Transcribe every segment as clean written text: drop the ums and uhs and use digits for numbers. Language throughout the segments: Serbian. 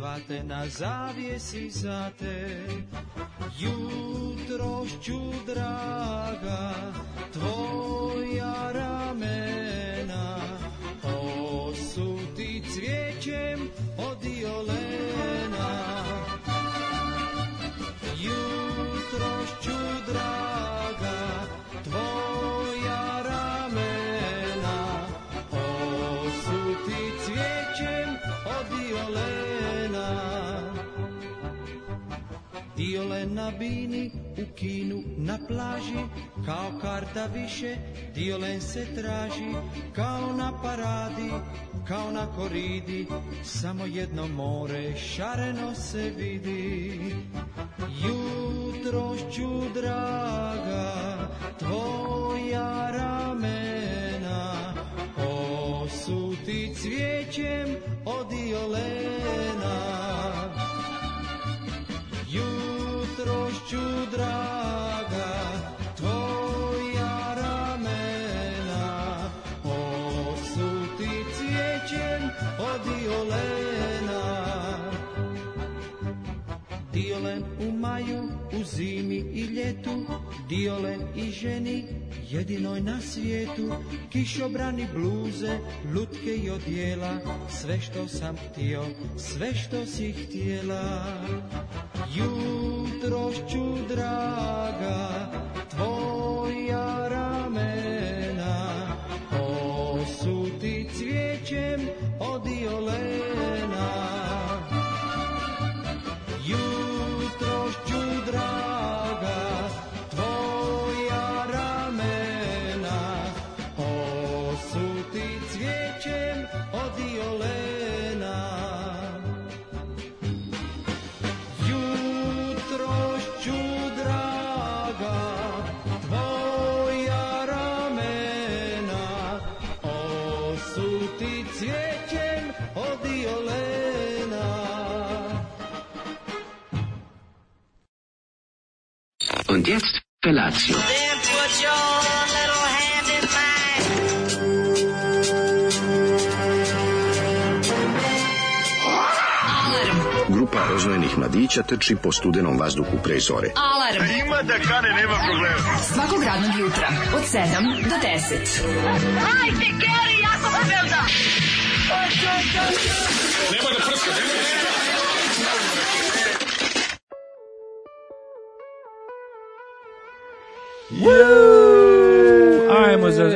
kravate na zavjesi za te. Jutrošću draga, tvoja ramena osuti cvijećem od violena. Jutrošću draga, tvoja ramena osuti cvijećem od violena. Diolen na bini, u kinu, na plaži, kao karta više, diolen se traži, kao na paradi, kao na koridi, samo jedno more šareno se vidi. Jutrošću draga, tvoja ramena osuti cvijećem od violena. Jutrošću draga, tvoja ramena osuti cvijećem od violena. Diolen u maju, u zimi i ljetu, diolen i ženi jedinoj na svijetu. Kišobrani, bluze, lutke i odjela, sve što sam htio, sve što si htjela. Jutrošću draga, tvoja ramena osuti cvijećem od violena. Jutrošću draga, tvoja ramena osuti cvijećem od violena. Jutrošću draga, tvoja ramena osuti cvijećem od violena. Und jetzt Felatio. Then put your little hand in mine. Grupa rozvojenih mladića trči po studenom vazduhu pre zore. Alarm. Ima da kane, nema problema. Svakog radnog jutra od 7 do 10. Hajde, Geri, jako se velda. Nema da prska,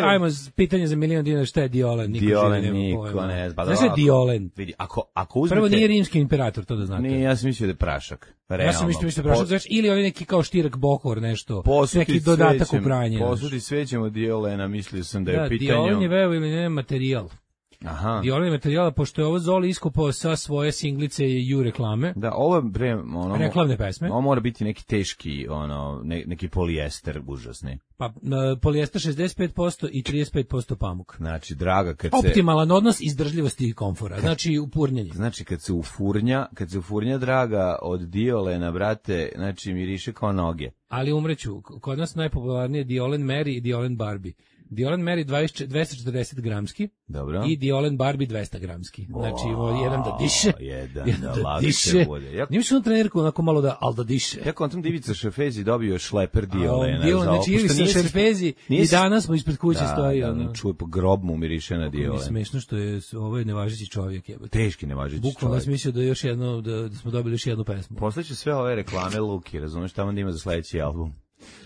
Ajmo pitanje za $1.000.000, šta je Diolen? Diolen niko ne zna. Znaš je Diolen? Vidi, ako uzmete... Prvo nije rimski imperator, to da znate. Nije, ja sam mislio da je prašak. Realno. Ja sam mislio da je prašak, znaš, ili ovaj neki kao štirak bohor, nešto, neki dodatak u pranje. Posudi svećemo Diolena, mislio sam da je pitanje... Diolen je veo ili ne materijal. Aha. Diolen je materijala, pošto je ovo Zoli iskopao sa svoje singlice i u reklame. Da, ovo je reklamne pesme. Ovo mora biti neki teški, neki polijester užasni. Pa polijester 65% i 35% pamuk. Znači, draga, optimalan odnos izdržljivosti i komfora. Znači, upurnjanje. Znači, kad se ufurnja draga od Diolena, brate, znači miriše kao noge. Ali umreću, kod nas najpopularnije Diolen Mary i Diolen Barbie. Diolen Mary 240 gramski. Dobro. I Diolen Barbie 200 gramski. Znači, jedan da diše. Jedan da diše. Nima se on trenerku onako malo al da diše. Ja kontam Divica Šerfezi dobio šleper Diolena. Znači, Ivica Šerfezi i danas mu ispred kuće stoji. Da, čuje po grobu mu miriše na Diolen. Mi smešno što je ovo je nevažeći čovjek. Teški nevažeći čovjek. Bukvalno sam mislio da još jedno, da smo dobili još jednu pesmu. Poslaću sve ove reklame Luki, razumeš, tamo da ima za sledeći album.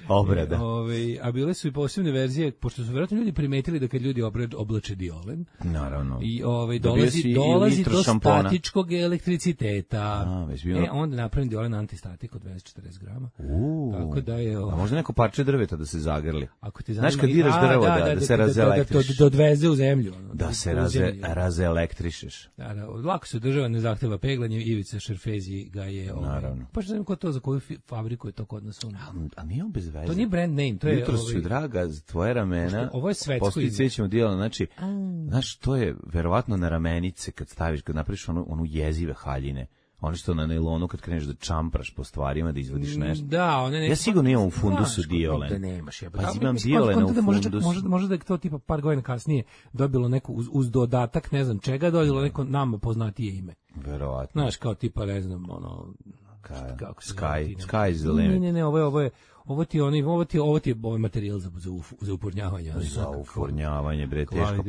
Obrada. A bile su i posebne verzije, pošto su vjerojatno ljudi primetili da kad ljudi oblače Diolen, naravno. I dolazi do statičkog elektriciteta. Onda napravim Diolen antistatik od 240 grama. Tako da je... A možda neko parče drveta da se zagrli. Ako ti zanima, znaš kad diraš drvo da se razelektriš. Da odveze u zemlju. Da se razelektrišeš. Da, lako se država ne zahteva peglanje, Ivica Šerfezi ga je... Naravno. Pa što znam ko to, za koju fabriku je to kod nas? A nije on bez veze. To nije brand name, to je... Jutro su, draga, tvoje ramena... Ovo je svetsko ime. Postoji ćemo Diolen, znači, znaš, to je verovatno na ramenice kad staviš, kad napraviš onu jezive haljine. Ono što na nailonu kad kreneš da čampraš po stvarima, da izvadiš nešto. Da, one ne... Ja sigurno imam u fundusu Diolen. Da nemaš, pa imam Diolen u fundusu. Možda da je to tipa par godina kasnije dobilo neku uz dodatak, ne znam čega, dobilo neko nama poznatije ime. Verovatno. Znaš, kao tipa, ne znam, ono... Sky is the limit. Ne, ovo ti je materijal za upurnjavanje. Za upurnjavanje, bre, teška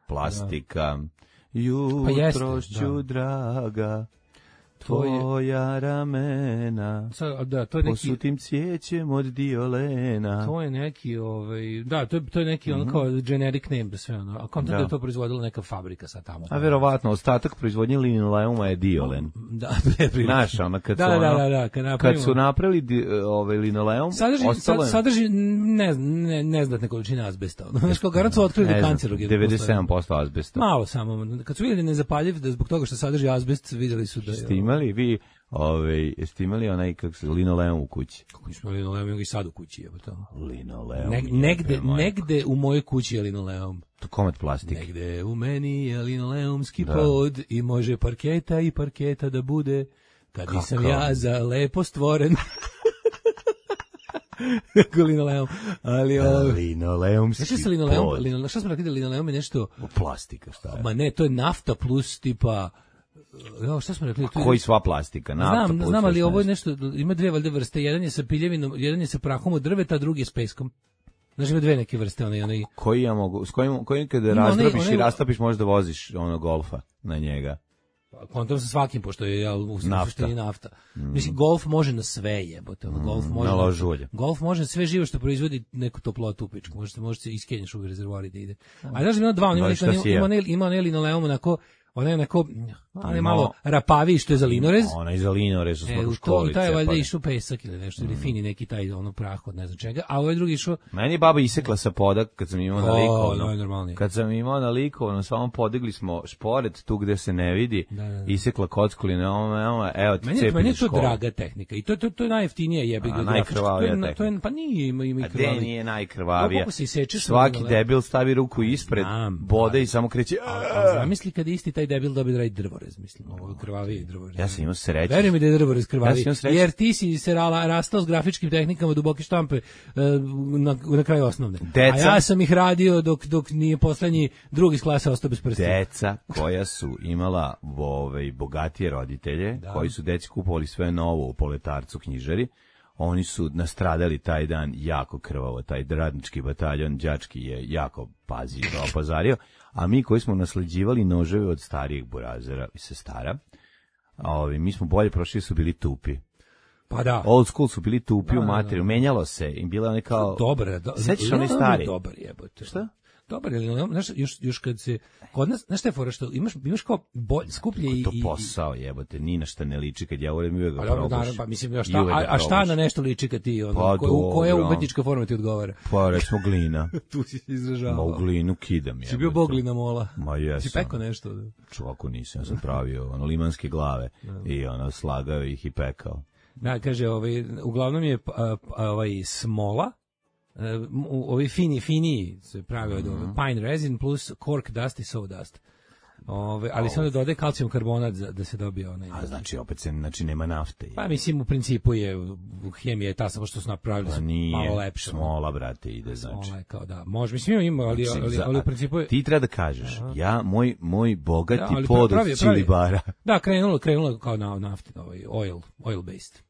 plastika. Jutrošću, draga, tvoja ramena, posutim cvijećem od diolena. To je neki, to je neki ono kao generic name za sve ono. A kontent da je to proizvodila neka fabrika sad tamo. A verovatno, ostatak proizvodnje linoleuma je diolen. Da, znaš, ono, kad su napravili linoleum, sadrži neznatne količine azbesta. Znaš, kao garant su otkrili kancerogen. 97% azbesta. Malo samo. Kad su vidjeli nezapaljiv, da zbog toga što sadrži azbest, vidjeli su da je... Ste imali vi, jeste imali onaj linoleum u kući? Kako nismo linoleum, i sad u kući, evo to. Linoleum. Negde u mojoj kući je linoleum. To komad plastike. Negde u meni je linoleumski pod i može parketa da bude, kad nisam ja za lepo stvoren. Linoleum, ali linoleumski pod. Šta smo rekli da linoleum je nešto... Plastika, šta je? Ma ne, to je nafta plus tipa... šta smo rekli? Koji sva plastika? Nafta znam, ali ovo je nešto, ima dve valjde vrste, jedan je sa piljevinom, jedan je sa prahom od drveta, a drugi je s peskom. Znači ima dve neke vrste, onaj. Koji ja mogu, s kojim kada razdrobiš i rastapiš možeš da voziš ono golfa na njega. Kontam sa svakim, pošto je u suštini nafta. Mislim, golf može na sve jebote. Golf može na sve živo što proizvodi neku toplotu u pičku. Može se iskenješ u rezervoar da ide. A znaš, ima dva, ima onaj linoleum onako, ona je onako, ona je malo rapaviji što je za linorez. Ona je za linorez, u svaku školi. To je valjda išao pesak ili nešto, ili fini neki taj ono prah od ne znam čega, a ovaj drugi išao... Meni je baba isekla sa poda kad sam imao na Likovno. Kad sam imao na Likovno, samo podigli smo šporet tu gde se ne vidi, isekla kocku linoleuma, evo ti cepi meni je to draga tehnika i to je najjeftinije jebiga. Najkrvavija tehnika. Pa nije ima i krvavija. A gde nije najkrvavija? Svaki debil stavi ruku ispred, bode i samo kreće... Zamisli kad isti taj debil dobije da radi drvorez, mislim, ovo krvavije drvorez. Ja sam imao sreće. Verujem mi da je drvorez krvaviji, jer ti si se rastao s grafičkim tehnikama duboke štampe na kraju osnovne. A ja sam ih radio dok nije poslednji drugi iz klase ostao bez prstiju. Deca koja su imala bogatije roditelje, koji su deci kupovali sve novo u Poletarcu knjižari, oni su nastradali taj dan jako krvavo, taj radnički bataljon đački je jako opazario, a mi koji smo nasleđivali noževe od starijih burazera i sestara, mi smo bolje prošli, su bili tupi. Pa da. Old school su bili tupi u materiju, menjalo se, im bila one kao... Dobre, sećaš oni stari? Dobar jebote. Šta? Dobar, znaš, još kad se kod nas, znaš šta je fora, što imaš kao skuplje i... To posao jebote, ni na šta ne liči kad ja volim uvek ga probuš. Pa mislim, a šta na nešto liči kad ti, koja umetnička forma ti odgovara? Pa recimo glina. Tu si izražavao. Ma u glinu kidam je. Si bio bog glina mola. Ma jesam. Si pekao nešto? Čovako nisam, ja sam pravio limanske glave i slagao ih i pekao. Da, kaže, uglavnom je smola, ovi finiji se pravi od pine resin plus cork dust i sawdust. Ali se onda dodaje kalcijum karbonat da se dobije onaj... A znači opet nema nafte. Pa mislim u principu je u hemiji je ta samo što su napravili malo lepše. Smola, brate, ide znači. Smola je kao da, može, mislim ima, ali u principu je... Ti treba da kažeš, moj bogati pod od Čilibara. Da, krenulo kao na nafti, oil based.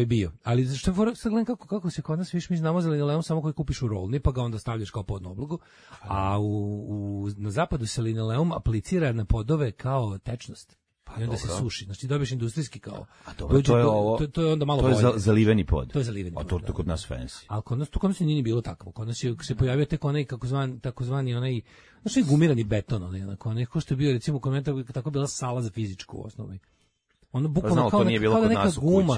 Bio. Ali što sad gledam kako se kod nas, mi znamo za linoleum samo koji kupiš u rolni, pa ga onda stavljaš kao podnu oblogu, a na zapadu se linoleum aplicira na podove kao tečnost. I onda se suši. Znači dobiješ industrijski kao. A dobro, to je onda malo bolje. To je zaliveni pod. To je zaliveni pod. A to kod nas fancy. Ali kod nas nije bilo takvo. Kod nas se pojavio tek onaj takozvani onaj, znači gumirani beton, onaj ko što je bio recimo kod mene tako bila sala za fizičku u osnovi. Ono bukvalno kao neka guma.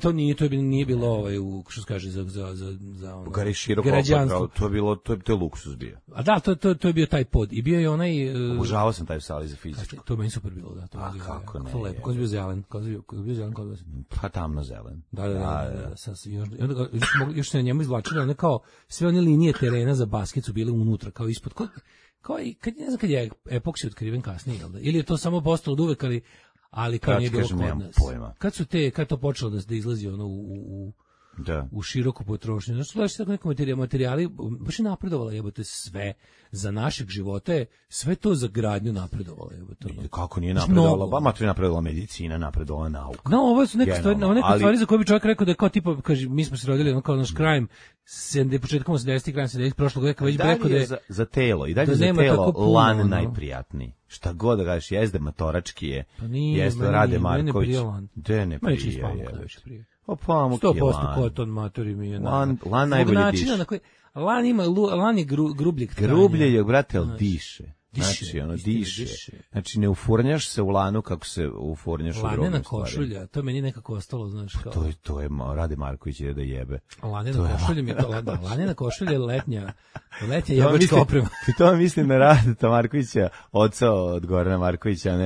To nije bilo što se kaže za ono. Gari široko opravo, to je luksuz bio. A da, to je bio taj pod. I bio je onaj obožavao sam taj sali za fizičku. To meni super bilo, da, to je. Kako ne? Lepo, ko je bio zelen, kod vas. Pa tamno zelen. Da. Još se na njemu izvlačilo, one kao sve one linije terena za basket su bile unutra, kao ispod. Kao i ne znam kad je epoksi otkriven kasnije, ili je to samo postalo od uvek, ali kad nije bilo kod nas. Pojma. Kad to počelo da izlazi ono u široku potrošnju. Znači, gledaš tako neko materijali, baš je napredovala, jebote, sve za našeg života je, sve to za gradnju napredovala, jebote. Kako nije napredovala? Ba, matri napredovala medicina, napredovala nauka. No, ovo su neke stvari za koje bi čovjek rekao da je kao tipa, kaže, mi smo se rodili, ono kao naš krajem, početkom 80-ih, krajem 70-ih, prošlog veka, već bi rekao da je... za telo, i dalje za telo lan najprijatniji. Šta god da kažeš, jezde matorački je, jezde Rade Marković. De ne prije. O pamuk je 100% koton matori mi je. Lan najbolje diše. Lan je grubljeg tranja. Grublje je, brate, ali diše. Znači, ono, diše. Znači, ne ufurnjaš se u lanu kako se ufurnjaš u drugom stvari. Lanena košulja, to meni nekako ostalo, znaš kao. To je Rade Marković ide da jebe. Lanena košulja mi je to, da, lanena košulja je letnja jebačka oprema. To mislim na Rade Markovića, oca od Gorana Markovića, a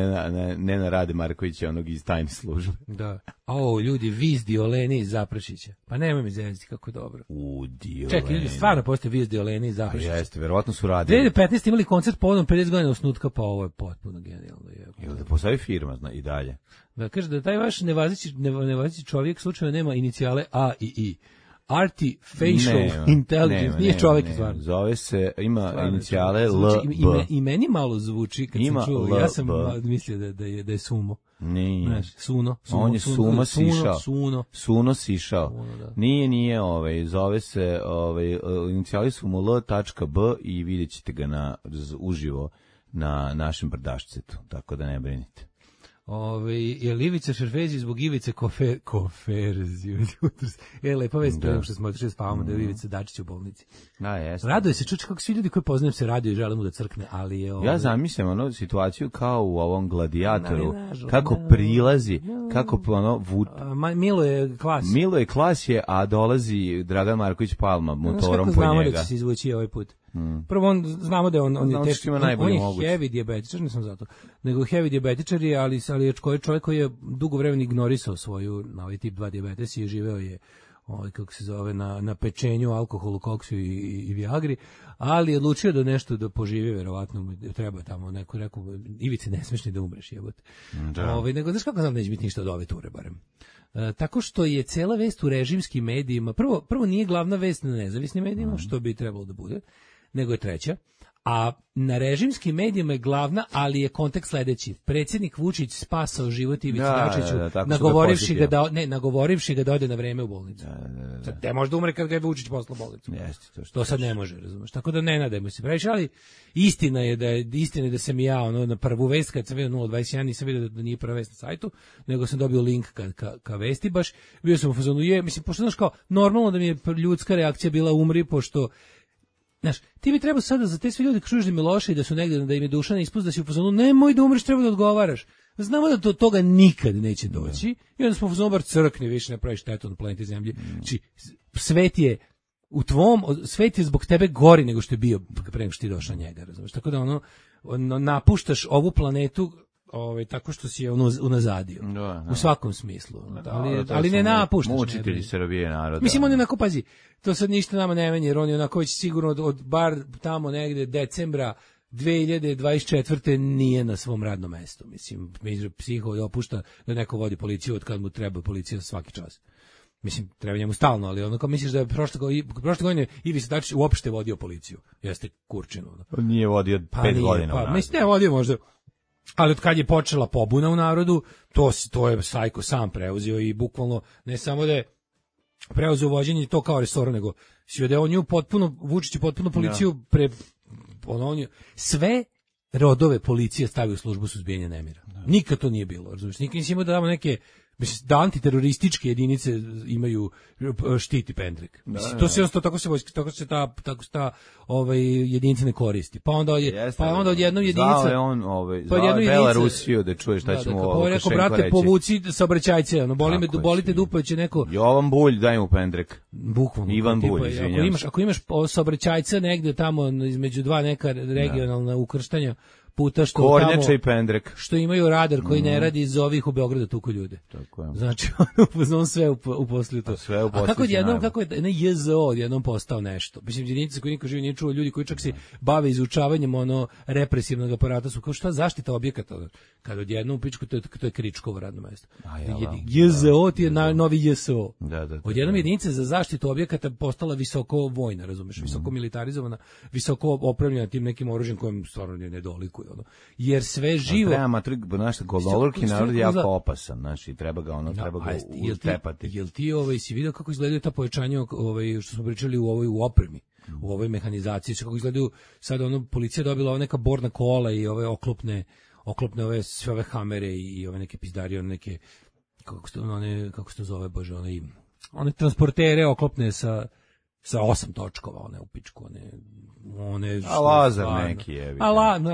ne na Rade Markovića, onog iz tajne službe. Da. Ljudi, Viz Dioleni iz Zaprašića. Pa nemoj mi zezati kako dobro. Dioleni. Čekaj, ljudi, stvarno postoje Viz Dioleni iz Zaprašića. Jeste, verovatno su radili. 2015 imali koncert povodom 50 godina osnutka, pa ovo je potpuno genijalno. Jel da postavi firma i dalje? Da kaže da taj vaš nevazeći čovjek slučajno nema inicijale A i I. Artificial Intelligence, nije čovjek stvarno. Zove se, ima inicijale L, B. I meni malo zvuči kad sam čuo, ja sam mislio da je Sumo. Nije. Znaš, Suno. On je Suno sišao. Suno sišao. Nije, zove se, inicijali su mu L.B i vidjet ćete ga uživo na našem brdašcetu, tako da ne brinite. Je Ivica Šerfezi zbog Ivice Koferzi. Lepa vest prema što smo otišli spavamo da je Ivica Dačić u bolnici. Da, jeste. Raduje se čuči kako svi ljudi koji poznajem se raduju i žele mu da crkne, ali je... Ja zamislim situaciju kao u ovom Gladiatoru, kako prilazi, kako Milo je klas. Milo je klas je, a dolazi Dragan Marković Palma motorom po njega. Znamo da će se izvući ovaj put. Prvo znamo da je on je teški, on je heavy dijabetičar, nisam zato, nego heavy dijabetičar je, ali je čovjek koji je dugo vremena ignorisao svoju ovaj tip 2 dijabetes i živeo je kako se zove na pečenju, alkoholu, koksu i viagri, ali je odlučio da nešto da poživi, verovatno treba tamo neko rekao, Ivice ne smeš ni da umreš, jebote. Nego znaš kako znam neće biti ništa od ove ture barem. Tako što je cela vest u režimskim medijima, prvo nije glavna vest na nezavisnim medijima, što bi trebalo da bude, nego je treća, a na režimskim medijima je glavna, ali je kontekst sledeći. Predsjednik Vučić spasao život Ivici Dačiću, nagovorivši ga da ode na vreme u bolnicu. Sad ne može da umre kad ga je Vučić poslao u bolnicu. To sad ne može, razumeš. Tako da ne nadajmo se previše, ali istina je da sam ja na prvu vest kad sam vidio 021 nisam vidio da nije prva vest na sajtu, nego sam dobio link ka vesti baš. Bio sam u fazonu, pošto znaš kao normalno da mi je ljudska reakcija bila umri, pošto znaš, ti bi trebao sada za te sve ljudi kažeš da im je loše i da su negde, da im je duša ne ispust, da si u fazonu, nemoj da umreš, treba da odgovaraš. Znamo da do toga nikad neće doći i onda smo u fazonu bar crkni, više ne pravi štetu na planeti Zemlji. Znači, svet je zbog tebe gori nego što je bio pre nego što ti došao njega, razumiješ? Tako da napuštaš ovu planetu tako što si je unazadio. U svakom smislu. Ali ne napuštaš. Mučitelji Srbije naroda. Mislim, on je onako, pazi, to sad ništa nama ne menja, jer on je onako već sigurno od bar tamo negde decembra 2024. nije na svom radnom mestu. Mislim, psiho opušta da neko vodi policiju od kad mu treba policija svaki čas. Mislim, treba njemu stalno, ali onako misliš da je prošle godine Ivica Dačić uopšte vodio policiju. Jeste kurčinu. On nije vodio 5 godina. Mislim, ne vodio možda. Ali od kad je počela pobuna u narodu, to je Sajko sam preuzeo i bukvalno ne samo da je preuzeo vođenje to kao resora, nego si da je on nju potpuno, Vučić je potpuno policiju sve rodove policije stavio u službu suzbijanja nemira. Nikad to nije bilo, razumiješ? Nikad nisi imao da damo neke, da antiterorističke jedinice imaju štiti pendrek. To se tako se ta jedinica ne koristi. Pa onda od jednom jedinica. Znao je on Belarusiju da čuje šta ćemo Lukašenko reći. Brate, povuci saobraćajce, bolite dupe će neko. Jovan Bulj, daj mu pendrek. Bukvalno. Ivan Bulj, izvinjam. Ako imaš saobraćajca negde tamo između dva neka regionalna ukrštanja, puta što Kornjača tamo, i pendrek. što imaju radar koji ne radi iz ovih u Beogradu tuku ljude. Tako je. Znači, on sve uposlio to. Sve A kako odjednom, kako je JZO odjednom postao nešto? Mislim, jedinice koji niko živi nije čuo, ljudi koji čak se bave izučavanjem represivnog aparata su kao šta zaštita objekata. Kad odjednom u pičku, to je Kričkovo radno mesto. JZO ti je novi JSO. Odjednom jedinica za zaštitu objekata postala visoko vojna, razumeš, visoko militarizovana, visoko opremljena tim nekim oružjem kojem stvarno ne dolikuje. Jer sve živo... Naš gololorki narod je jako opasan, znači treba ga utepati. Jel ti si vidio kako izgledaju ta pojačanja što smo pričali u opremi, u ovoj mehanizaciji, kako izgledaju sad policija dobila neka borna kola i ove oklopne sve ove hamere i ove neke pizdarije, neke kako se to zove, bože, one transportere oklopne sa 8 točkova, one u pičku, one a lazar neki je.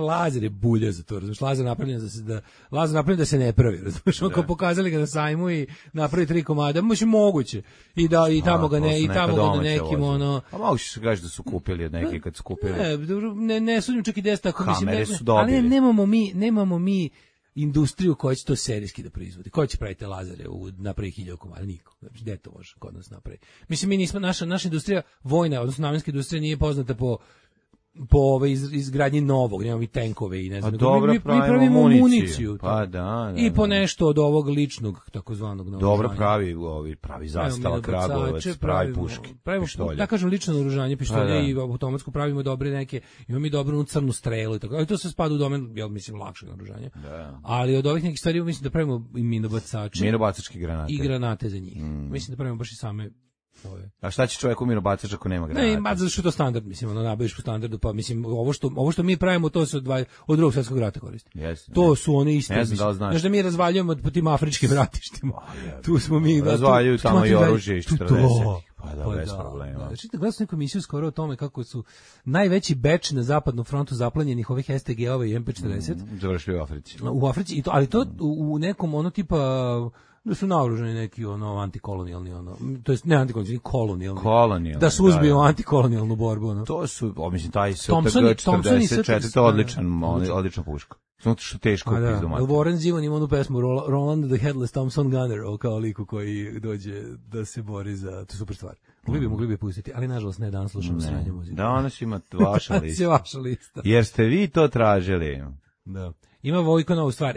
Lazar je bulja za to, razumiješ, lazar napravljen da se ne pravi, razumiješ, ako pokazali ga na sajmu i napravi 3 komada, moguće, i tamo ga ne, i tamo ga na nekim, a moguće se kaže da su kupili od neki kad su kupili. Ne sudim čak i deseta, ako mislim, ali nemamo mi industriju koja će to serijski da proizvodi. Ko će praviti lazare napravi 1000 komada? Niko. Znači, gde to može kod nas napravi? Mislim, mi nismo, naša industrija vojna, odnosno namenska industrija nije poznata po izgradnji novog, nemamo i tenkove i ne znam. Mi pravimo municiju. Pa da. I po nešto od ovog ličnog, takozvanog novog. Dobro pravi zastava, kragujevac, pravi puške, pištolje. Da kažem, lično naoružanje, pištolje i automatsko pravimo dobre neke, imamo i dobru crnu strelu i tako. Ali to se spada u domen, ja mislim, lakšeg naoružanja. Ali od ovih nekih stvari mislim da pravimo i minobacače. Minobacačke granate. I granate za njih. Mislim da pravimo baš i same. A šta će čovjek minobacač ako nema granate? Ne, zato što je to standard, mislim, nabaviš po standardu, pa mislim, ovo što mi pravimo, to se od Drugog svjetskog rata koristi. To su one iste, mislim. Znaš da mi razvaljujemo po tim afričkim ratištima. Tu smo mi. Razvaljuju tamo i oružje iz 40. Pa da, bez problema. Znači, gledao sam neku emisiju skoro o tome kako su najveći beč na zapadnom frontu zaplanjenih ovih STG-ova i MP40. Završili u Africi. U Africi, ali to u nekom tipa... da su naoružani neki antikolonijalni to jest ne antikolonijalni, kolonijalni. Da suzbiju antikolonijalnu borbu. To su, mislim, taj STG-44, to je odlična puška. Samo što teško je pizdu mater. Warren Zevon ima onu pesmu Roland the Headless Thompson Gunner, kao liku koji dođe da se bori za, to je super stvar. Mogli bi pustiti, ali nažalost ne, danas slušamo sranje muzike. Danas ima vaša lista. Jer ste vi to tražili. Da. Ima Vojko novu stvar.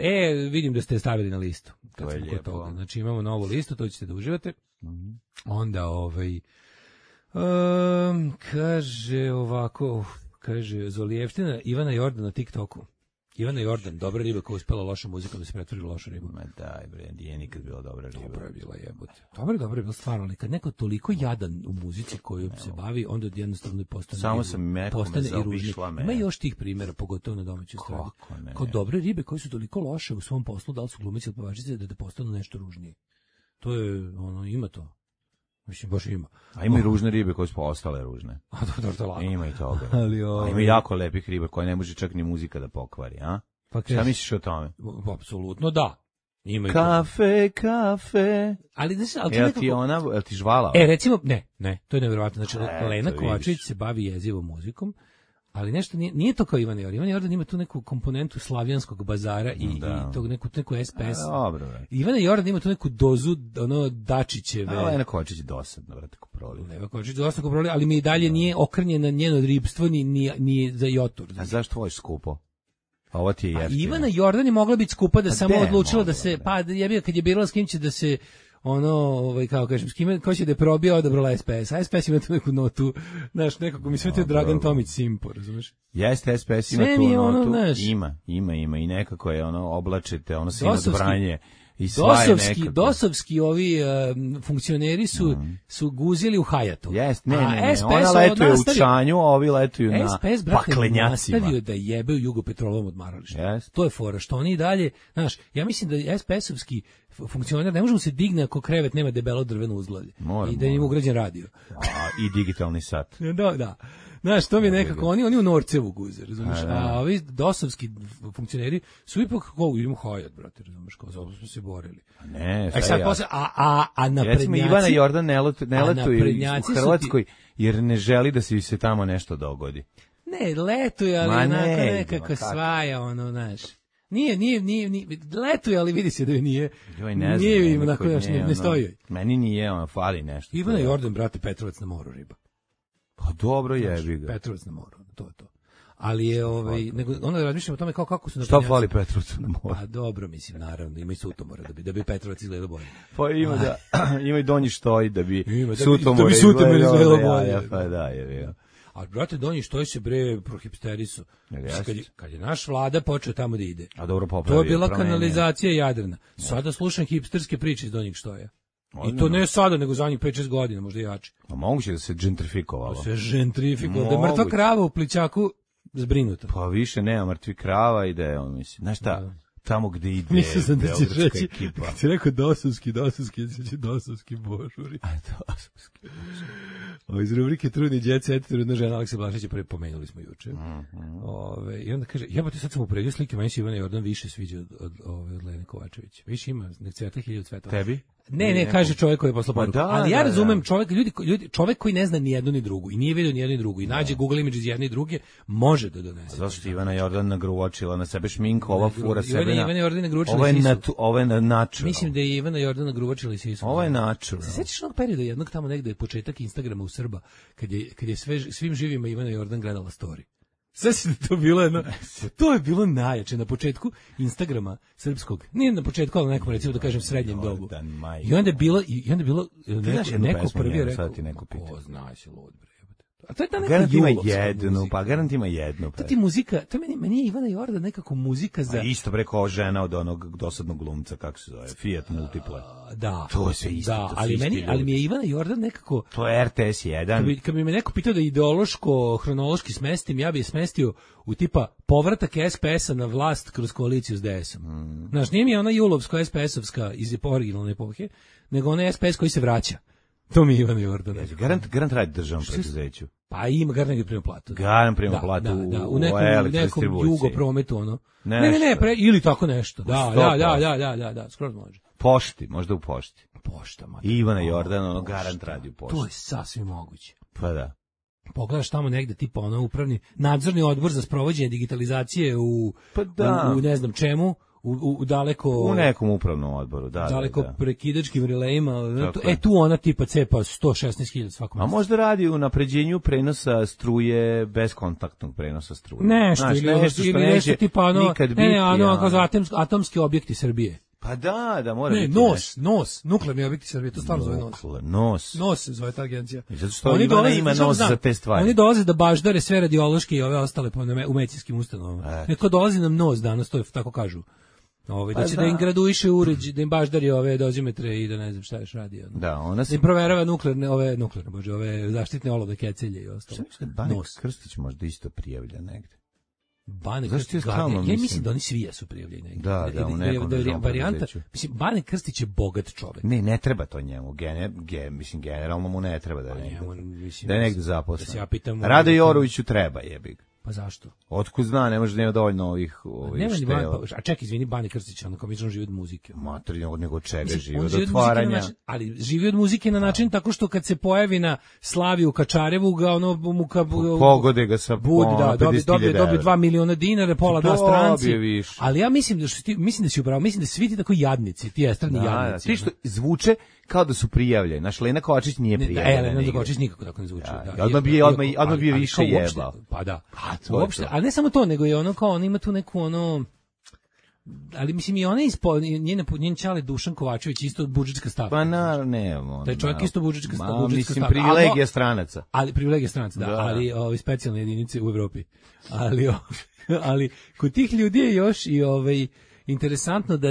Vidim da ste je stavili na listu. To je lijepo. Znači imamo novu listu, to ćete da uživate. Onda kaže ovako, Zolijevština Ivana Jordan na TikToku. Ivana Jordan, dobra riba koja uspela lošom muzikom da se pretvori u lošu ribu. Ma daj bre, nije nikad bila dobra riba. Dobra je bila, jebote. Dobra je bila stvarno, ali kad neko toliko jadan u muzici koju se bavi, onda jednostavno postane samo sam i ružni. Ima još tih primjera, pogotovo na domaćoj strani. Kao dobre ribe koje su toliko loše u svom poslu, da li su glumice ili pevačice, da postanu nešto ružnije. To je, ima to. Mislim, baš ima. A ima i ružne ribe koje su ostale ružne. A dobro, to lako. Ima i toga. A ima jako lepih riba koje ne može čak ni muzika da pokvari, a? Pa šta misliš o tome? Apsolutno da. Ima kafe. Ali jel ti žvala? Recimo, ne, to je nevjerovatno. Znači, Lena Kovačević se bavi jezivom muzikom, ali nešto nije to kao Ivan Jordan. Ivan Jordan ima tu neku komponentu slavijanskog bazara i tog neku SPS. Dobro. Ivan Jordan ima tu neku dozu Dačićeve. Lena Kovačić je dosadno, vrati ko proli. Lena Kovačić je dosadno ko proli, ali mi i dalje nije okrenjena njeno ribstvo ni za jotur. A zašto tvoj skupo? A ovo ti je jeftino. Ivana Jordan je mogla biti skupa da samo odlučila da se, kad je birala s kim će da se kao kažem, s kime, ko će da je probio, odabrala SPS. A SPS ima tu neku notu, znaš, nekako mi sve to je Dragan Tomić Simpo, razumiješ? Jeste, SPS ima tu notu, ima i nekako je oblačite, sinodbranje. Dosovski ovi funkcioneri su guzili u Hajatu. Ne, ona letuje u Čanju, a ovi letuju na paklenjacima. Nastavio da jebe u Jugopetrolovom odmaralištu. To je fora, što oni i dalje, znaš, ja mislim da SPS-ovski funkcioner ne može mu se digne ako krevet nema debelo drveno uzglavlje. I da im ugrađen radio. I digitalni sat. Da. Znaš, to mi je nekako, oni u Norcevu guze, razumiješ, a ovi dosovski funkcioneri su ipak, idemo Hajat, brate, razumiješ, kao zato smo se borili. Ne, sad posle, a naprednjaci... Recimo, Ivana Jordan ne letuju u Hrvatskoj, jer ne želi da se tamo nešto dogodi. Ne, letuje, ali onako nekako svaja, ono, znaš. Nije, letuje, ali vidi se da joj nije. Joj, ne znam. Nije im onako još, ne stoji joj. Meni nije, ono, fali nešto. Ivana Jordan, brate, Petrovac na moru, riba. Pa dobro jebi ga. Petrovac na moru, to je to. Ali je, nego, onda razmišljamo o tome kako su... Šta fali Petrovcu na moru? Pa dobro, mislim, naravno, ima i sutomora da bi Petrovac izgledao bolje. Pa ima i Donji Štoj da bi sutomora izgledao bolje. Pa da, je. A brate, Donji Štoj se bre prohipsterisu. Kad je naš vlada počeo tamo da ide. A dobro popravio. To je bila kanalizacija Jadrana. Sada slušam hipsterske priče iz Donjeg Štoja. I to ne sada, nego zadnjih 5-6 godina, možda jače. A moguće da se gentrifikovalo. Da se gentrifikovalo, da je mrtva krava u Plićaku zbrinuta. Pa više nema mrtvi krava i da je, on misli, znaš šta, tamo gde ide mislim sam da ćeš reći, ekipa. Kad si rekao dosovski božuri. A dosovski božuri. Iz rubrike Trudni Jet Set, trudna žena Aleksa Blažića, pomenuli smo juče. I onda kaže, jebate, sad sam upredio slike, meni se Ivana Jordan više sviđa od Lene Kovačević. Više ima, nek cveta 1000 cvetova. Tebi? Ne, kaže čovjek koji je poslao poruku. Ali ja razumem čovjek koji ne zna ni jednu ni drugu i nije vidio ni jednu ni drugu i nađe Google Images jedne i druge, može da donese. Zašto Ivana Jordan nagruvačila na sebe šminku, ova fura sebe na... Ivana Jordan nagruvačila i sisu. Ovo je natural. Mislim da je Ivana Jordan nagruvačila i sisu. Ovo je natural. Se sećaš onog perioda jednog tamo negde početak Instagrama u Srba, kad je svim živima Ivana Jordan gledala story. Sve se to bilo jedno, to je bilo najjače na početku Instagrama srpskog, nije na početku, ali nekom recimo da kažem srednjem dobu. I onda je bilo neko prvi rekao, ko zna se lud bre. A to je ta neka garant ima jednu. To ti muzika, to meni je Ivana Jordan nekako muzika za... A isto bre kao žena od onog dosadnog glumca, kako se zove, Fiat Multiple. Da. To je sve isto. Da, ali mi je Ivana Jordan nekako... To je RTS 1. Kad bi me neko pitao da ideološko, hronološki smestim, ja bih je smestio u tipa povratak SPS-a na vlast kroz koaliciju s DS-om. Znaš, nije mi ona julovsko SPS-ovska iz originalne epohe, nego ona SPS koji se vraća. To mi je Ivana Jordan. Garant radi državnom preduzeću. Pa ima garant prima platu. Garant prima platu u nekom jugoprometu, ono. Ne, ili tako nešto. Da, skoro može. Pošti, možda u pošti. Pošta, ma. Ivana Jordan, ono, garant radi u pošti. To je sasvim moguće. Pa da. Pogledaš tamo negde, tipa ono upravni, nadzorni odbor za sprovođenje digitalizacije u ne znam čemu, u daleko... U nekom upravnom odboru, da. Daleko prekidačkim relejima, tu ona tipa cepa 116.000 svakom. A možda radi u napređenju prenosa struje, beskontaktnog prenosa struje. Nešto, ili nešto tipa ono, kao atomski objekti Srbije. Pa da, mora biti. NOS, nuklearni objekti Srbije, to stvarno zove NOS. NOS se zove ta agencija. Zato što Ivana ima NOS za te stvari. Oni dolaze da baždare sve radiološke i ove ostale u medicinskim ustanovama. Neko dolazi nam NOS danas, to je tako kažu. Da će da im graduiše uređaj, da im baždari ove dozimetre i da ne znam šta još radi. Da, ona se... Da im proverava ove zaštitne olove, kecelje i ostalo. Bane Krstić možda isto prijavlja negde. Bane Krstić, ja mislim da oni svi jesu prijavljeni negde. Da, u nekom državnom preduzeću. Mislim, Bane Krstić je bogat čovek. Ne treba to njemu. Mislim, generalno mu ne treba da je negde zaposlen. Rado Joroviću treba, jebig. Pa zašto? Otkud zna, ne može da nema dovoljno ovih štela. A čekaj, izvini, Bane Krstić, on komično živi od muzike. Matori, nego čega živi od otvaranja. Ali živi od muzike na način tako što kad se pojavi na slavi u Kačarevu, ga ono pogode ga sa dobije 2 miliona dinara, pola da stranci. Ali ja mislim da si upravo, mislim da svi ti tako jadnici, ti estradni jadnici. Ti što zvuče kao da su prijavljeni. Naš Lena Kovačić nije prijavljena. Lena Kovačić nikako tako ne zvuči. Odmah bi je više jebao. Pa da. Uopšte, ali ne samo to, nego je ono kao, on ima tu neku ono, ali mislim i ona njen čale Dušan Kovačević isto budžetska stavka. Pa ne. Taj čovjek isto budžetska stavka. Mislim, privilegija stranaca. Ali privilegija stranaca, da. Ali specijalne jedinice u Evropi. Ali kod tih ljudi je još i interesantno da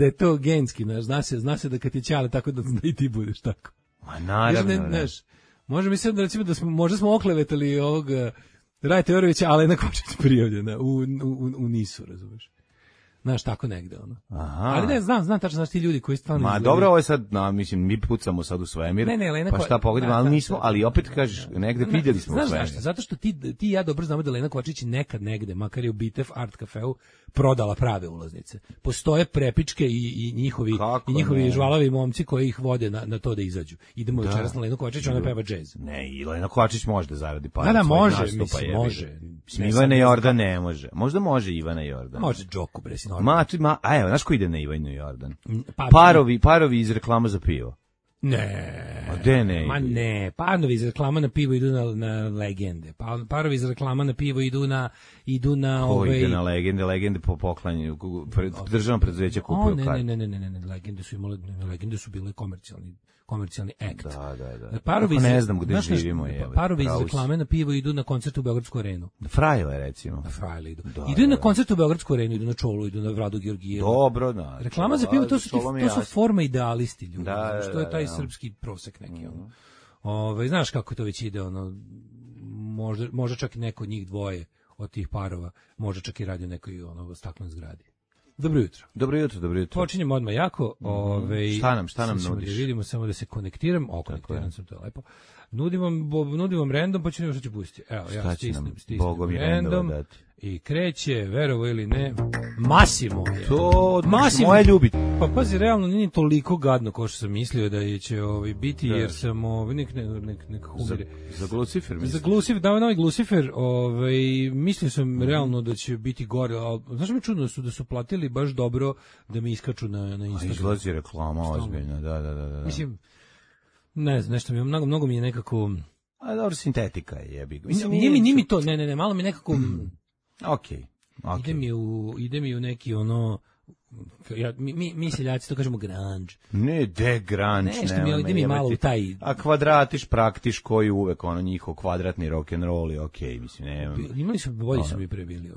je to genski, zna se da kad je čale tako da i ti budeš tako. Ma naravno. Može mi se da recimo da možda smo oklevetali Rajta Jorovića, ali na Kovačić prijavljena u NIS-u, razumeš. Znaš, tako negde, ono. Aha. Ali ne, znam tačno, znaš, ti ljudi koji stvarno Ma izgledaju. dobro, ovo je sad, mislim, mi pucamo sad u svemir, Ne, Lena pa šta pogodimo, ali nismo, ali opet kažeš, negde vidjeli smo Znaš svemir. zašto? Zato što ti i ja dobro znamo da Lena Kovačić nekad negde, makar je u Bitev Art Cafeu, prodala prave ulaznice. Postoje prepičke i njihovi žvalavi momci koji ih vode na to da izađu. Idemo večeras na Lenu Kovačić, ona peva džez. Ne, i Lena Kovačić može da zaradi para. Da, od svojeg može, nastupa, mislim, jebi ga. može. Ivana Jordan ne može. Možda može Ivana Jordan. Može Džoku, bre, si normalno. A evo, znaš ko ide na Ivanu Jordan? Pa, Parovi iz reklama za pivo. Ne. A gde ne? Ma ne, parovi iz reklama na pivo idu na legende. Parovi iz reklama na pivo idu na Ko ide na legende po poklanju, državno preduzeće kupuju karte. Ne, legende su bile komercijalni akt. Da. Parovi ne znam gde živimo. Parovi iz reklame na pivo idu na koncert u Beogradsku arenu. Frajle, recimo. Na Frajle idu. Idu na koncert u Beogradsku arenu, idu na Čolu, idu na Vladu Georgijevu. Dobro, da. Reklama za pivo, to su forma idealisti ljudi. Što je taj da. srpski prosek neki, ono. Znaš kako to već ide, ono, možda čak i neko od njih dvoje od tih parova, možda čak i radi u nekoj staklenoj zgradi. Dobro jutro. Dobro jutro. Počinjemo odmah jako. Šta nam nudiš? Da vidimo, samo da se konektiram. Konektiram sam, to je lepo. Nudim vam random, pa ću nešto ću pustiti. Evo, ja stisnem random i kreće, verovo ili ne, Massimo je. To moje ljubiti. Pa pazi, realno nije toliko gadno kao što sam mislio da će biti, jer sam nek humire. Za Glucifer mislim. Za Glucifer, novi Glucifer, mislio sam realno da će biti gore, ali znaš mi čudno da su platili baš dobro da mi iskaču na Instagram. Izlazi reklama ozbiljno, da. Mislim, ne znam, nešto mi mnogo mi je nekako... A dobro, sintetika je, jebi ga. Nije mi to, ne, malo mi nekako... Okej. Ide mi u neki mi seljaci to kažemo grunge. Ne, grunge. Ide mi malo u taj... A kvadratiš, praktiš koji uvek, njihov kvadratni rock'n'roll je okej, mislim, nema. Imali su, bolji su mi pre bili,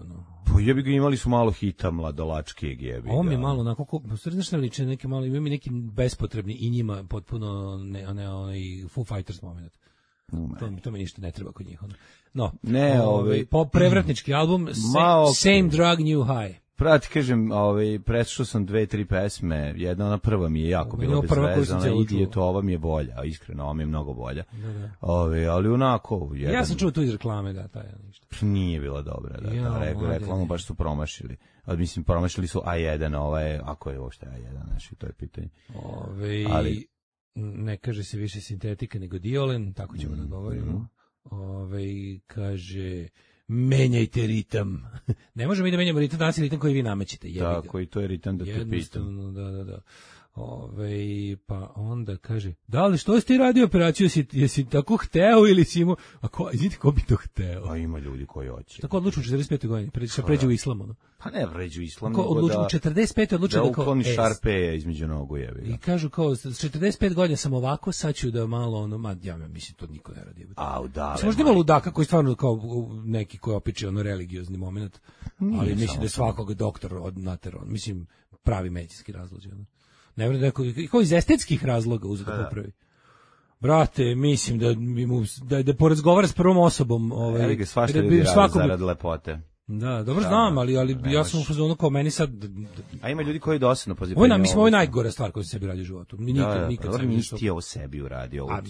Pa jebi ga, imali su malo hita mladolačkijeg, jebi ga. Ovo mi je malo onako, znaš ne liče neke malo, ima mi neki bespotrebni i njima potpuno Foo Fighters moment. To mi ništa ne treba kod njih. No, prevratnički album, Same Drug New High. Prati, kažem, preslušao sam 2-3 pesme, jedna ona prva mi je jako bila bezvezana, ova mi je bolja, a iskreno, ova mi je mnogo bolja. Ali onako... Ja sam čuo tu iz reklame, da, taj ništa. Nije bila dobra, da, reklamu baš su promašili. Mislim, promašili su A1, ako je uopšte A1, znači, to je pitanje. Ali... Ne kaže se više sintetika nego diolen, tako ćemo da govorimo. Kaže, menjajte ritam. Ne možemo mi da menjamo ritam, danas je ritam koji vi namećete. Tako, i to je ritam da te pitam. Jednostavno, da. Pa onda kaže, da li što si ti radio operaciju, jesi tako hteo ili si imao, izvite, ko bi to hteo? A ima ljudi koji hoće. Tako odluču u 45. godini, pređu u islam, Pa ne pređu u islam, nego u 45. odlučio da ukloni šarpe između nogu, jebi ga. I kažu kao, s 45 godina sam ovako, sad ću da malo, ja mislim, to niko ne radi. Možda ima ludaka koji stvarno kao neki koji opiči religiozni moment, ali mislim da je svakog doktor naterao, mislim, pravi medicinski razlozi, ne vredi kao iz estetskih razloga uzeti da popravi. Brate, mislim da porazgovara s prvom osobom. Evo ga, svašta ljudi radi zarad lepote. Da, dobro znam, ali ja sam u fazonu kao meni sad... A ima ljudi koji dosadno poziv. Mislim, ovo je najgora stvar koju se sebi radi u životu. Nikad sebi nisi ti ovo sebi uradio, ovo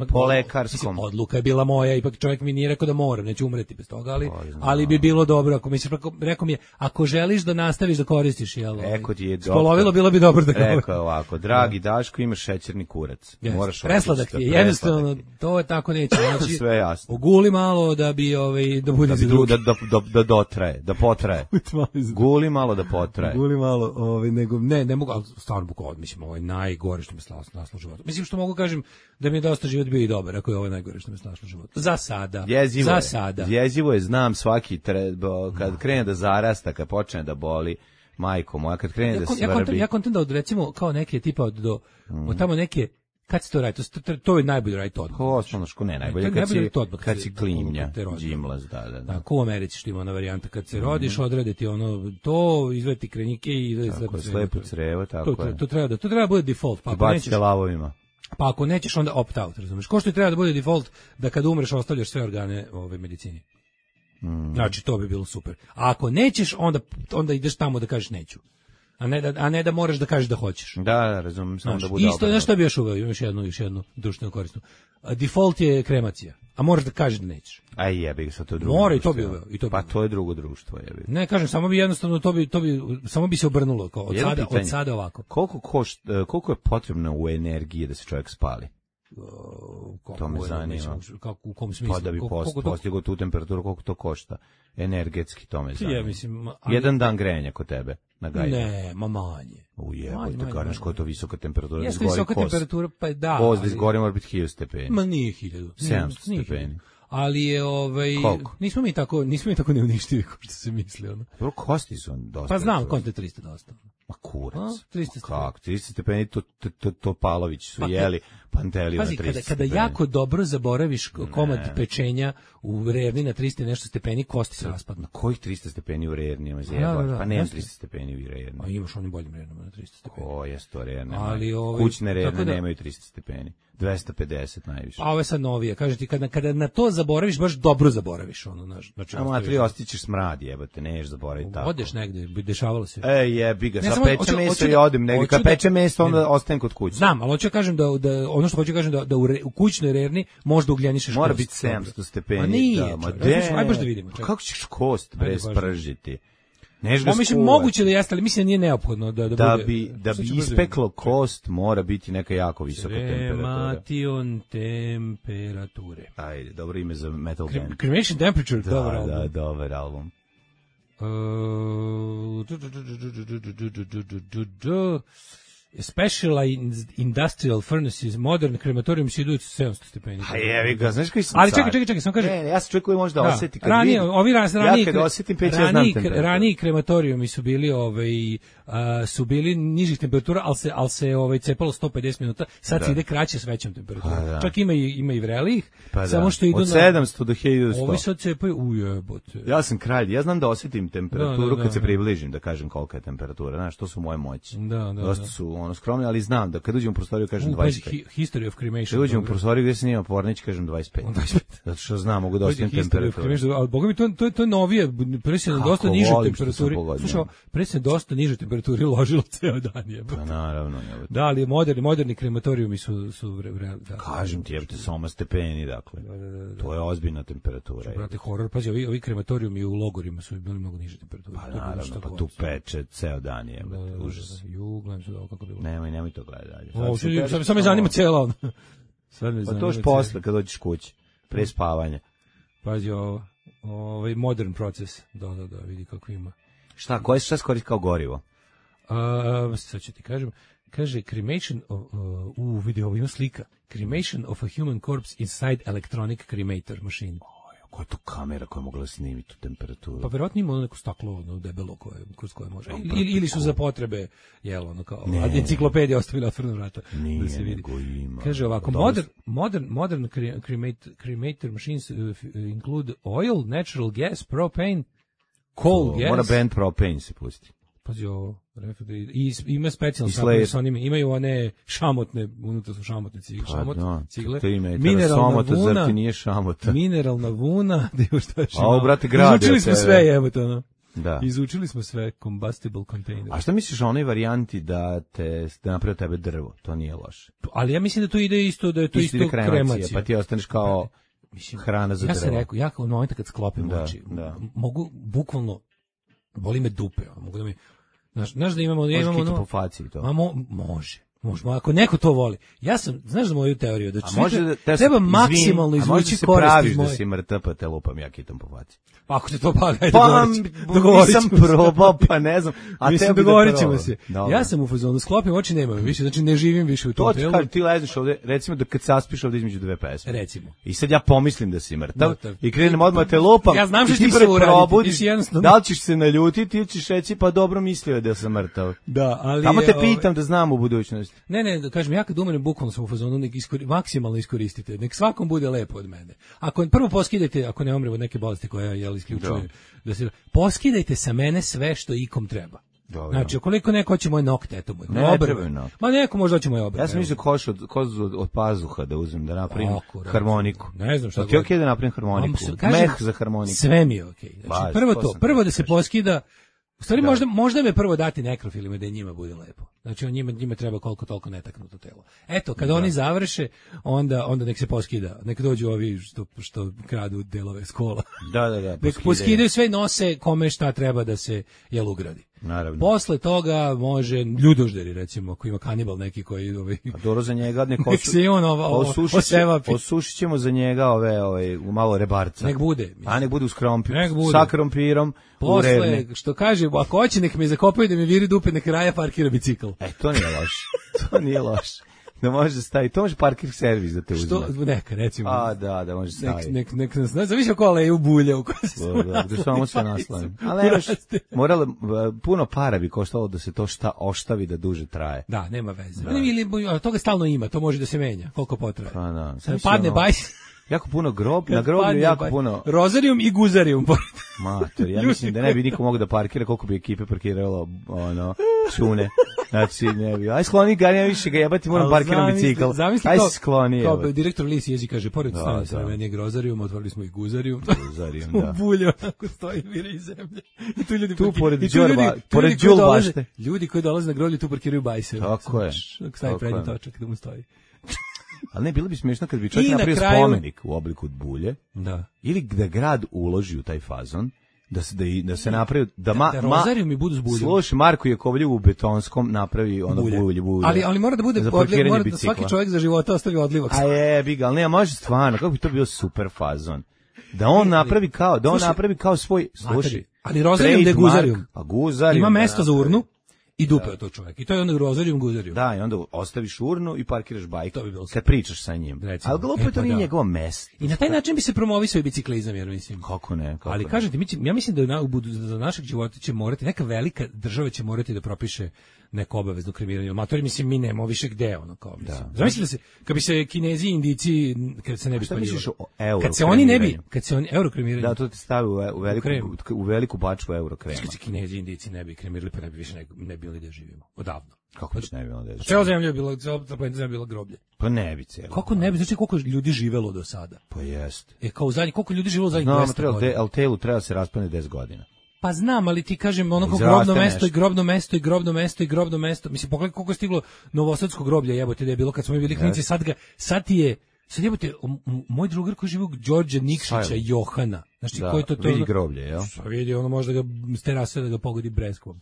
po lekarskom. Odluka je bila moja, ipak čovjek mi nije rekao da moram, neću umreti bez toga, ali bi bilo dobro, ako mi se rekao mi je, ako želiš da nastaviš da koristiš, spolovilo, bilo bi dobro da ga... Rekao je ovako, dragi Daško, imaš šećerni kurac. Presladak ti je, jednostavno, to je tako neće. Sve jasno. Oguli malo da bi, da bude za drugi. Da potraje. Guli malo da potraje. Guli malo, nego ne mogu, ali stvarno bukvalno, mislim, ovo je najgore što me snašlo u životu. Mislim, što mogu kažem da mi je dosta život bio i dobar, ako je ovo najgore što me snašlo u životu. Za sada. Jezivo je, znam svaki, kad krene da zarasta, kad počne da boli, majko moja, kad krene da svrbi. Ja kontam da od, recimo, kao neke tipa od tamo neke. Kad se to radi? To je najbolje raditi odmah. Osnovno ne najbolje, kad si klimnja, džimlaz, da. Ko u Americi što ima ona varijanta, kad se rodiš, odrede ti to, izveti krenike i izveti slepo crevo, tako je. To treba da bude default. Pa bacite lavovima. Pa ako nećeš, onda opt out, razumiješ? Ko što treba da bude default, da kad umreš ostavljaš sve organe medicini. Znači, to bi bilo super. A ako nećeš, onda ideš tamo da kažeš neću. A ne da moraš da kažeš da hoćeš. Da, razumem, samo da bude isto, znaš šta bi još uveo, još jednu društvenu korisnu. Default je kremacija, a moraš da kažeš da nećeš. Aj jebi, sad to je drugo. Mora i to bi uveo. Pa to je drugo društvo, jebi. Ne, kažem, samo bi jednostavno to bi samo bi se obrnulo kao od sada ovako. Koliko je potrebno u energiji da se čovjek spali? To me zanima. U kom smislu? Pa da bi postigao tu temperaturu, koliko to košta? Energetski, to me zanima. Ja mislim, jedan dan grenja kod tebe na gajbu. Ne, manje. Ujebojte, kažeš koja je to visoka temperatura. Jeste visoka temperatura, pa da. Voz da izgori mora biti 1000 stepeni. Ma nije 1000. 700 stepeni. Ali je Koliko? nismo mi tako neuništivi kao što se misli, ono. Dobro, kosti su dosta. Pa znam, konte 300 dosta. Ma kurac. 300 kako? 300 stepeni to Palović su jeli Panteliju na 300 stepeni. Kada jako dobro zaboraviš komad pečenja u Rerni na 300 nešto stepeni, kosti se raspadnu. Kojih 300 stepeni u Rerni? Pa nemam 300 stepeni u Rerni. A imaš onim boljim Rernama na 300 stepeni. O, jes to Rerne. Kućne Rerne nemaju 300 stepeni. 250 najviše. A ovo je sad novije. Kaže ti, kada na to zaboraviš, baš dobro zaboraviš. Znači, a matri, ostićeš smrad, jebate, neš zaboraviti tako. Odeš negde, dešavalo se. Jebi ga, sa peče meso i odem negde. Kad peče meso, onda ostajem kod kuće. Znam, ali hoću kažem ono što hoću kažem da u kućnoj Rerni možda ugljenišeš kost. Mora biti 700 stepeni. A nije, aj baš da vidimo. Kako ćeš kost spržiti? Mislim, moguće da jeste, ali mislim da nije neophodno da bude. Da bi ispeklo kost, mora biti neka jako visoka temperatura. Kremation temperature. Ajde, dobro ime za metal band. Cremation Temperature, dobar album. Da, dobar album. Specialized industrial furnaces, modern crematorium se idu 700 stepeni. A jevi ga, znaš koji sam ali čekaj, samo kaže. Ne, ja sam čovjek koji može da osjeti kad ranije, vidim. Ovi ranije, ja kad osjetim peć, ja znam temperaturu. Raniji krematorijumi su bili nižih temperatura, ali se cepalo 150 minuta, sad se ide kraće s većom temperaturom. Čak ima i vrelih, samo što idu od 700 do 1100. Ovi sad cepaju, ujebote. Ja sam kralj, ja znam da osjetim temperaturu kad se približim, da kažem kolika je temperatura, znaš, to su moje moći. Dosta su skromni, ali znam da kad uđem u prostoriju kažem 25. History of cremation. Kad uđem u prostoriju gdje se nima Pornić kažem 25. Zato što znam, mogu da ostavim temperaturu. Ali boga mi, to je novije, pre se na dosta niže temperaturi. Slušao, pre se dosta niže temperaturi ložilo ceo dan. Pa naravno. Da, ali moderni krematorijumi su kažem ti, jebate, soma stepeni, dakle. To je ozbiljna temperatura. Brate, horor, pazi, ovi krematorijumi u logorima su bili mnogo niže temperature. Pa naravno, pa tu peče ceo dan, jebate, užas. Gledam se da kako bilo. Nemoj to gledati. Sad me zanima cijela ono. Pa to još posle kad dođeš kući, pre spavanja. Pazi ovaj modern proces. Da, vidi kako ima. Šta se koristi kao gorivo? Sad ću ti kažem. Kaže, cremation vidi, ovo ima slika. Cremation of a human corpse inside electronic cremator machine. Koja je to kamera koja je mogla snimiti tu temperaturu? Pa verovatno ima neko staklo debelo kroz koje može. Ili su za potrebe, kao enciklopedija ostavila otvorena vrata. Da se vidi. Kaže ovako, modern cremator machines include oil, natural gas, propane, coal gas. Mora band propane se pusti. Pazi ovo, i ima specijalno sa onim, imaju one šamotne, unutra su šamotne cigle, mineralna vuna, izučili smo sve, jebote, ono. Da. Izučili smo sve, combustible container. A šta misliš o onoj varijanti da napravi od tebe drvo? To nije loše. Ali ja mislim da to ide isto, da je to isto kremacija. Pa ti ostaneš kao hrana za drvo. Ja sam rekao, ja u momentu kad sklopim oči, mogu bukvalno, boli me dupe, mogu da mi... Znaš da imamo... Može kito po faci to. Može, ako neko to voli. Ja sam, znaš za moju teoriju, da treba maksimalno izvući korist iz moje... A može se praviš da si mrtav, pa te lupam ja kitom po faci. Pa ako te to hajde dogovorit ćemo se. Nisam probao, pa ne znam. Mislim, dogovorit ćemo se. Ja sam u fazonu, sklopim oči, nemam više, znači ne živim više u tom telu. To ti ležeš ovde, recimo da kad saspiš ovde između dve pesme. Recimo. I sad ja pomislim da si mrtav i krenem odmah te lupam. Ja znam što ti prvo uraditi. Da li ćeš se naljutiti ili ćeš reći pa dobro mislio da sam mrtav. Da, ali... Tamo te pitam da znam u budućnosti. Ne, kažem, ja kad umrem, bukvalno sam u fazonu, maksimalno iskoristite, nek svakom bude lepo od mene. Ako prvo poskidajte, ako ne umrem od neke bolesti koja isključuje, poskidajte sa mene sve što ikom treba. Dobro. Znači, ukoliko neko hoće moje nokte, eto moj Ne obrve. trebaju nokte. Ma neko možda hoće moje obrve. Ja sam mislio kozu od pazuha da uzmem, da napravim harmoniku. Ne znam šta. Ti je okej da napravim harmoniku? Meh za harmoniku. Sve mi je okej. Znači, prvo da se poskida. U stvari možda me prvo dati nekrofilima da je njima bude lepo. Znači njima treba koliko toliko netaknuto telo. Eto, kad oni završe, onda nek se poskida. Nek dođu ovi što kradu delove s kola. Da. Nek poskidaju sve, nose kome šta treba da se ugradi. Naravno. Posle toga može ljudožderi, recimo, ako ima kanibal neki koji A dobro za njega nek se on osušit ćemo za njega malo rebarca. Nek bude. A nek bude uz krompir. Sa krompirom. Posle, što kaže, ako hoće nek me zakopaju da mi viri dupe, nek Raja parkira bicikl. To nije loše. Da može staviti, to može parkir servis da te uzme. Što, neka, recimo. Da može staviti. Nek nas, zavisi o kole i u bulje u koje se da samo sve naslane. Ali moralo, puno para bi koštalo da se to oštavi da duže traje. Da, nema veze. Ili toga stalno ima, to može da se menja, koliko potraje. Pa da. Padne bajs. Jako puno na groblju jako puno. Rozarijum i guzarijum. Mater, ja mislim da ne bi niko mogao da parkira koliko bi ekipe parkiralo čune. Znači, ne bi. Aj skloni ga, ne više ga jebati, moram parkiram bicikl. Aj skloni. Kao direktor Lis jezi kaže, pored stanice Ravenije Grozarijum, otvorili smo i guzarijum. Guzarijum, da. U bulju, onako stoji, vire iz zemlje. I tu ljudi pored džulbašte. Ljudi koji dolaze na groblje tu parkiraju bajse. Tako je. Stavi prednji točak da mu stoji. Ali ne, bilo bi smiješno kad bi čovjek napravio spomenik u obliku bulje, ili da grad uloži u taj fazon, da se napravi, da Rozarijum mi budu s buljom. Slušaj, Marko Jakovljev u betonskom napravi ono bulje. Ali mora da bude mora da svaki čovjek za života ostavi odlivak. A biga, ali ne, može stvarno, kako bi to bio super fazon. Da on napravi kao svoj, slušaj. Ali Rozarijum da je guzarijum. A guzarijum. Ima mesto za urnu. I dupe od tog čovjeka. I to je onda Rozarijum guzarijum. Da, i onda ostaviš urnu i parkiraš bajk. To bi bilo kad pričaš sa njim. Ali glupo to nije njegovo mesto. I na taj način bi se promovisao i biciklizam, jer mislim. Kako ne? Ali kažete, ja mislim da za našeg života će morati, neka velika država će morati da propiše neko obavezno kremiranje. Amatori, mislim, mi nemamo više gde, ono, kao, mislim. Zamislite da se, kad bi se Kinezi i Indici, kad se ne bi spaljivali. Kad se oni euro kremiranje. Da, to te stavi u veliku bačku euro krema. Kad se Kinezi i Indici ne bi kremirali, pa ne bi više ne bili da živimo. Odavno. Kako ne bi bilo da živimo? Cela zemlja je bila groblje. Pa ne bi cijelo. Kako ne bi? Znači koliko ljudi živelo do sada? Pa jest. Kao koliko ljudi živelo zadnjih 200 godina? Ali telu treba se raspadne 10 godina. Pa znam, ali ti kažem, grobno mesto. Mislim, pogledaj koliko je stiglo novosadsko groblje, jebote, da je bilo kad smo mi bili klinici, sad jebote, moj drugar koji živi u Đorđe Nikšića Johana. Znači, koji to vidi groblje, jel? Vidi, ono možda ga s terase da ga pogodi breskvom.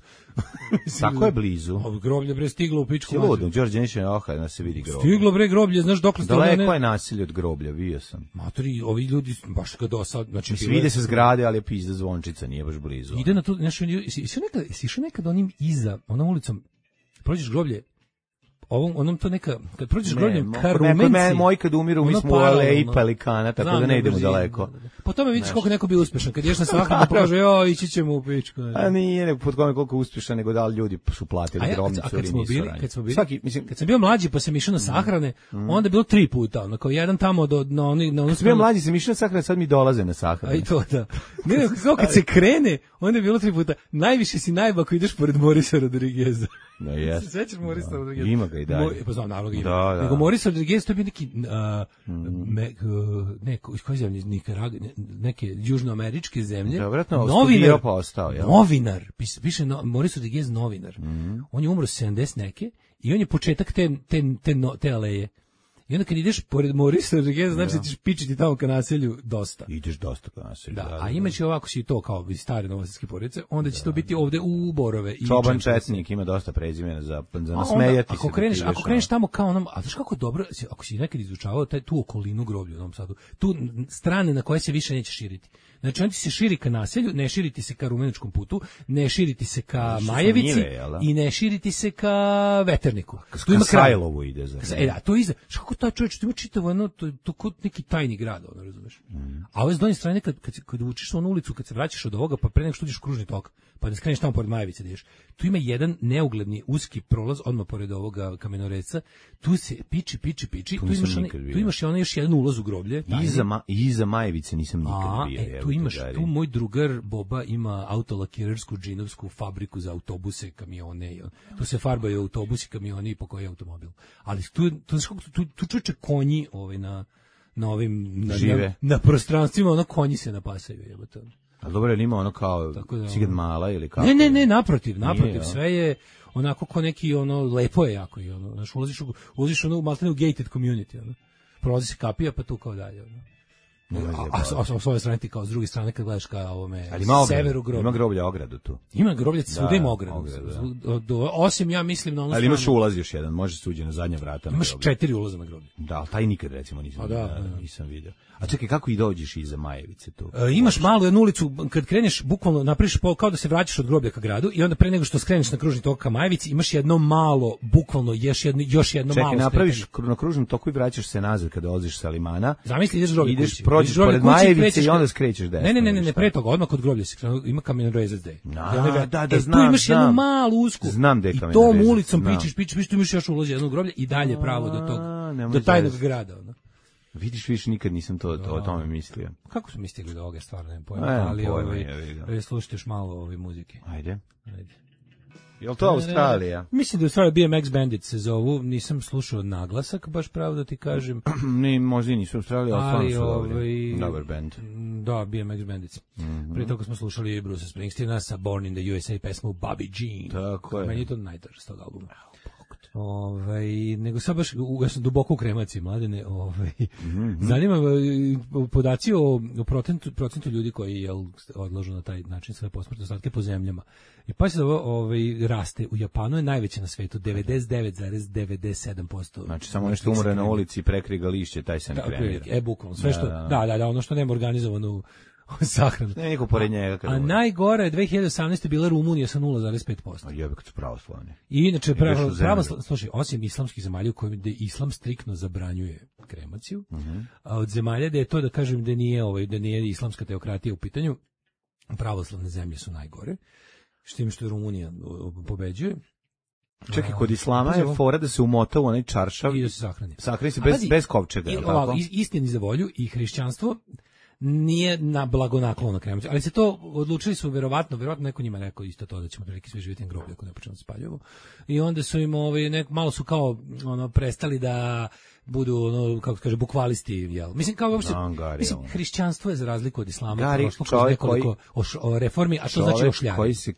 Tako je blizu. Groblje bre stiglo u pičku. Siludno, Đorđe Nikšića Johana se vidi groblje. Stiglo bre groblje, znaš dokle ste... Daleko je naselje od groblja, bio sam. Matori, ovi ljudi, baš ga dosad... Znači, vide se zgrade, ali je pizda Zvončica, nije baš blizu. Ide na to, znači, si išao nekad onim iza, onom ulicom, prođeš groblje, onom to neka, kad prođeš grobljem ka Rumenci... Moji kad umiru, mi smo u aleji Pelikana, tako da ne idemo daleko. Po tome vidiš koliko neko bio uspešan, kad ješ na sahranu, pokaže, ići ćemo u pičku. A nije po tome koliko uspešan, nego da li ljudi su platili grobnicu ili nisu. Kad sam bio mlađi, pa sam išao na sahrane, onda je bilo 3 puta, ono, kao jedan tamo Kad sam bio mlađi, sam išao na sahrane, sad mi dolaze na sahrane. A i to, da. Ne, kad se krene, onda je bilo 3 puta. Najviše si najba ako ideš pored Morisa Rodrigueza. No, yes. Sećaš Morisa Rodrigueza? Ima ga i dalje. Pa znam, naravno ga ima. Da. Nego Morisa Rodriguez, to je bio neki, iz koje zemlje, neke južnoameričke zemlje. Da, vratno, novinar pa ostao, ja. Novinar, piše Morisa Rodriguez novinar. On je umro 70 neke i on je početak te aleje. I onda kad ideš pored Morisa Rodrigueza, znači da ćeš pičiti tamo ka naselju dosta. Ideš dosta ka naselju. Da, a imaće ovako si to kao iz stare novosadske porodice, onda će to biti ovde u Borove. Čoban Četnik ima dosta prezimena za nasmejati se. Ako kreneš tamo kao onom, a znaš kako dobro, ako si nekad izučavao tu okolinu groblja u Novom Sadu, tu strane na koje se više neće širiti. Znači on ti se širi ka naselju, ne širiti se ka Rumeničkom putu, ne širiti se ka Majevici i ne širiti se ka Veterniku. Tu ima Sajlovu ide za. Da, to iza. Kako kako ta čovječ, to ima čitavo jedno, to kod neki tajni grad, ono, razumeš? A ove s donje strane, kad učiš onu ulicu, kad se vraćaš od ovoga, pa pre nego što uđeš u kružni tok, pa da skreneš tamo pored Majevice da ideš, tu ima jedan neugledni uski prolaz, odmah pored ovoga kamenoreca, tu se piči, tu imaš onaj još jedan ulaz u groblje. Iza Majevice nisam nikad bio. Tu imaš, tu moj drugar Boba ima autolakirarsku džinovsku fabriku za autobuse, kamione, tu se farbaju autobusi, kamioni i po koji automobil. Ali tu čuče konji na ovim na prostranstvima, ono konji se napasaju, jebote. A dobro, je li ima ono kao Cigad Mala ili kako? Ne, naprotiv, sve je onako ko neki, ono, lepo je jako i ono, znaš, ulaziš ono, maltene u gated community, ono, prolazi se kapija, pa tu kao dalje, ono. A s ove strane ti kao s druge strane kad gledaš ka ovome severu groblja. Ima groblja ogradu tu. Ima groblja, svuda ima ogradu. Osim ja mislim na ono. Ali imaš ulaz još jedan, može se uđe na zadnja vrata. Imaš 4 ulaza na groblje. Da, taj nikad recimo nisam vidio. A čekaj, kako i dođeš iza Majevice tu? Imaš malu jednu ulicu, kad kreneš, bukvalno napraviš kao da se vraćaš od groblja ka gradu i onda pre nego što skreneš na kružni tok ka Majevici, imaš jedno malo, bukvalno još jedno malo. Čekaj, napraviš na kružnom toku i vraćaš se nazad kada odlaziš sa limana. Zamisli, ideš groblje kući. Prođeš pored Majevice i onda skrećeš desno. Ne, pre toga, odmah kod groblja se krenuo, ima kamenorezac gde. Da, znam. Tu imaš jednu malu usku. Znam gde je kamenorezac. I tom ulicom pičiš, tu imaš još ulaz jedno groblje i dalje pravo do tajnog grada. Vidiš, nikad nisam o tome mislio. Kako su mi stigli do ovoga, stvarno nemam pojma, ali slušajte još malo ove muzike. Ajde. Je li to Australija? Mislim da je Australija BMX Bandit se zovu, nisam slušao naglasak, baš pravo da ti kažem. Možda i nisu Australija, ali stvarno su dobar band. Da, BMX Bandits. Prije toga smo slušali Bruce Springsteena sa Born in the USA pesmu Bobby Jean. Tako je. Meni je to najdraže s tog albuma. Nego sad baš ja sam duboko u kremaciji, Mladene, zanima me podaci o procentu ljudi koji odlažu na taj način svoje posmrtne ostatke po zemljama. I pa se ovo raste. U Japanu je najveće na svetu, 99,97%. Znači samo nešto umre na ulici i prekriga lišće, taj se ne kremira. Bukvalno, sve što, da, ono što nema organizovano sahranu. Ne, niko pored njega. A najgore je 2018. bila Rumunija sa 0,5%. A jebe kad su pravoslavni. I inače, slušaj, osim islamskih zemalja u kojima islam striktno zabranjuje kremaciju, a od zemalja da je to, da kažem, da nije islamska teokratija u pitanju, pravoslavne zemlje su najgore, s tim što je Rumunija pobeđuje. Čekaj, kod islama je fora da se umota u onaj čaršav i da se sahrani. Sahrani se bez kovčega. Istini za volju i hrišćanstvo nije na blagonaklono kremaciju, ali se to odlučili su verovatno neko njima rekao isto to da ćemo prilike svi živjeti na groblju ako ne počnemo da spaljujemo. I onda su im malo su kao prestali da budu kako se kaže bukvalisti, jel? Mislim kao uopšte hrišćanstvo je za razliku od islama prošlo kroz nekoliko reformi, a to znači ošljanje. Koji se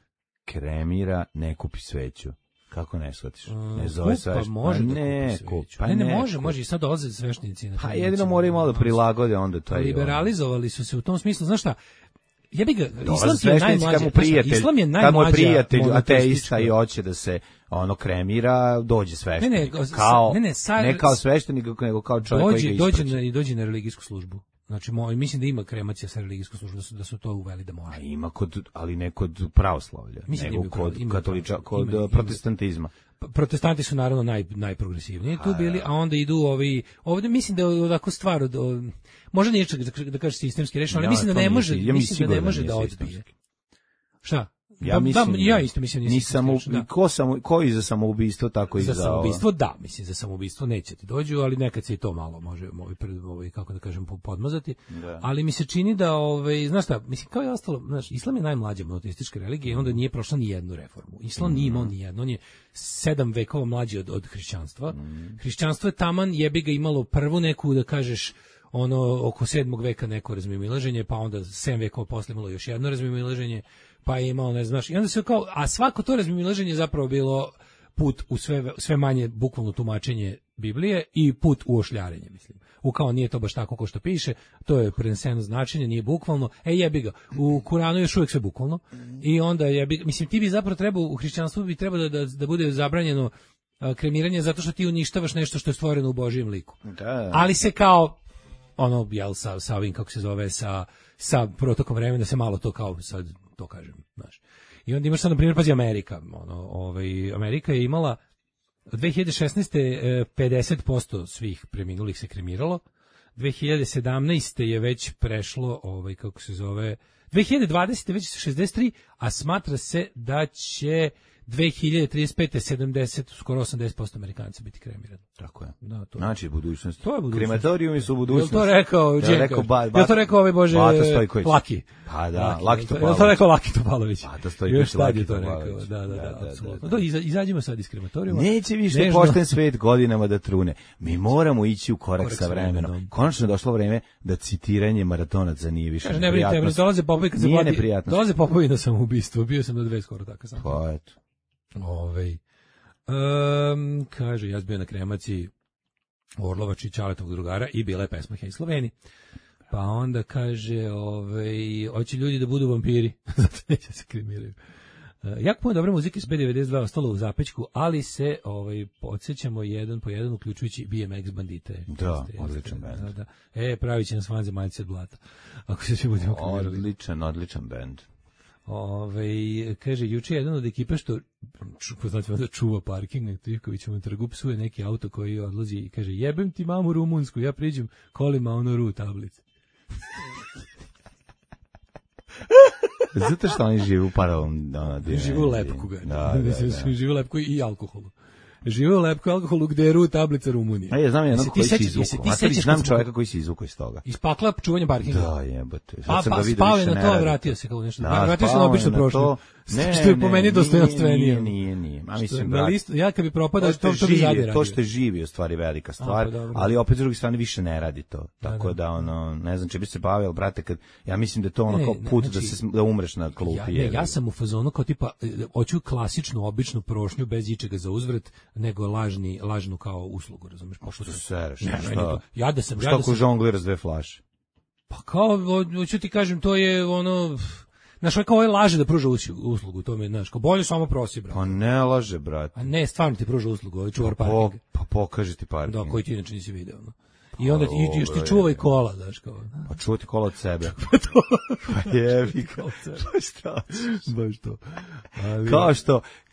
kremira ne kupi sveću. Kako ne shvatiš? Ne zove sve. Pa može ne kupi. Ne može i sad dolaze sveštenici. A jedino moraju malo da prilagode onda to. Liberalizovali su se u tom smislu, znaš šta? Ja bih ga, Islam je najmlađa prijatelj ateista i hoće da se kremira, dođe sveštenik. Ne kao sveštenik, nego kao čovjek koji ga ispraća. Dođe na religijsku službu. Znači, mislim da ima kremacija sa religijskom službom, da su to uveli da može. A ima ali ne kod pravoslavlja, nego kod protestantizma. Protestanti su naravno najprogresivniji tu bili, a onda idu ovdje mislim da je ovako stvar možda nije da kažeš sistemski rešeno, ali mislim da ne može da odbije. Šta? Ja isto mislim ko i za samoubistvo tako i za samoubistvo, mislim za samoubistvo neće ti dođu, ali nekad se i to malo može kako da kažem podmazati. Ali mi se čini da znaš šta, mislim kao je ostalo, znaš, islam je najmlađa monoteistička religija i onda nije prošla ni jednu reformu. Islam nije imao ni jednu, on je 7 vekova mlađi od hrišćanstva. Hrišćanstvo je taman jebi ga imalo prvu neku da kažeš oko 7. veka neko razmimoilaženje, pa onda 7 vekova posle imalo još jedno razmimoilaženje, pa je imao, ne znaš, i onda se a svako to razmimoilaženje zapravo bilo put u sve manje bukvalno tumačenje Biblije i put u ošljarenje, mislim. Kao nije to baš tako kao što piše, to je preneseno značenje, nije bukvalno, jebi ga, u Kuranu još uvijek sve bukvalno, i onda mislim, ti bi zapravo trebao, u hrišćanstvu bi trebalo da bude zabranjeno kremiranje zato što ti uništavaš nešto što je stvoreno u Božijem liku. Da. Ali se kao sa ovim, kako se zove, sa protokom vremena se malo to kao sad to kažem, znaš. I onda imaš sad, na primjer, pazi, Amerika. Amerika je imala 2016. 50% svih preminulih se kremiralo. 2017. je već prešlo, kako se zove, 2020. već 63, a smatra se da će 2035. 70, skoro 80% Amerikanca biti kremirani. Tako je. Da, to znači, budućnost. To je budućnost. Krematorijumi su budućnost. Je to rekao Đenka? Je to rekao ovaj Bože Laki? Pa da, Laki Topalović. Je to rekao Laki Topalović? Pa to stoji još tad je to rekao. Da, apsolutno. To izađimo sad iz krematorijuma. Neće više pošten svet godinama da trune. Mi moramo ići u korak sa vremenom. Konačno je došlo vreme da citiranje maratonaca nije više neprijatnost. Ne, dolaze popovi kad se plati. Dolaze popovi na samoubistvo. Bio sam na 2 skoro tako sam. Pa eto. Kaže, ja sam bio na kremaciji Orlovač i Ćaletovog drugara i bila je pesma Hej Sloveni. Pa onda kaže, hoće ljudi da budu vampiri, zato neće se kremiraju. Jako puno dobre muzike s B92 ostalo u zapećku, ali se podsjećamo jedan po jedan, uključujući BMX bandite. Da, odličan band. Da. Pravit će nas vanzemaljci od blata. Ako se svi budemo kremirali. Odličan band. Kaže, juče jedan od ekipe što čuva parking na Trivkovićevom trgu, psuje neki auto koji odlazi i kaže, jebem ti mamu rumunsku, ja priđem kolima ru tablice. Zato što oni žive u paralelnom žive u lepku žive u lepku i alkoholu. Žive u lepku alkoholu gde je ru tablica Rumunije. Ja znam jednog koji se izvukao. Znam čovjeka koji se izvukao iz toga. Iz pakla čuvanja parkinga. Da, jebate. Spao je na to, vratio se kao nešto. Vratio se na obično prošlo. Što je po meni dostojanstvenije. Nije. A mislim, ja kad bi propadao, to bi zadnje radio. To što živi u stvari velika stvar, ali opet s druge strane više ne radi to. Tako da, ne znam, če bi se bavio, brate, kad, ja mislim da je to kao put da umreš na klupi. Ja sam u fazonu kao tipa, hoću klasičnu, običnu prošnju bez ičega za uzvrat, nego lažnu kao uslugu, razumeš? Pa što se sereš? Ja da sam... Što ako žongliraš 2 flaše? Pa kao, hoću ti kažem, to je ono... Znaš, kao ovaj laže da pruža uslugu, to me, znaš, kao bolje samo prosi, brate. Pa ne laže, brate. A ne, stvarno ti pruža uslugu, ovaj čuvar parking. Pa pokaži ti parking. Da, koji ti inače nisi video, no. I onda još ti čuvaj kola, znaš, kao. Pa čuvaj ti kola od sebe. Pa jebi ga. Pa šta? Baš to.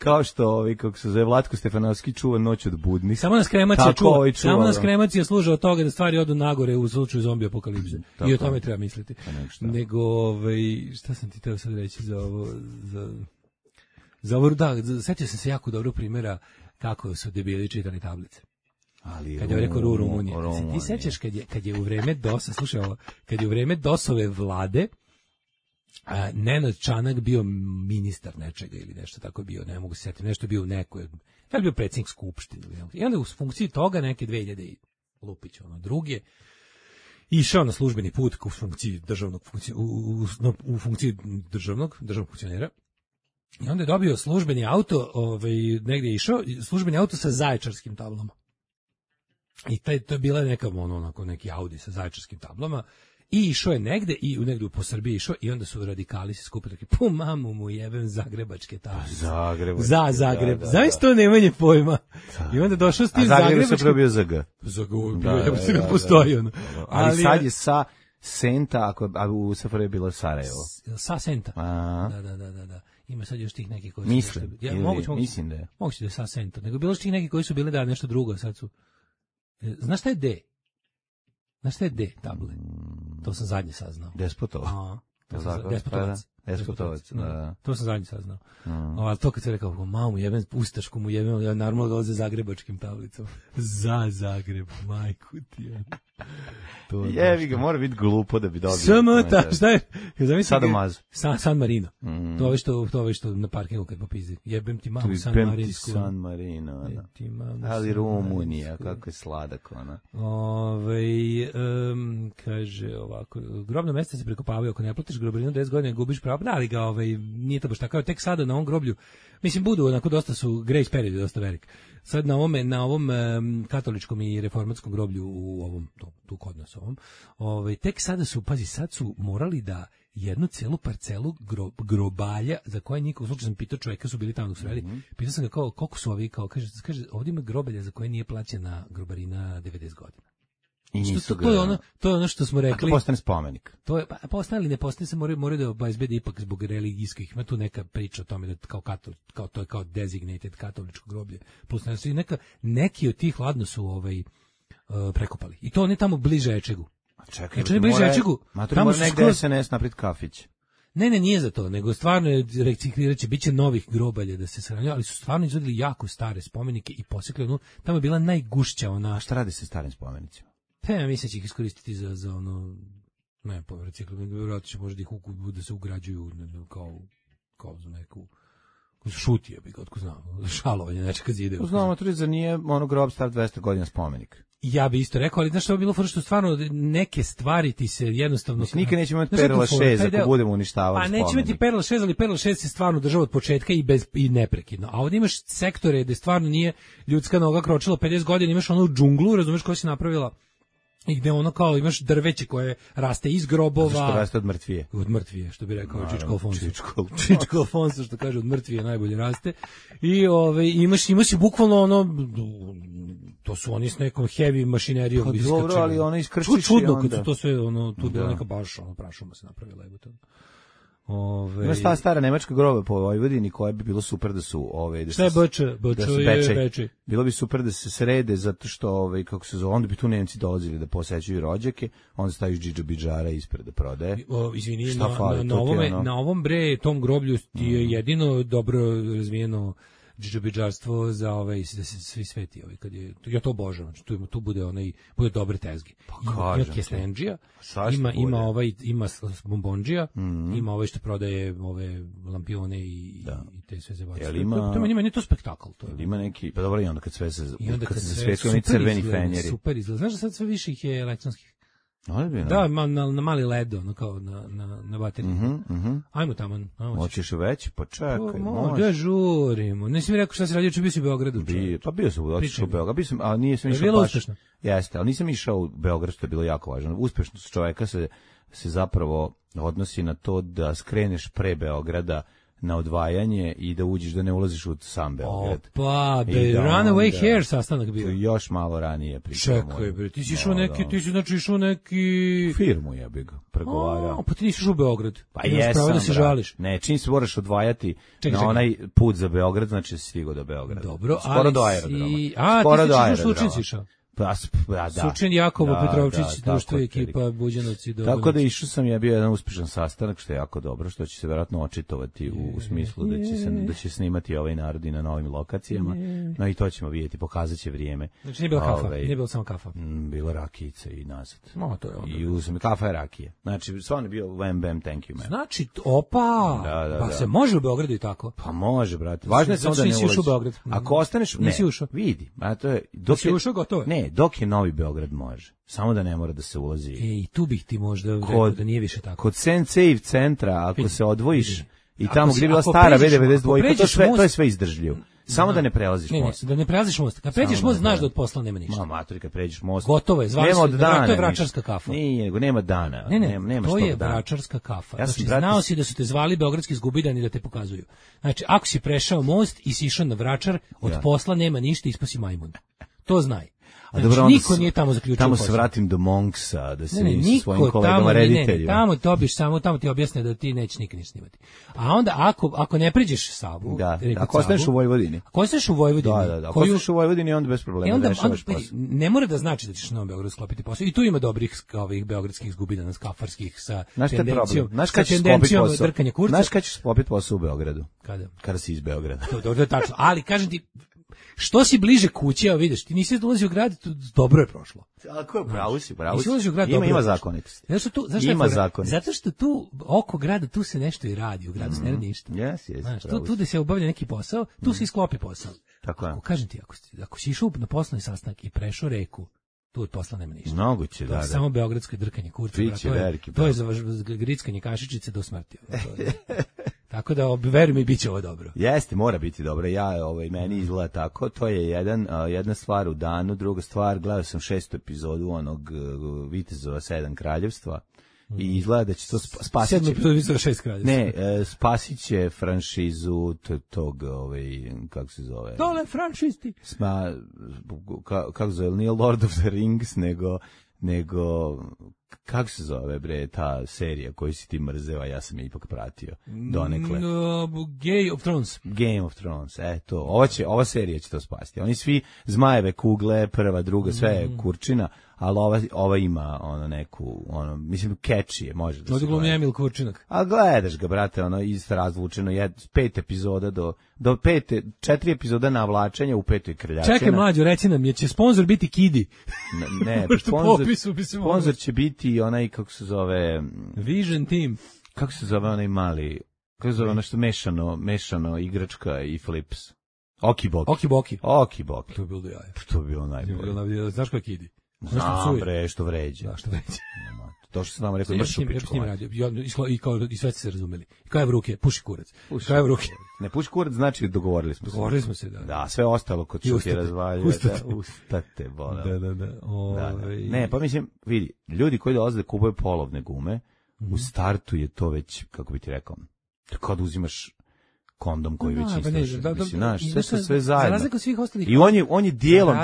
Kao što kako se zove, Vlatko Stefanovski čuva noć od budnih. Samo nas kremacija čuva. Samo nas kremacija služe od toga da stvari odu nagore u slučaju zombi apokalipse. I o tome treba misliti. Nego, šta sam ti teo sad reći za ovo, setio sam se jako dobro primjera kako su debili čitali tablice. Kad je rekao Rumunija. Ti sećaš kad je u vreme DOS-a, slušaj ovo, kad je u vreme DOS-ove vlade Nenad Čanak bio ministar nečega ili nešto tako bio, ne mogu se setiti, nešto bio u nekoj, da li bio predsjednik skupštine. I onda u funkciji toga neke 2000 Lupić, druge, išao na službeni put u funkciji u funkciji državnog funkcionera. I onda je dobio službeni auto, negdje je išao, službeni auto sa zaječarskim tablama. I to je bila neka onako neki Audi sa zaječarskim tablama i išao je negde po Srbiji išao i onda su radikali se skupili taki, po mamu mu jebem zagrebačke tablice. Za Zagreb. Zaista to nemanje pojma. I onda došao s tim zagrebačkim. A Zagreb se probio za G. Za G, ja postoji ono. Ali sad je sa Senta, a u SFRJ je bilo Sarajevo. Sa Senta. Da. Ima sad još tih neki koji su... Mislim da je. Moguće da je sa Senta. Nego bilo još tih neki koji su bili da nešto drugo, sad su... Znaš šta je D? Znaš šta je D table? To sam zadnje saznao. Despotovac. Despotovac, da. To sam zadnje saznao. Ali to kad se rekao, mamu jebem, ustašku mu jebem, ja normalno dolaze zagrebačkim tablicom. Za Zagreb, majku ti je. Jevi ga, mora biti glupo da bi dobio. Šta je? Sadomazo. San Marino. To je što na parkingu kad popizdi. Jebem ti mamu San Marinsku. San Marino. Ali Rumunija, kako je sladak ona. Kaže ovako, grobno mjesto se prekopavaju, ako ne platiš grobarinu 10 godina gubiš pravo, da li ga nije to baš tako, tek sada na ovom groblju, mislim budu onako dosta su grace period dosta velik. Sad na ovom katoličkom i reformatskom groblju u ovom tu kod nas tek sada su, pazi, sad su morali da jednu celu parcelu grobalja za koje niko, u slučaju sam pitao čovjeka, su bili tamo dok su radili, pitao sam ga koliko su ovi, kaže ovdje ima grobalja za koje nije plaćena grobarina 90 godina. I nisu To je ono što smo rekli. A to postane spomenik. To je postane ili ne postane, se moraju da obezbede ipak zbog religijskih. Ima tu neka priča o tome da kao to je kao designated katoličko groblje. Plus neki od tih ladno su prekopali. I to oni tamo bliže Ečegu. A čekaj, tamo su negde SNS napred kafić. Ne, nije za to, nego stvarno je recikliraće, biće novih grobalja da se sahranjuju, ali su stvarno izvodili jako stare spomenike i posekli tamo je bila najgušća ona. A šta radi se starim spomenicima? Ja mislim će ih iskoristiti za ono, ne, po recikliranje, vjerojatno će možda ih da se ugrađuju kao za neku šutije, bi ga otko znamo, šalovanje, nečega zide. Znamo, za nije grob star 200 godina spomenik. Ja bi isto rekao, ali znaš što je bilo fora što stvarno neke stvari ti se jednostavno... Nikad nećemo imati Perla 6 ako budemo uništavali spomenik. Pa nećemo imati Perla 6, ali Perla 6 se stvarno država od početka i neprekidno. A ovdje imaš sektore gde stvarno nije ljudska noga kročila 50 godina, imaš onu džunglu, razumeš, koja si napravila i gde ono kao imaš drveće koje raste iz grobova. Što raste od mrtvije. Od mrtvije, što bi rekao Čičko Alfonso. Čičko Alfonso, što kaže od mrtvije najbolje raste. I imaš i bukvalno ono, to su oni s nekom heavy mašinerijom. Pa dobro, ali ono iskrčiš čudno, i onda. Kad su to sve, tu je bila neka baš, prašuma se napravila. Ima ta stara nemačka groba po Vojvodini koja bi bilo super da su šta je Bečej? Bilo bi super da se srede zato što kako se zove, onda bi tu Nemci dolazili da posećuju rođake, onda staviš džidžabidžara ispred da prodaje. Izvini, na ovom tom groblju ti je jedino dobro razvijeno džidžabidžarstvo za da se svi sveti kad je, ja to obožavam, tu bude dobre tezge. Ima kestenđija, ima bombondžija, ima što prodaje ove lampione i te sve zebacije. Meni je to spektakl. Ima neki, pa dobro, i onda kad sve se sveti, oni crveni fenjeri. Super izgleda. Znaš da sad sve više ih je elektronskih? Da, na mali LED, kao na bateriji. Ajmo tamo. Hoćeš već? Pa čekaj, može. Da žurimo. Nisi mi rekao šta si radio, bio si u Beogradu. Pa bio sam otišao u Beograd, a nisam išao baš. Uspešno? Jeste, ali nisam išao u Beograd, što je bilo jako važno. Uspešnost čoveka se zapravo odnosi na to da skreneš pre Beograda na odvajanje i da uđeš, da ne ulaziš u sam Beograd. Opa, Runaway Hair sastanak bio. Još malo ranije pričamo. Čekaj, bre, ti si išao neki... Firmu je bi ga pregovarao. Pa ti nisi išao u Beograd. Pa jesam, da se žališ. Ne, čim se moraš odvajati na onaj put za Beograd, znači si stigao do Beograda. Dobro, skoro do aerodroma. Skoro do aerodroma. Ti si išao? Da. Sučin, Jakovo, Petrovčić, društvo i ekipa, Buđanoci. Tako da išao sam, je bio jedan uspešan sastanak, što je jako dobro, što će se vjerojatno očitovati u smislu da će snimati ovaj narod i na novim lokacijama. No i to ćemo vidjeti, pokazat će vrijeme. Znači nije bila kafa, nije bila samo kafa. Bila rakijica i nazad. No, to je onda. I uzem kafa i rakije. Znači, stvarno je bio wham bam, thank you man. Znači, pa se može u Beogradu i tako? Pa može, brate. Važno je samo da ne ulaziš. Ako ostaneš, ne, vidi. Dok si ušao, gotovo. Ne, dok je Novi Beograd može. Samo da ne mora da se ulazi. I tu bih ti možda rekao da nije više tako. Kod Senseiv centra, ako se odvojiš i tamo gdje je bila stara B92, to je sve izdržljivo. Samo da ne prelaziš most. Da ne prelaziš most. Kad pređeš most, znaš da od posla nema ništa. Matori, kad pređeš most. Gotovo je, zvali se, to je vračarska kafa. Nije, nego nema dana. Ne, to je vračarska kafa. Znači, znao si da su te zvali beogradski zgubidani da te pokazuju. Znači, ako si prešao most i si išao na vračar, od posla nema ništa, ispasi majmun. To znaj. Znači, niko nije tamo zaključio tamo se vratim do Monksa, da se vidim sa svojim kolegama rediteljima. Tamo dobiš tamo ti objasne da ti neće nikad ništa snimati. A onda ako ne pređeš Savu, ako ostaneš u Vojvodini. Ako ostaneš u Vojvodini, ako ostaneš u Vojvodini, onda bez problema rešavaš posao. Ne mora da znači da ćeš na Beogradu sklopiti posao. I tu ima dobrih ovih beogradskih zgubidana skafarskih sa tendencijom. Znaš kad ćeš drkanja kurca. Znaš kad ćeš sklopiti posao u Beogradu? Kada si iz Beograda. To je tačno. Ali kažem ti, što si bliže kući, a vidiš, ti nisi dolazio u grad, dobro je prošlo. Tako je, pravo si. Ima zakonitosti. Ima zakonitosti. Zato što tu, oko grada, tu se nešto i radi, u gradu se ne radi ništa. Tu da se obavlja neki posao, tu se isklopi posao. Tako je. Kažem ti, ako si išao na poslovni sastanak i prešao reku, tu od posla nema ništa. Moguće, da. Samo beogradsko drkanje kurca. To je za grickanje kašičice do smrti. Tako da, veruj mi, bit će ovo dobro. Jeste, mora biti dobro. Meni izgleda tako. To je jedna stvar u danu. Druga stvar, gledao sam 6. epizodu onog Vitezova 7 kraljevstva. I izgleda da će to spasit će... 7. epizodu Vitezova 6 kraljevstva. Ne, spasit će franšizu tog, kako se zove? Dole franšisti. Kako se zove, nije Lord of the Rings, nego nego kako se zove bre ta serija koju si ti mrzeo, a ja sam je ipak pratio donekle. Game of Thrones, eto, ova serija će to spasti. Oni svi zmajeve kugle, prva, druga, sve je kurčina, ali ova ima ono neku, ono, mislim, catchy je, može da se gleda. Emil Kurčinak. A gledaš ga, brate, ono, isto razvučeno, 5 epizoda do 4 epizoda navlačenja u 5. krljačina. Čekaj, mlađo, reci nam, će sponsor biti Kidi? Ne, sponsor će biti onaj, kako se zove... Vision Team. Kako se zove onaj mali, kako se zove ono što mešano igračka i flips? Okiboki. To je bilo do jaja. To je bilo najbolje. Znaš ko je Kidi? Znam bre, što vređa. Da, što vređa. To što sam nam rekao, mršu pičku. I sve se razumeli. Kaj v ruke, puši kurac. Kaj v ruke. Ne, puši kurac znači dogovorili smo se. Dogovorili se, da. Da, sve ostalo kod što ti razvaljuje. Ustate, bola. Da. Ne, pa mislim, vidi, ljudi koji dolaze da kupuju polovne gume, u startu je to već, kako bi ti rekao, kad uzimaš kondom koji već istraši. Znaš, sve zajedno. Za razliku svih ostalih. I on je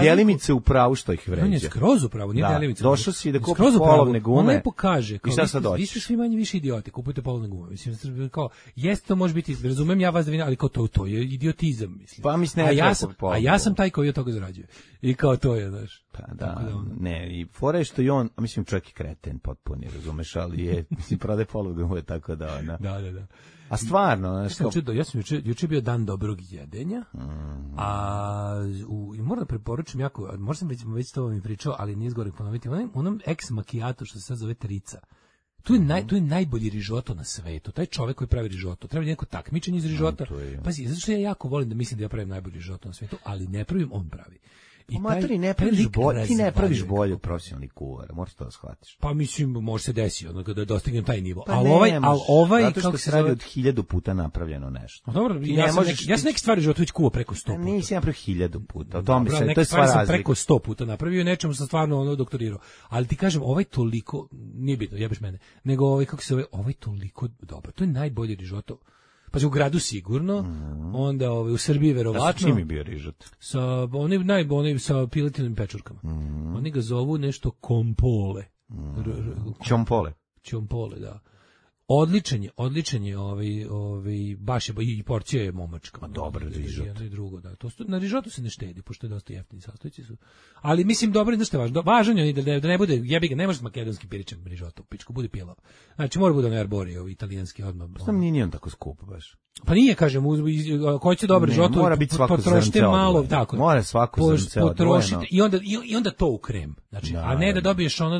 djelimice u pravu što ih vređa. On je skroz u pravu, nije djelimice. Došao si da kupiš polovne gume. On lepo kaže, i šta sad dođeš? Vi ste svi manje više idioti, kupujte polovne gume. Mislim, kao, jeste to može biti, razumem ja vas da vi, ali kao to je idiotizam, mislim. Pa mislim, a ja sam taj koji od toga zarađuje. I kao to je, znaš. Pa da, ne, i fora je što i on, mislim, čovjek je kreten potpuni, razumeš, ali je, mislim, prode polovne gume, tako da, ona. Da. A stvarno, ja sam juče bio dan dobrog jedenja, i moram da preporučim jako, možda sam već to vam pričao, ali nije zgorek ponoviti, onom ex macchiato što se sad zove Trica. Tu je najbolji rižoto na svetu. Taj čovjek koji pravi rižoto, treba neko takmičenje iz rižota. Pazi, zato što ja jako volim da mislim da ja pravim najbolji rižoto na svetu, ali ne pravim, on pravi. Ti ne praviš bolje od profesionalnih kuvara, moraš to da shvatiš. Pa mislim, može se desiti da dostignem taj nivo. Pa zato što se radi od 1000 puta napravljeno nešto. Dobro, ja sam neke stvari životu već kuvao preko 100 puta. Nisi napravio 1000 puta, o tome se, to je sva razlika. Sam preko 100 puta napravio i nečemu sam stvarno doktorirao. Ali ti kažem, toliko, nije bitno, jebeš mene, nego ovaj toliko dobar. To je najbolji rižoto. Pa u gradu sigurno, onda u Srbiji verovatno. Sa čim je bio rižot? Sa sa piletinim pečurkama. Oni ga zovu nešto kompole. Čompole, da. Odličan je baš je i porcija je momačka. Dobar rižot. Jedno i drugo, da. Na rižotu se ne štedi, pošto je dosta jeftini sastojci su. Ali mislim dobro, znaš šta je važno? Važan je da ne bude, jebi ga, ne može makedonski piričem rižotu, pičku, bude pilav. Znači mora bude na arborio, italijanski odmah. Sam nije on tako skup baš. Pa nije, kažem, ko će dobro rižotu, potrošite malo, tako. Mora svako zrnce odvojeno. I onda to u krem. Znači, a ne da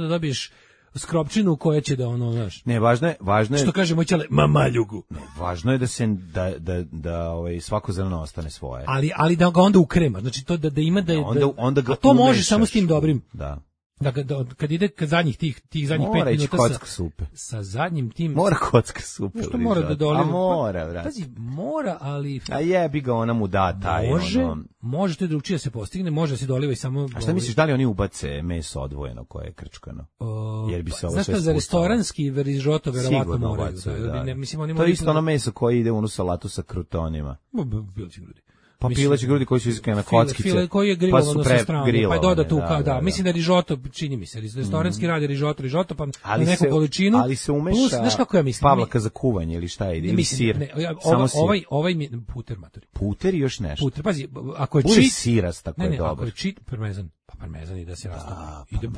dobiješ skropčinu koja će da znaš. Ne, važno je. Što kaže moj ćale, mamaljugu. Ne, važno je da se da svako zrno ostane svoje. Ali da ga onda ukrema. Znači to da ima da onda ga to može samo s tim dobrim. Da. Kad ide kad zadnjih tih zadnjih 5 minuta kocka supe. Sa zadnjim tim mora kocka supe. Što mora da doliva? A mora, brate. Pazi, mora, ali a jebi ga, ona mu da taj može to drugčije se postigne, može se doliva i samo. A šta misliš, da li oni ubace meso odvojeno koje je krčkano? Jer bi se ovo sve spustalo. Za restoranski rižoto verovatno moraju. Mislim oni to je isto ono meso koje ide u onu salatu sa krutonima. Pileći grudi. Pa pileći grudi koji su iskane na kockice. File koji je grilovano sa strane, pa je doda tu, da. Mislim da rižoto, čini mi se, restoranski radi rižoto, pa na neku količinu. Ali se umeša, znaš kako ja mislim? Pavlaka za kuvanje ili šta ide, ili sir. Ovaj puter, matori. Puter i još nešto. Puter, pazi, ako je čit siras, tako je dobar. Ako je čit, parmezan. Pa parmezan i da se rastavi.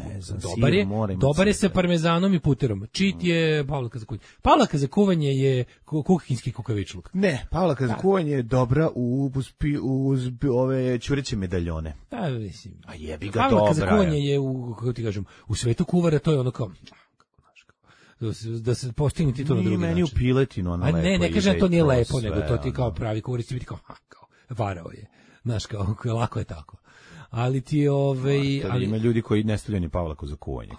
Dobar je sa parmezanom i puterom. Čit je pavlaka za kuvanje. Pavlaka za kuvanje je kuhinjski kukavičluk. Ne, pavlaka za kuvanje je dobra uz ove ćureće medaljone. Da, mislim. A jebi ga dobra. Pavlaka za kuvanje je kako ti kažem, u svetu kuvara to je ono kao da se postigne ti to na drugi način. Meni u piletinu ono lepo. Ne kažem to nije lepo, nego to ti kao pravi kuvaric ti biti kao varao je. Znaš, kao lako je tako. Ali ti ali ima ljudi koji ne stavljaju ni pavlaku za kuvanje.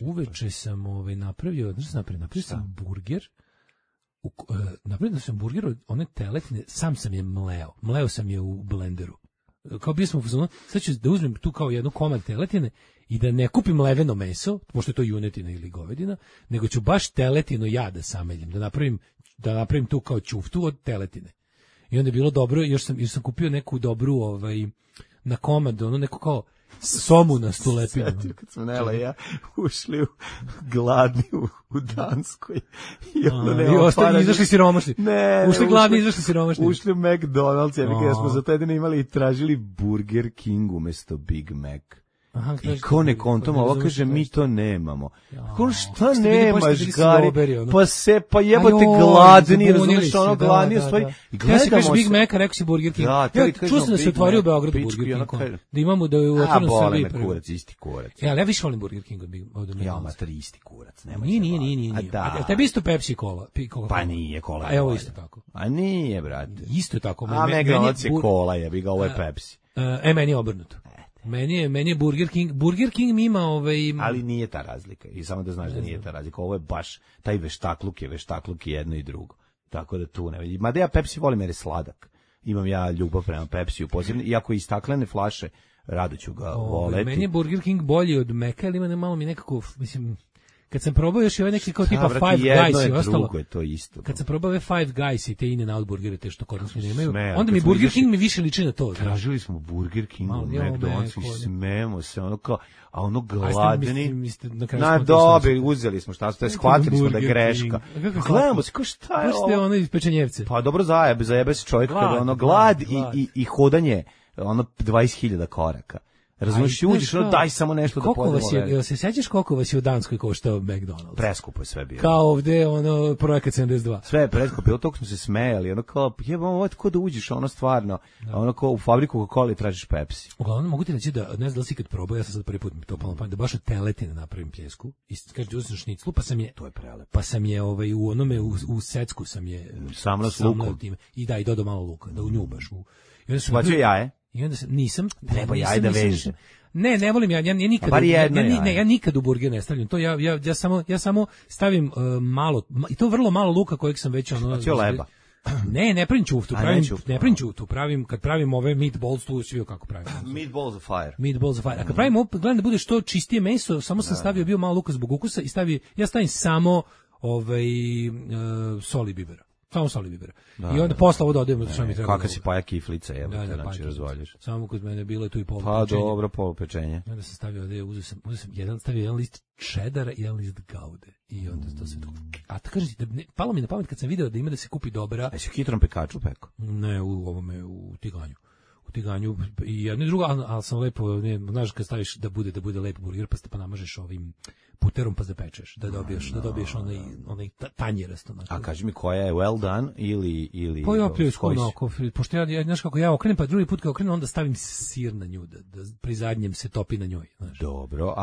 Uveče sam napravio burger. Napravio sam burger od one teletine, sam je mleo sam je u blenderu. Kao bio sam u fazonu, sad ću da uzmem tu kao jednu komad teletine i da ne kupim leveno meso, pošto je to junetina ili govedina, nego ću baš teletinu ja da sameljim, da napravim tu kao ćuftu od teletine. I onda je bilo dobro, još sam kupio neku dobru na komad, neko kao somunastu lepinu. Kad smo Nela i ja ušli gladni u Danskoj. I izašli siromašni. Ušli gladni, izašli siromašni. Ušli u McDonald's, jer smo za taj dan imali i tražili Burger King umesto Big Mac. Aha, i ko ne kontom, ovo kaže, mi to nemamo. Ko šta nemaš, Gari? Pa jebote gladni, razumiješ, ono gladni, stoji. Ja se kažeš Big Mac, rekao si Burger King. Čuo sam da se otvorio u Beogradu Burger King. Da imamo da je u otvorenu Srbiji. A, bole me kurac, isti kurac. Ja više volim Burger King od McDonald's. Ja, mater, isti kurac. Nije. A tebi isto Pepsi Cola? Pa nije, Cola. A evo isto tako. A nije, brate. Isto tako. A McDonald's je Cola, jebi ga, ovo je Pepsi. Meni je obrnuto. Meni je Burger King mi ima ali nije ta razlika. I samo da znaš da nije ta razlika. Ovo je baš taj veštakluk je jedno i drugo. Tako da tu ne vidim. Mada ja Pepsi volim jer je sladak. Imam ja ljubav prema Pepsiju posebno. Iako i staklene flaše, rado ću ga voleti. Meni je Burger King bolji od Meka, ali ima malo mi nekako, mislim, kad sam probao još i ovaj neki kao tipa Five Guys i ostalo. Drugo je to isto. Kad sam probao ove Five Guys i te In-N-Out burgere, te što kod nas nemaju, onda mi Burger King mi više liči na to. Tražili smo Burger King, McDonald's i smemo se, ono kao, a ono gladni. Na dobi, uzeli smo šta, shvatili smo da je greška. Gledamo se, kao šta je ovo? Što je ono iz pečenjevce? Pa dobro zajebe se čovjek kada ono glad i hodanje, ono 20.000 koraka. Razumiješ, uđeš, daj samo nešto da podemo. Jel se sećaš koliko vas je u Danskoj koštao McDonald's? Preskupo je sve bilo. Kao ovde, ono, projekat 72. Sve je preskupo, bilo toliko smo se smejali, ono kao, jebamo, ovo je tako da uđeš, ono stvarno, ono kao u fabriku Coca-Cola tražiš Pepsi. Uglavnom, mogu ti reći da, ne znam da li si kad probao, ja sam sad prvi put to palo na pamet, da baš od teletine napravim pljesku, i kaže da uzmeš šniclu, pa sam je, to je prelepo. Pa sam je u onome, u secku sam je, sam s lukom. I da, i dodao malo luka, da unjubaš. Bacio jaje? I onda nisam. Treba jaje da veže. Ne volim ja nikad. Ja nikad u burger ne stavljam. To ja samo stavim malo, i to vrlo malo luka kojeg sam već ono. Bacio leba. Ne pravim čuftu, pravim kad pravim ove meatballs, tu svi kako pravim. Meatballs of fire. A kad pravim, gledam da bude što čistije meso, samo sam stavio bio malo luka zbog ukusa i ja stavim samo soli bibera. Samo soli bibera. I onda posle ovo dodajemo što mi treba. Kakva si paja kiflica, evo te, znači razvaljaš. Samo kod mene bilo je tu i polu pečenje. Pa dobro, polu pečenje. I onda sam stavio ovdje, uzeo sam stavio jedan list čedara i jedan list gaude. I onda to se... A to kažem ti, palo mi na pamet kad sam video da ima da se kupi dobra... A si u hitrom pekaču peko? Ne, u tiganju i jedno i drugo, ali sam lepo, znaš kad staviš da bude lepo burger, pa namažeš ovim puterom pa zapečeš, da dobiješ onaj tanjirasto. A kaži mi koja je well done ili pa ja pljesku onako, pošto ja, znaš kako ja okrenem, pa drugi put kad okrenem, onda stavim sir na nju, da pri zadnjem se topi na njoj. Znaš. Dobro,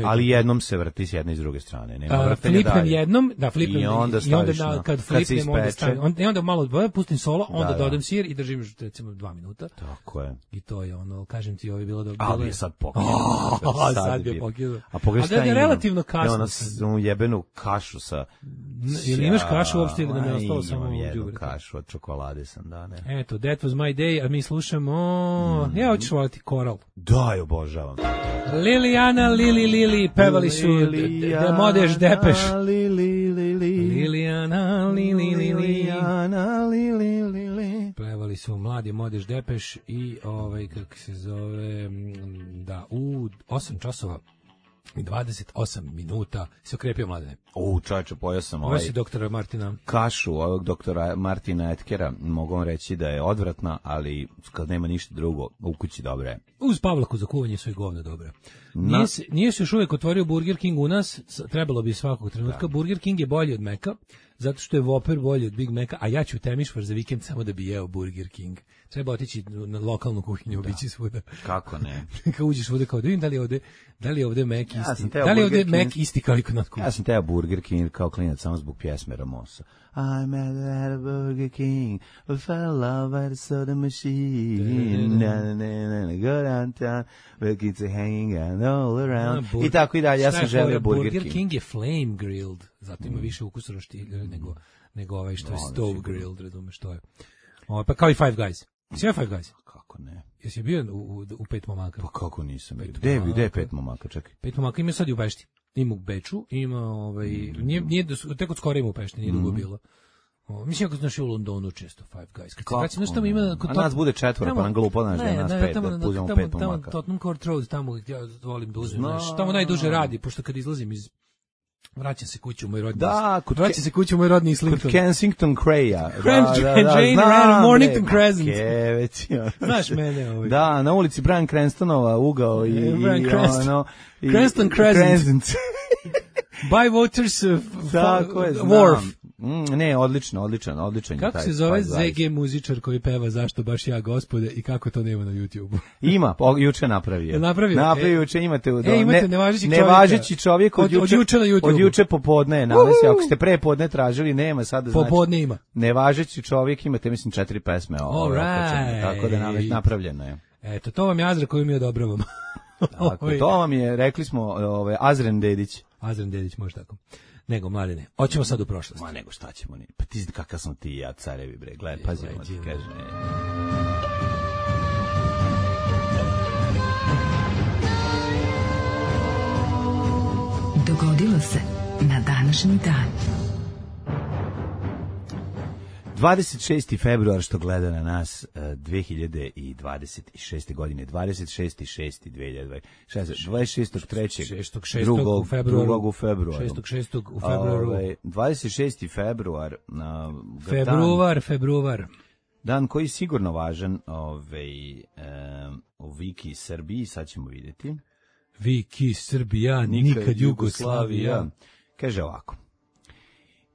ali jednom se vrti s jedne i s druge strane. Nema vrtenja flipnem jednom, i onda staviš kad flipnem, onda stavim, i onda malo pustim solo, onda dodam sir i držim recimo 2 minuta. Tako je. I to je ono, kažem ti, ovo je bilo dobro. Ali je sad pokidno. Sad je pokidno. A pogledaj relativno kasno. Onu jebenu kašu sa... Ili imaš kašu uopšte ili da me ostalo samo u jednu kašu od čokolade sam, da, ne. Eto, that was my day, a mi slušamo... Ja hoćeš voliti Koral. Da, je obožavam. Liliana, Lili, pevali su The Modeš Depeš. Liliana, Lili. Pevali su Mladi Modeš Depeš i kako se zove, da, u 8 časova i 28 minuta se okrepio Mladene. Čovječe, pojao sam ovo si doktora Martina. Kašu ovog doktora Martina Etkera, mogu vam reći da je odvratna, ali kad nema ništa drugo, u kući dobra je. Uz Pavlaku za kuvanje sve govno dobro. Nije se još uvijek otvorio Burger King u nas, trebalo bi svakog trenutka. Burger King je bolji od Meka, zato što je Whopper bolji od Big Maca, a ja ću u Temišvar za vikend samo da bi jeo Burger King. Treba otići na lokalnu kuhinju, obići svuda. Kako ne? Kad uđeš svuda kao da vidim da li je ovde Mac isti. Da li je ovde Mac isti kao i kod nas kuhinju? Ja sam teo Burger King kao klinac samo zbog pjesme Ramosa. I'm at a Burger King, I fell in love at a soda machine, go downtown, where kids are hanging out all around, i tako i dalje, ja sam želio Burger King. Burger King je flame grilled, zato ima više ukusa roštilja nego ovaj što je stove grilled, razumeš što je. Pa kao i Five Guys. Si ja Five Guys? Kako ne? Jesi bio u Pet momaka? Pa kako nisam bio? Gde je Pet momaka, čekaj? Pet momaka ima sad i u Pešti. Ima u Beču, ima nije tek od skoro ima u Pešti, nije dugo bilo. Mislim, ako znaš u Londonu često Five Guys. Kad se tamo ima... A nas bude 4, pa nam glupo, znaš da je nas 5, da uzemo 5 pomaka. Tamo Tottenham Court Road, tamo ja volim da uzmem, tamo najduže radi, pošto kad izlazim iz... Vraćam se kući u moj rodni. Da, vraćam se kući u moj rodni Islington. Kod Kensington Craya. Jane Mornington Crescent. Znaš mene ovaj. Da, na ulici Brian Cranstonova ugao i ono Cranston Crescent. By Waters Wharf. Ne, odličan kako se zove ZG muzičar koji peva Zašto baš ja gospode i kako to nema na YouTubeu? Ima, juče napravio. Napravio juče, imate nevažeći čovjek od juče na YouTubeu. Od juče popodne je nalazi, ako ste pre podne tražili, nema sada znači. Popodne ima. Nevažeći čovjek, imate mislim 4 pesme tako da napravljeno je. Eto, to vam je Azra koju mi odobravam. Tako, to vam je, rekli smo, Azren Dedić. Azren Dedić, može tako. Nego, Mladene, hoćemo sad u prošlost. Ma nego, šta ćemo? Pa ti kakav sam ti ja, carevi, bre, gledaj, pazi, ono ti kaže. Dogodilo se na današnji dan. 26. februar što gleda na nas 2026. godine, 26.6.2026. 26.3. 2. februara. 26. februar. Februar. Dan koji je sigurno važan u Viki Srbiji, sad ćemo vidjeti. Viki Srbija, nikad Jugoslavija. Kaže ovako.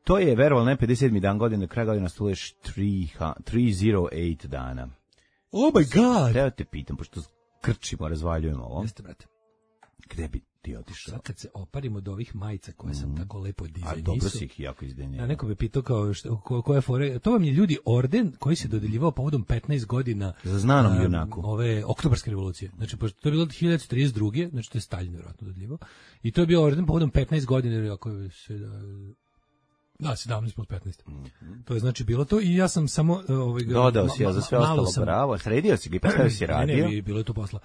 To je, verovali ne, 57. dan godine, kraj godine stuleš 308 dana. Oh my god! Teo te pitam, pošto krčimo, razvaljujemo ovo. Jeste, brate. Gde bi ti otišao? Sad kad se oparim od ovih majica koje sam tako lepo dizajnisao. A dobro si ih jako izdejnio. Ja neko bi pitao kao koja fore. To vam je ljudi orden koji se dodeljivao povodom 15 godina za znanom junaku ove oktobarske revolucije. Znači pošto to je bilo 1932, znači to je Staljin vjerojatno dodeljivao. I to je bio orden povodom 15 godina, ako se da 17 plus 15. To je znači bilo to i ja sam samo dodao si ja za sve ostalo bravo, sredio si ga i postavio si radio. Ne, bilo je to posla.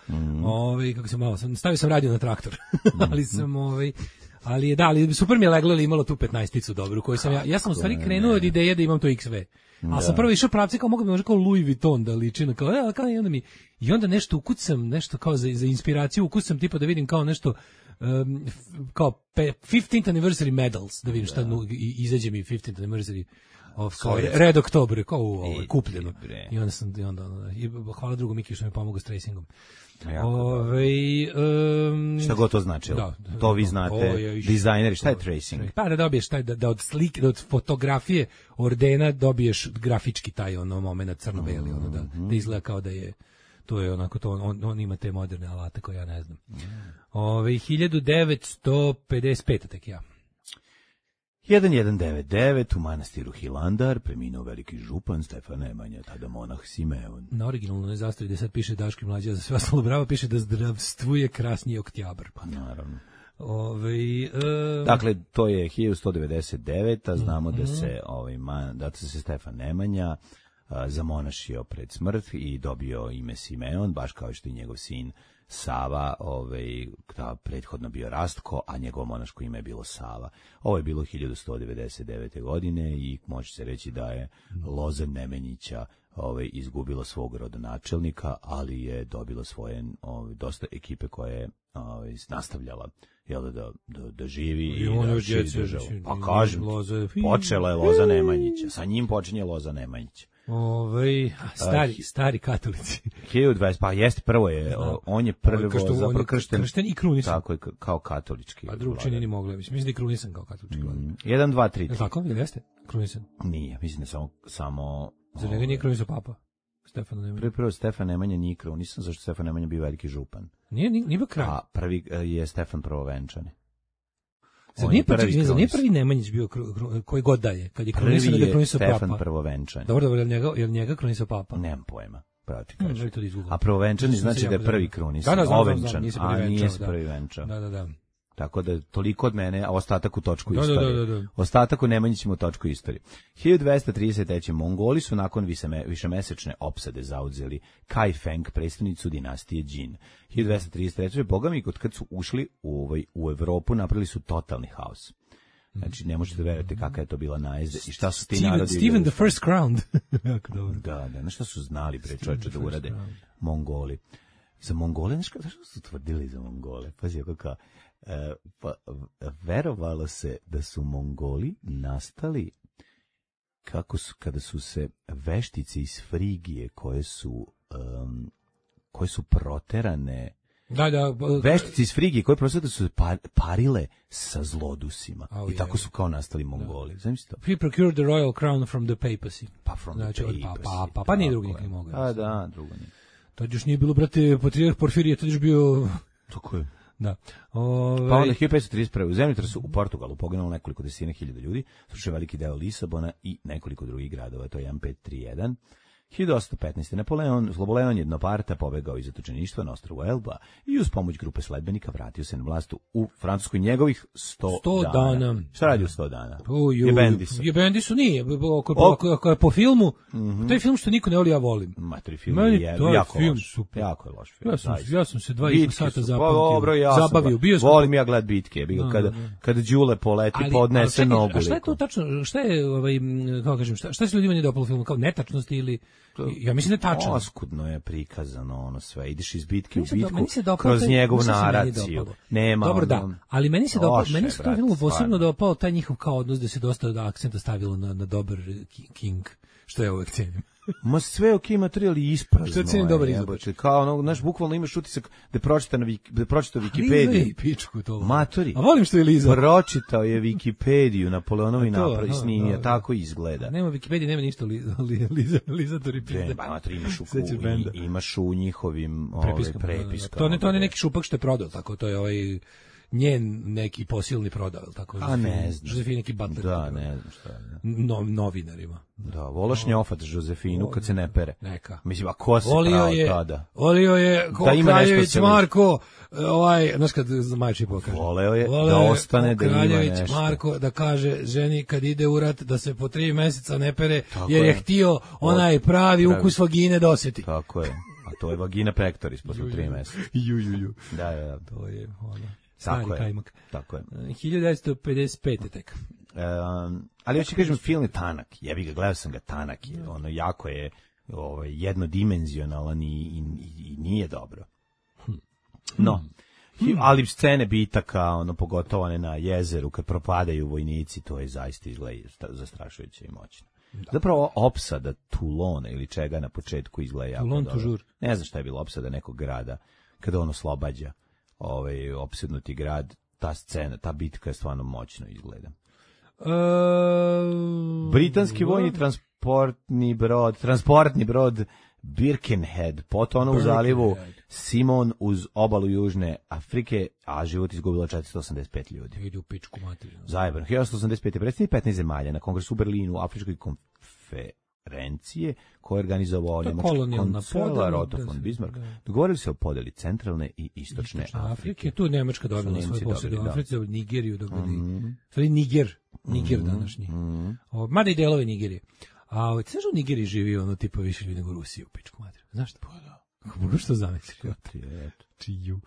Kako se malo stavio sam radio na traktor. Ali sam ali super mi je leglo ili imalo tu 15-icu dobru koju sam ja sam u stvari krenuo od ideje da imam to XV. A sam prvo išao pravci kao mogu bi možda kao Louis Vuitton da liči na kao i onda nešto ukucam, nešto kao za inspiraciju ukucam tipa da vidim kao nešto kao 15th anniversary medals, da vidim šta izađe mi 15th anniversary of Red October, kao kupljeno. I onda hvala drugu Miki što mi pomogao s tracingom. Šta god to znači? To vi znate, dizajneri, šta je tracing? Pa da dobiješ da od slike, da od fotografije ordena dobiješ grafički taj moment crno-beli, da izgleda kao da je to je onako to on ima te moderne alate koje ja ne znam. 1955 tek ja. 1199 u manastiru Hilandar preminuo veliki župan Stefan Nemanja, tada monah Simeon. Na originalnoj zastavi gde sad piše Daško i Mlađa, za sve ostalo bravo piše da zdravstvuje krasniji oktobar. Pa naravno. Dakle, to je 1199, a znamo da se Stefan Nemanja zamonašio pred smrt i dobio ime Simeon, baš kao što i njegov sin Sava, prethodno bio Rastko, a njegovo monaško ime je bilo Sava. Ovo je bilo 1199. godine i može se reći da je loza Nemanjića izgubila svog rodonačelnika, ali je dobila svoje dosta ekipe koja je nastavljala da živi i da širi državu. Pa kažem, počela je loza Nemanjića, sa njim počinje loza Nemanjića. Stari katolici. 1020, pa jeste, prvo je, on je prvo zapravo kršten i krunisan. Tako je, kao katolički. A drugo čini ni mogla, mislim da je krunisan kao katolički. 1, 2, 3. Tako, ili jeste? Krunisan? Nije, mislim da samo... Za njega nije krunisan papa? Stefan Nemanja. Prvo Stefan Nemanja nije krunisan, zašto Stefan Nemanja bio veliki župan. Nije bio kralj. A prvi je Stefan Prvovenčani. Zar nije prvi Nemanjić bio koji god da je, kad je krunisan da je krunisao papa? Stefan Prvovenčani. Dobro, je li njega krunisao papa? Nemam pojma, pravo ti kažem. A Prvovenčani znači da je prvi krunisan, ovenčan, a nije se prvi venčao. Da. Tako da toliko od mene, a ostatak u točku istorije. Da. Ostatak u Nemanjićima u točku istorije. 1233. Mongoli su nakon višemesečne opsade zauzeli Kaifeng, predstavnicu dinastije Jin. 1233. Bogami, kad su ušli u Evropu, napravili su totalni haos. Znači, ne možete verovati kakva je to bila najezda i šta su ti narodi... Steven the First Crowned. Jako dobro. Da, na šta su znali, bre, čovječe, da urade Mongoli. Za Mongole, znaš što su tvrdili za Mongole? Pazi, kako verovalo se da su Mongoli nastali kada su se veštice iz Frigije koje su proterane, veštice iz Frigije koje prosto su parile sa zlodusima i tako su kao nastali Mongoli. Zamislite to? He procured the royal crown from the papacy. Pa from the papacy. Pa nije drugi nikad mogao. A da, drugo nije. Tad još nije bilo, brate, patrijarh Porfirije, tad još bio... Tako je. Da. Pa onda 1531. u zemljotresu u Portugalu poginulo nekoliko desetina hiljada ljudi, slušao veliki deo Lisabona i nekoliko drugih gradova, to je 1531. 1815. Napoleon Sloboleon Jednoparta pobegao iz zatočeništva na ostrvu Elba i uz pomoć grupe sledbenika vratio se na vlast u Francuskoj njegovih 100 dana. Šta radi u 100 dana? Jebendisu nije. Ako je po filmu, taj film što niko ne voli, ja volim. Matri film je jako loš. Jako je loš film. Ja sam se 2,5 sata zabavio. Volim ja gled bitke. Kada Đule poleti, podnese nogu. A šta je to tačno? Šta je, kako kažem, šta se ljudima nije dopalo filmu? Kao netačnosti ili... Ja mislim da je tačno. Oskudno je prikazano ono sve. Ideš iz bitke u bitku kroz njegovu naraciju. Nema. Dobro, da. Ali meni se dopao, meni se to filmu posebno dopao taj njihov kao odnos da se dosta akcenta stavilo na dobar King, što ja uvek cenim. Ma sve ok, materijal je isprazno. Što cenim dobar izbor. Kao ono, znaš, bukvalno imaš utisak da pročitao Wikipediju. Pičku to. Matori. A volim što je Liza. Pročitao je Wikipediju, Napoleonovi napravi snimio, tako izgleda. Nema Wikipedije, nema ništa Liza to repeat. Matori, imaš u njihovim prepiskama. To je neki šupak što je prodao, tako to je njen neki posilni prodao, tako? A ne znam. Josefina neki butler. Da, ne znam šta je. Novinarima. Da, volaš njofat Josefinu kad se ne pere. Neka. Mislim, a ko se pravo tada? Volio je Kraljević Marko, znaš kad majči pokaže. Voleo je da ostane da ima nešto. Kraljević Marko da kaže ženi kad ide u rat da se po 3 meseca ne pere, jer je htio onaj pravi ukus vagine da osjeti. Tako je. A to je vagina pectoris posle 3 meseca. Da. To je ono. Tako je. Kajmak. Tako je. 1955. tek. Ali hoću kažem, film je tanak. Jebi ga, gledao sam ga, tanak je. Ono jako je jednodimenzionalan i nije dobro. No, ali scene bitaka, pogotovo one na jezeru kad propadaju vojnici, to je zaista izgleda zastrašujuće i moćno. Zapravo opsada Toulona ili čega na početku izgleda jako dobro. Toujours. Ne znam šta je bilo opsada nekog grada kada on oslobađa opsednuti grad, ta scena, ta bitka je stvarno moćno izgleda. Britanski vojni transportni brod Birkenhead potonuo u zalivu Simon uz obalu Južne Afrike, a život izgubilo 485 ljudi. Ide u pičku materinu. Zajebano. 1885. predstavnik 15 zemalja na kongresu u Berlinu, Afričkoj konferencije koje je organizovao nemački kancelar Otto von Bismarck, dogovorili se o podeli centralne i istočne Afrike. Tu Nemačka dobila svoje posjede u Africi, Nigeriju dobili. Niger današnji. Mada i delove Nigerije. A znaš u Nigeriji živi tipa više ljudi nego Rusiji u pičku materinu. Znaš što? Kako što zamisliš? Čiju.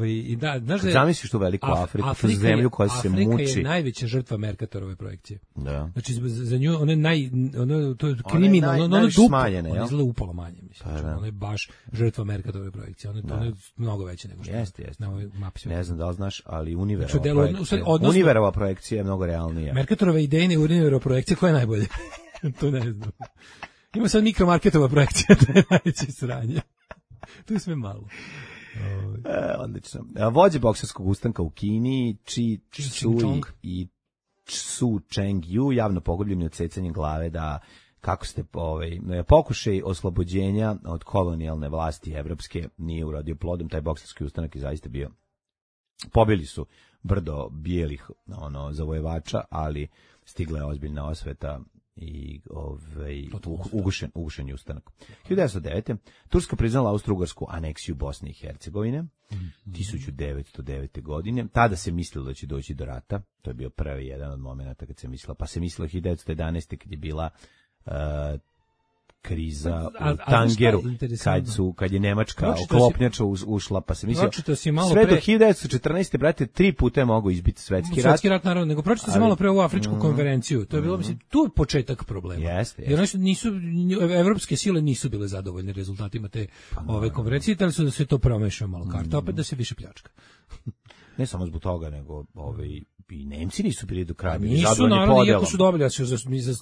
I da, znaš da je, zamisliš tu veliku Afriku, tu zemlju koja se muči. Afrika je najveća žrtva Mercatorove projekcije. Da. Znači za nju to je kriminalno, ono je duplo, ono izgleda upalo manje, mislim. Ono je baš žrtva Mercatorove projekcije, ono je mnogo veće nego što jeste. Na ovoj mapi. Ne znam da li znaš, ali Univerova projekcija je mnogo realnija. Mercatorova idejna i Univerova projekcija, koja je najbolja? To ne znam. Ima sad mikromarketova projekcija, to je najveće sranje. To je sve malo. Odlično. Vođe bokserskog ustanka u Kini, Su Cheng-yu, javno pogubljeni odsecanjem glave da kako ste pokušaj oslobođenja od kolonijalne vlasti evropske nije urodio plodom. Taj bokserski ustanak je zaista bio. Pobili su brdo bijelih zavojevača, ali stigla je ozbiljna osveta i ugušen je ustanak. 1909. Turska priznala Austro-Ugarsku aneksiju Bosne i Hercegovine 1909. godine. Tada se mislilo da će doći do rata. To je bio prvi jedan od momenata kad se mislilo. Pa se mislilo 1911. kad je bila kriza u Tangeru, kad je Nemačka oklopnjača ušla, pa se mislio, sve do 1914. brate, 3 puta je mogao izbiti svetski rat. Svetski rat, naravno, nego pročito se malo pre ovu afričku konferenciju, to je bilo, mislim, tu je početak problema. Jer evropske sile nisu bile zadovoljne rezultatima te ove konferencije, ali su da se to promešao malo karta, opet da se više pljačka. Ne samo zbog toga, nego i Nemci nisu bili do kraja. Nisu, naravno, iako su dobili,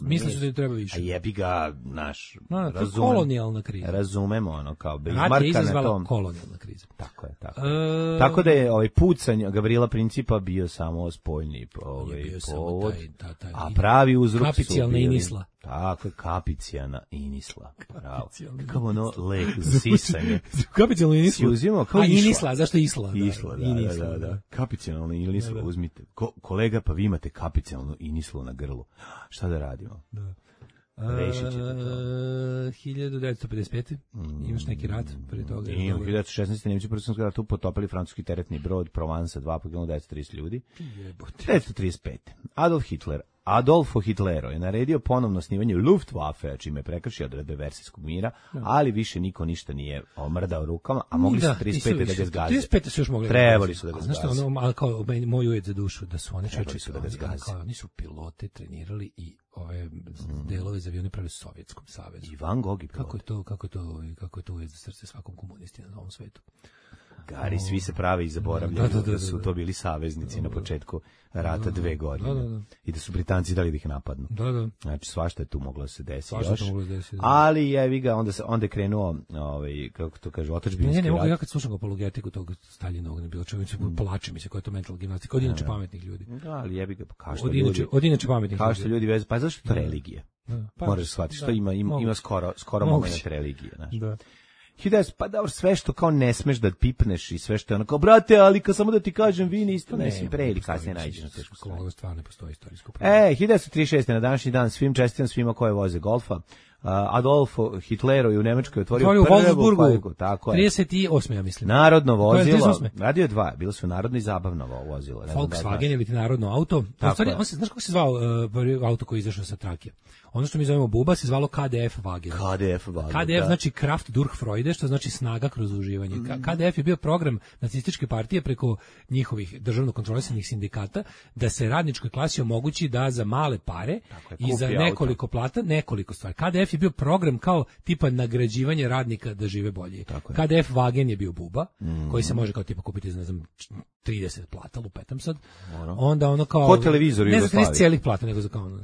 misle su da treba više. A jebi ga, naš, kolonijalna kriza. Razumemo, ono, kao Bismarcka na tom. Rat je izazvala kolonijalna kriza. Tako je, tako. Tako da je pucanj Gavrila Principa bio samo spoljni povod, a pravi uzrok su kapicijalna inisla. Tako je, kapicijalna inisla. Bravo. Kako ono lek za sisanje. Kapicijalna inisla. Si uzimao kao inisla, zašto isla? Isla, da. Kapicijalna inisla, uzmite. Kolega, pa vi imate kapicijalnu inislu na grlu. Šta da radimo? Da. Rešit ćete to. 1955. Imaš neki rat pre toga? I u 1916. Nemci prvi svjetski ratu potopili francuski teretni brod Provence 2 poginulo 930 ljudi. 1935. Adolfo Hitlero je naredio ponovno snimanje Luftwaffe, čime je prekršio odredbe Versajskog mira, ali više niko ništa nije omrdao rukama, a mogli su 35. da ga zgaze. 35. su još mogli. Trebali su da ga zgaze. Znaš što, ali kao moj ujed za dušu, da su oni oni su pilote trenirali i ove delove za avione pravi Sovjetskom savezu. I Van Gogh i kako je to ujed za srce svakom komunisti na novom svetu. Gari, svi se prave i zaboravljaju da su to bili saveznici na početku rata 2 godine. I da su Britanci dali da ih napadnu. Znači, svašta je tu moglo se desiti još. Ali jevi ga, onda je krenuo, kako to kaže, otadžbinski rat. Ne mogu, ja kad slušam apologetiku tog Staljinovog, ne bilo čovječe, plače mi se koja je to mental gimnastika, od inače pametnih ljudi. Da, ali jevi ga, kao što od inače pametnih ljudi. Kao što ljudi vezu, pa zašto je to religija? Moraš shvatiti što ima skoro moment religije, znaš. Da. Pa dobro, sve što kao ne smeš da pipneš i sve što je ono kao, brate, ali kad samo da ti kažem, vi niste, mislim, pre ili kasnije nađeš na tešku stranu. Stvarno ne postoji istorijsko. 1936. na današnji dan čestitam svima koje voze golfa. Adolfo Hitlero je u Nemačkoj otvorio prvu fabriku, tako je. 38. ja mislim. Narodno vozilo. Radio je 2, bilo su narodno i zabavno vozilo. Volkswagen ili ti narodno auto. On se, znaš kako se zvao auto koji je izašao sa trake? Ono što mi zovemo buba se zvalo KDF Wagen. KDF znači Kraft durch Freude, što znači snaga kroz uživanje. KDF je bio program nacističke partije preko njihovih državno kontrolisanih sindikata da se radničkoj klasi omogući da za male pare i za nekoliko plata, nekoliko stvari. KDF je bio program kao tipa nagrađivanje radnika da žive bolje. KDF Wagen je bio buba, koji se može kao tipa kupiti za, ne znam, 30 plata, lupetam sad. Onda ono kao... Po televizoru ne znam cijelih plata, nego za kao ono...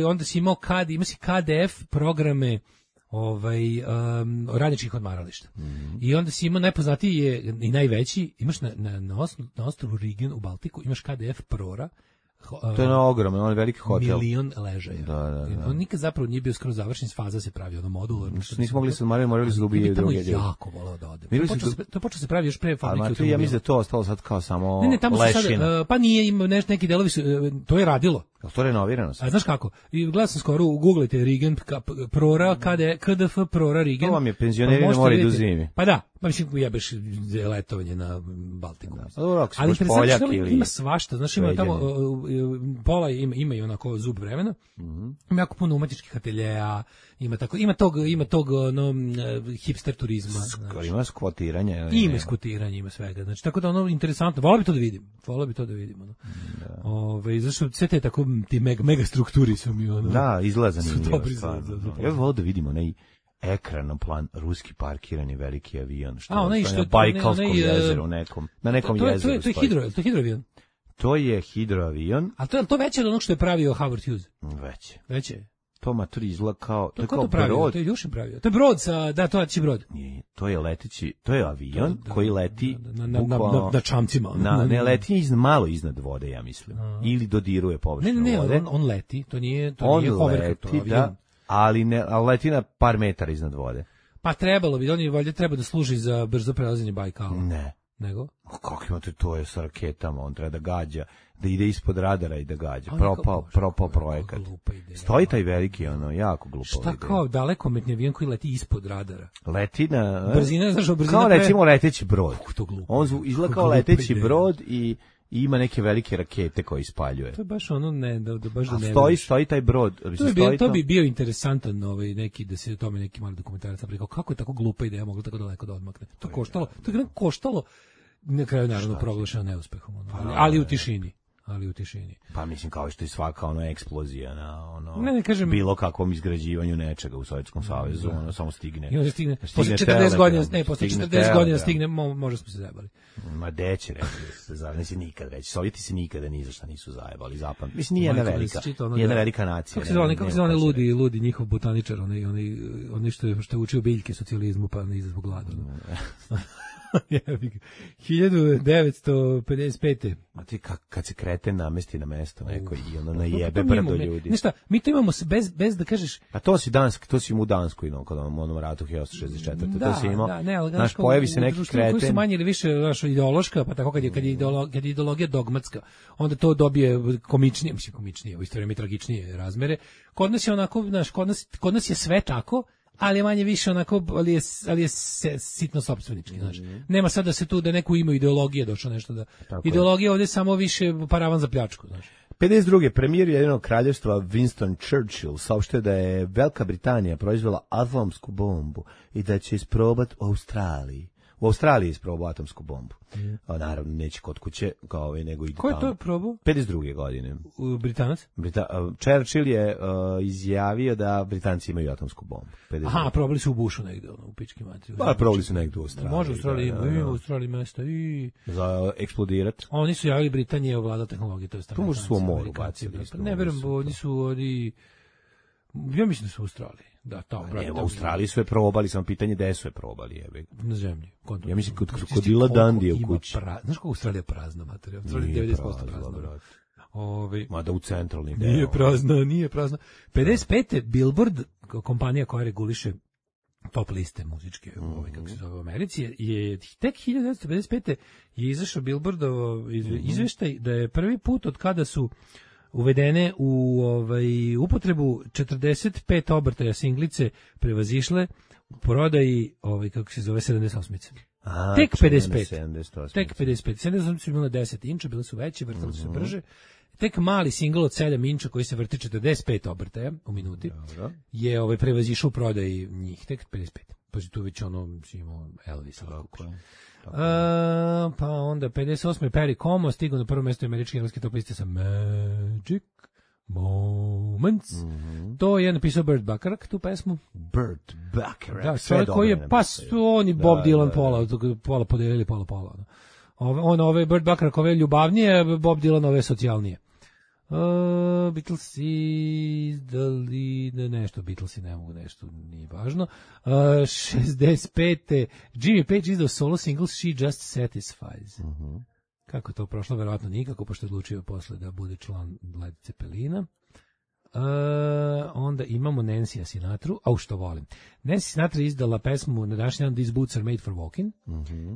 onda si imao KDF programe radničkih odmarališta. I onda si imao najpoznatiji je i najveći, imaš na ostrovu Rügen u Baltiku, imaš KDF Prora. To je ogromno, on je veliki hotel. 1.000.000 ležaja. Da. On nikad zapravo nije bio skroz završen, faza se pravi ono modularno. Nismo mogli se odmarati, morali su drugi druge. Jako volao da ode. To počeo se pravi još pre fabrike. Ja mislim da to ostalo sad kao samo lešina. Pa nije, ima neki delovi su, to je radilo. To je renovirano. A znaš kako? I gledao sam skoro, googlajte Rügen, Prora, KDF, Prora, Rügen. To vam je penzioneri na more idu zimi. Pa da, pa mislim, jebeš letovanje na Baltiku. Ali interesantno ima svašta, znaš, ima tamo, pola ima i onako zub vremena, ima jako puno umetničkih ateljeja, ima tog hipster turizma. Ima skvotiranje. Ima skvotiranje, ima svega. Znači, tako da ono interesantno, volao bi to da vidim. Zašto sve te tako ti mega strukturi su mi ono. Da, izlaza zanimljivo. Ja bih volao da vidimo onaj ekran plan ruski parkirani veliki avion što je na Bajkalskom jezeru na nekom jezeru. To je hidroavion. To je hidroavion. A to je to veće od onog što je pravio Howard Hughes? Veće. To maturi izgleda kao to je kao brod. To je Ljušin pravio. To je brod to je brod. Nije, to je leteći, to je avion koji leti na čamcima. Ne leti malo iznad vode, ja mislim. Ili dodiruje površinu vode. Ne, on leti, to nije hovercraft, ali leti na par metara iznad vode. Pa trebalo bi, on je valjda treba da služi za brzo prelazanje Bajkala. Ne. Nego? Kako imate, to je sa raketama, on treba da gađa, da ide ispod radara i da gađa. Propao projekat. Stoji taj veliki, jako glupo. Šta kao dalekometni avion koji leti ispod radara? Leti na... Brzina, znaš, kao recimo leteći brod. On izgleda kao leteći brod i ima neke velike rakete koje ispaljuje. To je baš ono baš da ne. Stoji taj brod, to bi bio interesantan neki da se o tome neki mali dokumentarac napravi, kako je tako glupa ideja mogla tako daleko da odmakne. To je koštalo na kraju naravno proglašeno neuspehom, ali u tišini. Pa mislim kao što je svaka eksplozija na ne kažem, bilo kakvom izgrađivanju nečega u Sovjetskom savezu, samo stigne. I onda stigne posle 40 godina, posle 40 godina stigne, možda smo se zajebali. Ma deće reći, nikad reći. Sovjeti se nikada ni za šta nisu zajebali, zapam. Mislim, nije jedna velika nacija. Kako se zove ludi njihov botaničar, oni što je učio biljke socijalizmu, pa ne izazvog glada. 1955. A ti kad se kreten namesti na mesto neko i ono najebe brdo ljudi. Ništa, mi to imamo bez da kažeš. A to si mu u Danskoj, kod onom ratu 1964. To si imao. Naš pojavi se neki kreten. Koji su manje ili više ideološka, pa tako kad je ideologija dogmatska, onda to dobije komičnije, u isto vrijeme tragičnije razmere. Kod nas je onako, kod nas je sve tako, ali je manje više onako, ali je sitno sopstvenički, znaš. Nema sad da se tu, da neku ima ideologije došlo nešto da... Tako ideologija ovdje je samo više paravan za pljačku, znaš. 52. premijer Ujedinjenog kraljevstva Winston Churchill saopštio da je Velika Britanija proizvela atomsku bombu i da će isprobati u Australiji. U Australiji je isprobao atomsku bombu. Naravno, neće kod kuće, nego ide tamo. Ko je to probao? 52. godine. Britanac? Churchill je izjavio da Britanci imaju atomsku bombu. 52. Aha, probali su u Bushu negde, u pički materiju. Pa, probali su negde u Australiji. Može u Australiji, ima u Australiji mesta i... Za eksplodirat. Oni su javili Britanije ovlada tehnologije, to je strana. Tu možda su u moru bacili. Ne verujem, oni su ja mislim da su u Australiji. Da, u Australiji su je probali, samo pitanje gde su je probali. Na zemlji. Ja mislim kod krokodila Dandija u kući. Znaš kako Australija prazna materija? Australija je 90% prazna. Mada u centralnim deo. Nije prazna. 55. Billboard, kompanija koja reguliše top liste muzičke, kako se zove u Americi, je tek 1955. je izašao Billboardovo izveštaj da je prvi put od kada su uvedene u upotrebu 45 obrtaja singlice prevazišle u prodaji kako se zove 78-ice. Tek 55. Tek 55. 78 su bile 10 inča, bile su veće, vrtale su se brže. Tek mali singl od 7 inča koji se vrti 45 obrtaja u minuti je prevazišao u prodaji njih. Tek 55. Pa tu već imao Elvis. Pa onda 58. Perry Como stigao na prvo mjesto američke engleske top liste sa Magic Moments. To je napisao Burt Bacharach, tu pesmu. Burt Bacharach. Da, čovjek koji je on i Bob Dylan pola podelili, pola. Ove Burt Bacharach ove ljubavnije, Bob Dylan ove socijalnije. Beatlesi, Beatlesi ne mogu nešto, nije važno. 65. Jimmy Page izdao solo single She Just Satisfies. Kako to prošlo? Verovatno nikako, pošto je odlučio posle da bude član Led Zeppelina. Onda imamo Nancy Sinatru, što volim. Nancy Sinatra izdala pesmu na današnji dan These Boots Are Made for Walking,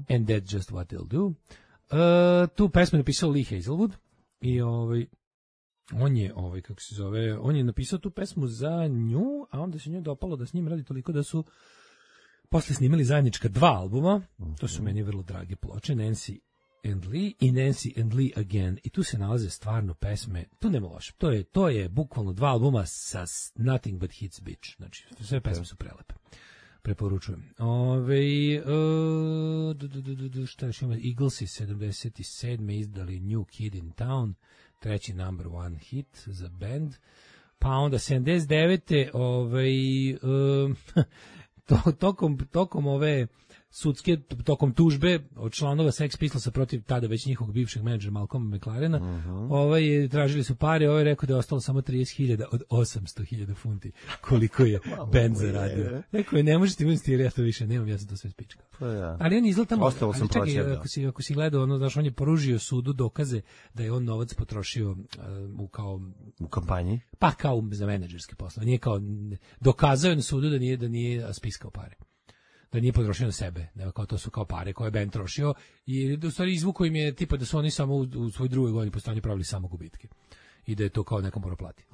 and That's Just What They'll Do. Tu pesmu je napisao Lee Hazelwood i on je napisao tu pesmu za nju, a onda se njoj dopalo da s njim radi toliko da su posle snimali zajednička 2 albuma. To su meni vrlo drage ploče, Nancy and Lee i Nancy and Lee Again. I tu se nalaze stvarno pesme, tu nema loše. To je bukvalno 2 albuma sa Nothing But Hits Bitch. Znači, sve pesme su prelepe. Preporučujem. Šta još ima? Eaglesi 77. izdali New Kid in Town, treći number one hit za band. Pa onda 79. Tokom ove sudske, tokom tužbe od članova Sex Pistolsa protiv tada već njihovog bivšeg menadžera Malcolma McLarena, tražili su pare, je rekao da je ostalo samo 30.000 od 800.000 funti, koliko je band zaradio. Rekao je, ne možete investirati, ja to više nemam, ja sam to sve spičkao. Ali on izgleda tamo, ako si gledao, znaš, on je poružio sudu dokaze da je on novac potrošio u kampanji? Pa kao za menadžerske poslove. Nije kao, dokazao je na sudu da nije spiskao pare. Da nije potrošio na sebe, nego kao to su kao pare koje je band trošio i u stvari izvuko im je tipa da su oni samo u svoj drugoj godini postojanja pravili samo gubitke i da je to kao nekom mora plati.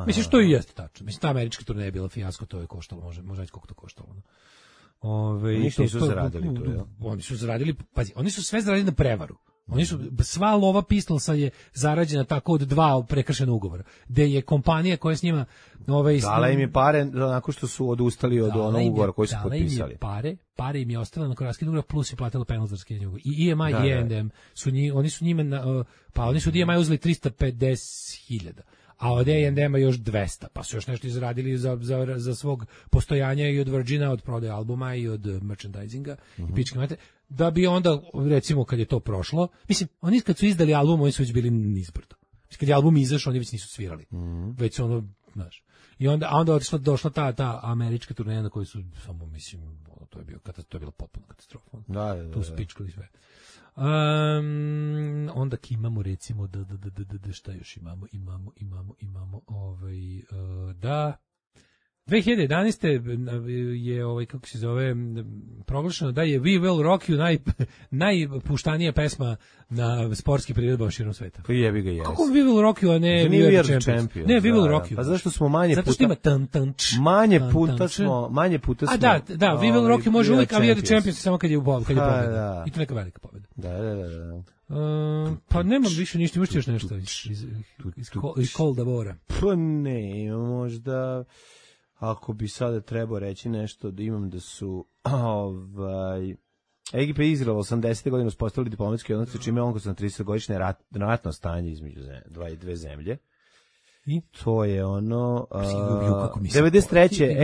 Mislim što i jeste tačno. Mislim ta američka turneja je bila fijasko, to je koštalo, može reći koliko to koštalo. Ništa nisu zaradili to, ja? Oni su zaradili, pazi, oni su sve zaradili na prevaru. Oni su, sva lova Pistolsa je zarađena tako od 2 prekršena ugovora, gde je kompanija koja s njima... Dala im je pare nakon što su odustali od onog ugovora koji su potpisali. Pare im je ostala na raskid ugovora, plus je platila penal za raskidanje ugovora. I EMI i A&M, oni su njima, oni su od EMI uzeli 350.000, a od A&M-a još 200, pa su još nešto izradili za svog postojanja i od Virgina, od prodaje albuma i od merchandisinga, i pičke mate, da bi onda, recimo, kad je to prošlo, mislim, oni kad su izdali album, oni su već bili nizbrdo. Kad je album izašao, oni već nisu svirali. Već su ono, znaš. I onda došla ta američka turneja na kojoj su samo, mislim, to je bilo potpuno katastrofa. Tu su pičkali sve. Onda imamo, recimo, šta još imamo, 2011. je kako se zove, proglašeno da je We Will Rock You najpuštanija pesma na sportski priredbama širom sveta. Pa jebi ga, kako We Will Rock You, a ne We Are Champions? Ne, We Will Rock You. Pa zašto smo manje puta... Zato što ima manje puta smo... Da, We Will Rock You može uvijek, a We Are Champions samo kad je pobjeda. I to neka velika pobjeda. Da. Pa nemam više ništa, imaš još nešto iz Cold Bora. Pa ne, možda... Ako bi sada trebao reći nešto, da imam da su Egipat i Izrael 80. godine uspostavili diplomatski odnose, čime je onko na 30-godišnje ratno stanje između dve zemlje. I to je ono 93.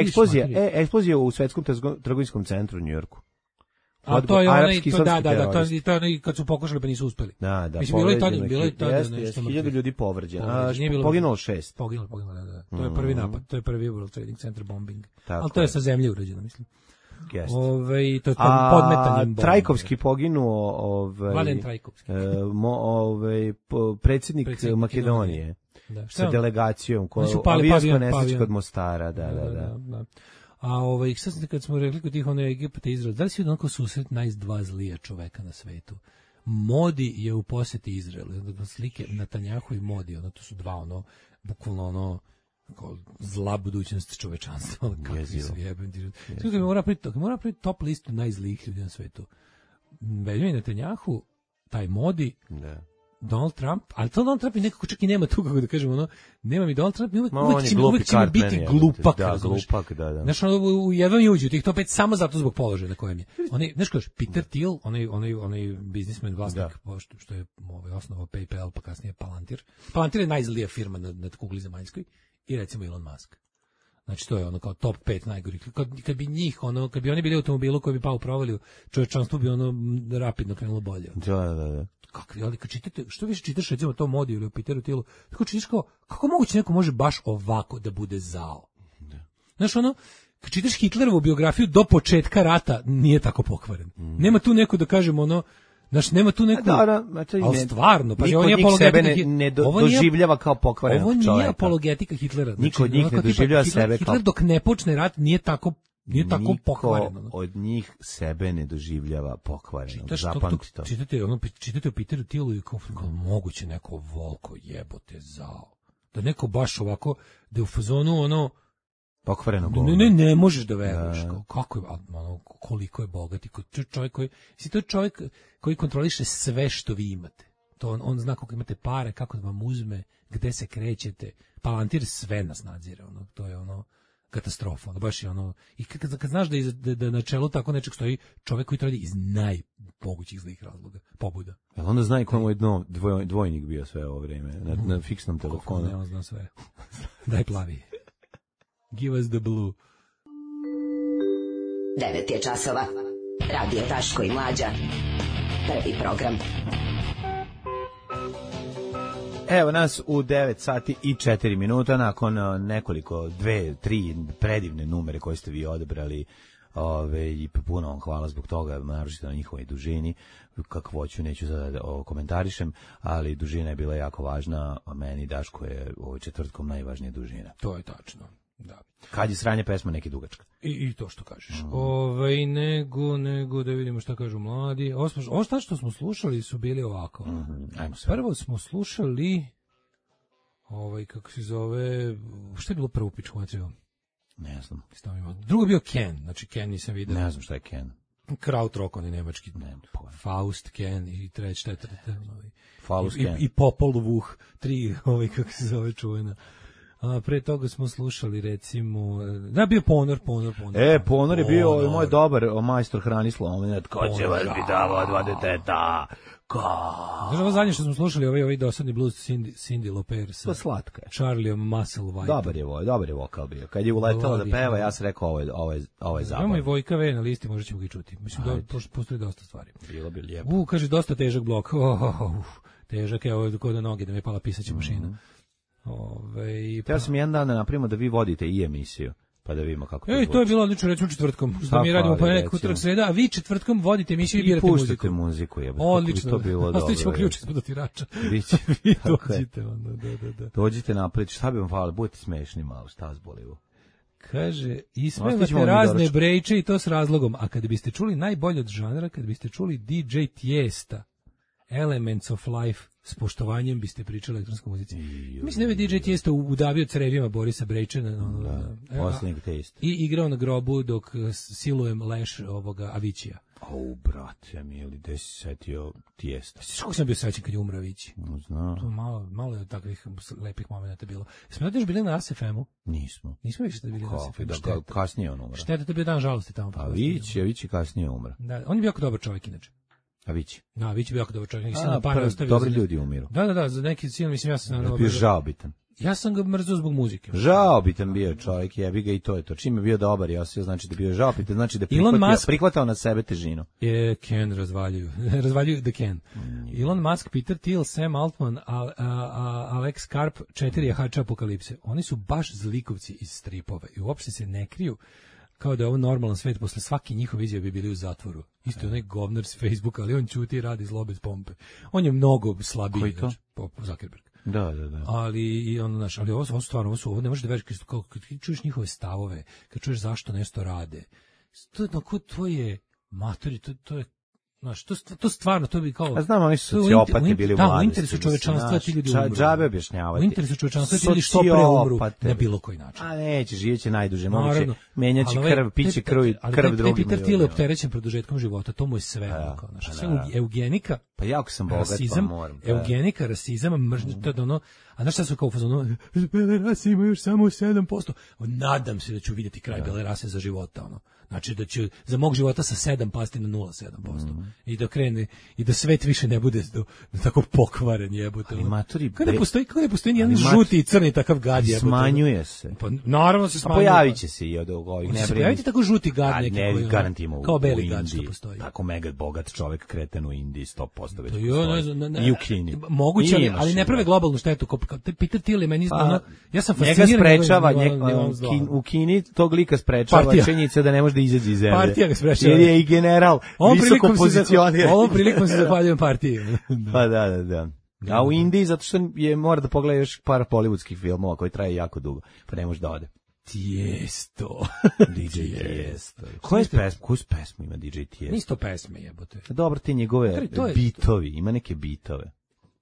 eksplozija u Svetskom trgovinskom centru u Njujorku. A to je onaj, to je onaj kad su pokušali pa nisu uspeli. Da, mislim, bilo je tada nešto. 1000 ljudi povređeno. Poginulo 6. Poginulo, da. To je prvi napad, to je prvi World Trading Center bombing. Ali to je sa zemlje urađeno, mislim. To je podmetanjem bomba. Trajkovski poginuo, Vladen Trajkovski. Predsjednik Makedonije. Sa delegacijom koja avionska nesreća kod Mostara, da. A sad kad smo rekli kod tih Egipta i Izrael, da li si onako susret najzdva zlija čoveka na svetu? Modi je u posjeti Izraelu, slike Netanjahu i Modi, to su dva bukvalno zla budućnost čovečanstva, kakvi su jebeni. Mora priti top listu najzlijih ljudi na svetu. Benjamin Netanjahu, taj Modi, Donald Trump, ali to Donald Trump i nekako čak i nema tu, kako da kažemo, nema mi Donald Trump, uvijek će mi biti glupak. Da, glupak, da. Znaš, jedva mi uđe u tih top 5 samo zato zbog položaja na kojem je. Znaš kažeš, Peter Thiel, onaj biznismen, vlasnik, što je osnovao PayPal, pa kasnije Palantir. Palantir je najzlija firma na kugli zemaljskoj i recimo Elon Musk. Znači, to je kao top 5 najgorih. Kad bi njih, kad bi oni bili u automobilu koji bi pao u provaliju, čovječanstvo bi rapidno krenulo bolje. Da. Ali kad čitate, što više čitaš recimo to Modi ili o Peteru Thielu, tako čitaš kako moguće neko može baš ovako da bude zao. Znaš, kad čitaš Hitlerovu biografiju do početka rata, nije tako pokvaren. Nema tu neko da kažemo znaš, nema tu neku... ali stvarno, pa niko od njih sebe ne doživljava kao pokvarenog čovjeka. Ovo nije apologetika Hitlera. Niko od njih ne doživljava sebe kao... Hitler dok ne počne rat nije tako pokvareno. Niko od njih sebe ne doživljava pokvareno. Zapamti to. Čitate o Peteru Thielu i kao moguće neko volko jebote zao. Da neko baš ovako, da je u fazonu pokvareno ne možeš da veruješ. Kako je, koliko je bogat i to je čovjek koji kontroliše sve što vi imate. To on zna kako imate pare, kako da vam uzme, gde se krećete. Palantir sve nas nadzire. To je katastrofa. Baš je i kad znaš da na čelu tako nečeg stoji čovjek koji to radi iz najmogućih zlih razloga, pobuda. Jel onda zna i ko mu je dvojnik bio sve ovo vrijeme na fiksnom telefonu? Ne, on zna sve. Daj plavi. Give us the blue. 9 je časova. Radio Daško i Mlađa. Prvi program. Evo nas u 9 sati i 4 minuta nakon nekoliko, 2-3 predivne numere koje ste vi odebrali. I puno vam hvala zbog toga, naročito na njihovoj dužini. Kakvoću neću sada komentarišem, ali dužina je bila jako važna, a meni Daško je četvrtkom najvažnija dužina. To je tačno. Da. Kad je sranje pesma neki dugačka. I to što kažeš. Nego da vidimo šta kažu mladi. Ovo što smo slušali su bili ovako. Ajmo se. Prvo smo slušali kako se zove, šta je bilo prvo pičku materiju? Ne znam. Drugo je bio Ken, znači Ken nisam vidio. Ne znam šta je Ken. Krautrock, on je nemački. Faust Ken i četvrte. Faust Ken. I Popol Vuh, 3, kako se zove čuvena. A pre toga smo slušali recimo da bio Ponor. Ponor je bio moj dobar majstor Hranislav, ko će vas pitava 2 deteta. Znaš, ovo zadnje što smo slušali, ovaj dosadni blues Cindy Lauper sa slatka je. Charlieom Musselwhite. Dobar je vokal bio. Kad je uletela da peva, ja sam rekao ovo je zabav. Imamo i Vojka V na listi, možda ćemo ga čuti. Mislim da postoji dosta stvari. Bilo bi lijepo. Kaže, dosta težak blok. Težak je, ovo kod noge da me pala pisaća mašina. Teo sam jedan dan da napravimo da vi vodite i emisiju, pa da vidimo kako to to je bilo odlično, recimo četvrtkom. Da mi radimo ponedjeljak, utorak, sreda, a vi četvrtkom vodite emisiju i birate muziku. I puštate muziku. Odlično. To bilo dobro. Ostavićemo ključ ispod otirača. Vi dođite. Dođite napred, šta bi vam hvala, budete smešni malo, šta vas boli ovo? Kaže, ismevate razne brejče i to s razlogom, a kada biste čuli najbolje od žanra, kada biste čuli DJ Tiesta, Elements of Life, s poštovanjem biste pričali o elektronskoj muzici. Mislim da je DJ Tiesta udavio crevima Borisa Brejčana. Posljednjeg Tiesta. I igrao na grobu dok silujem leš ovoga Avićija. Brate, mili, gde si setio Tiesta? Kako sam bio sećan kad je umro Avići? Znam. To malo je takvih lepih momenta bilo. Smo da još bili na ASFM-u? Nismo. Nismo više da bili na ASFM-u. Kasnije on umro. Šteta, to je bio dan žalosti tamo. Avići kasnije umro. Da, on je bio jako dobar čovjek inače. Avići. Da, Avić je bio jako dobar čovjek. Dobri ljudi umiru. Da, za neki cilj, mislim, ja sam... Bio žaobitan. Ja sam ga mrzio zbog muzike. Žaobitan bio čovjek, jebi ga i to je to. Čim je bio dobar i osvio, znači da bio žaobitan, znači da prihvatao na sebe težinu. Ken razvaljuju The Ken. Elon Musk, Peter Thiel, Sam Altman, Alex Karp, 4 jahača apokalipse. Oni su baš zlikovci iz stripova i uopšte se ne kriju kao da je ovo normalan svet, posle svaki njihov izjave bi bili u zatvoru. Isto je onaj govnar s Facebooka, ali on ćuti i radi zlo bez pompe. On je mnogo slabiji. Koji to? Zuckerberg. Da. Ali ovo stvarno, ovo ne možeš da veriš kad čuješ njihove stavove, kad čuješ zašto nešto rade. To je matori, to je znaš, to stvarno, to bi kao... A znam, oni su sociopati bili u mladosti. U interesu čovečanstva ti ljudi umru. Džabe objašnjavati. U interesu čovečanstva ti ljudi što pre umru na bilo koji način. A neće, živeće najduže, moguće, menjaće krv, piće krv drugim. Ali Peter Thiel je opterećen produžetkom života, to mu je sve. Sve eugenika, pa jako sam bogat, pa moram. Eugenika, rasizam, mržnja, to je ono... A znaš šta su kao u fazonu, bele rase imaju još samo 7%. Nadam se da ću vidjeti kraj bele rase za života, ono. Znači da će za mog života sa 7 pasti na 0,7%. I da krene, i da svet više ne bude tako pokvaren jebote. Ali maturi... Kako ne postoji nijedan žuti i crni takav gad jebote. Smanjuje se. Pa naravno se smanjuje. Pojavit će se i od ovih. Ne pojaviti tako žuti gad neki koji... Garantimo kao beli gad što postoji. Tako mega bogat čovek kreten u Indiji 100% već postoji. I u Kini. Moguće, ali ne prave globalnu štetu. Peter Thiel je meni ja sam fasciniran. Njega sprečava, u Kini tog lika sprečava činjenica da ne može da izađe iz zemlje. Partija ga sprečava. Jer je i general visoko pozicioniran. Ovom prilikom se zahvaljujem partiji. Pa da. A u Indiji, zato što mora da pogleda još par hollywoodskih filmova koji traje jako dugo, pa ne može da ode. Tijesto. DJ Tijesto. Koju pesmu ima DJ Tijesto? Nisto pesme jebote. Dobro, ti njegove bitovi, ima neke bitove.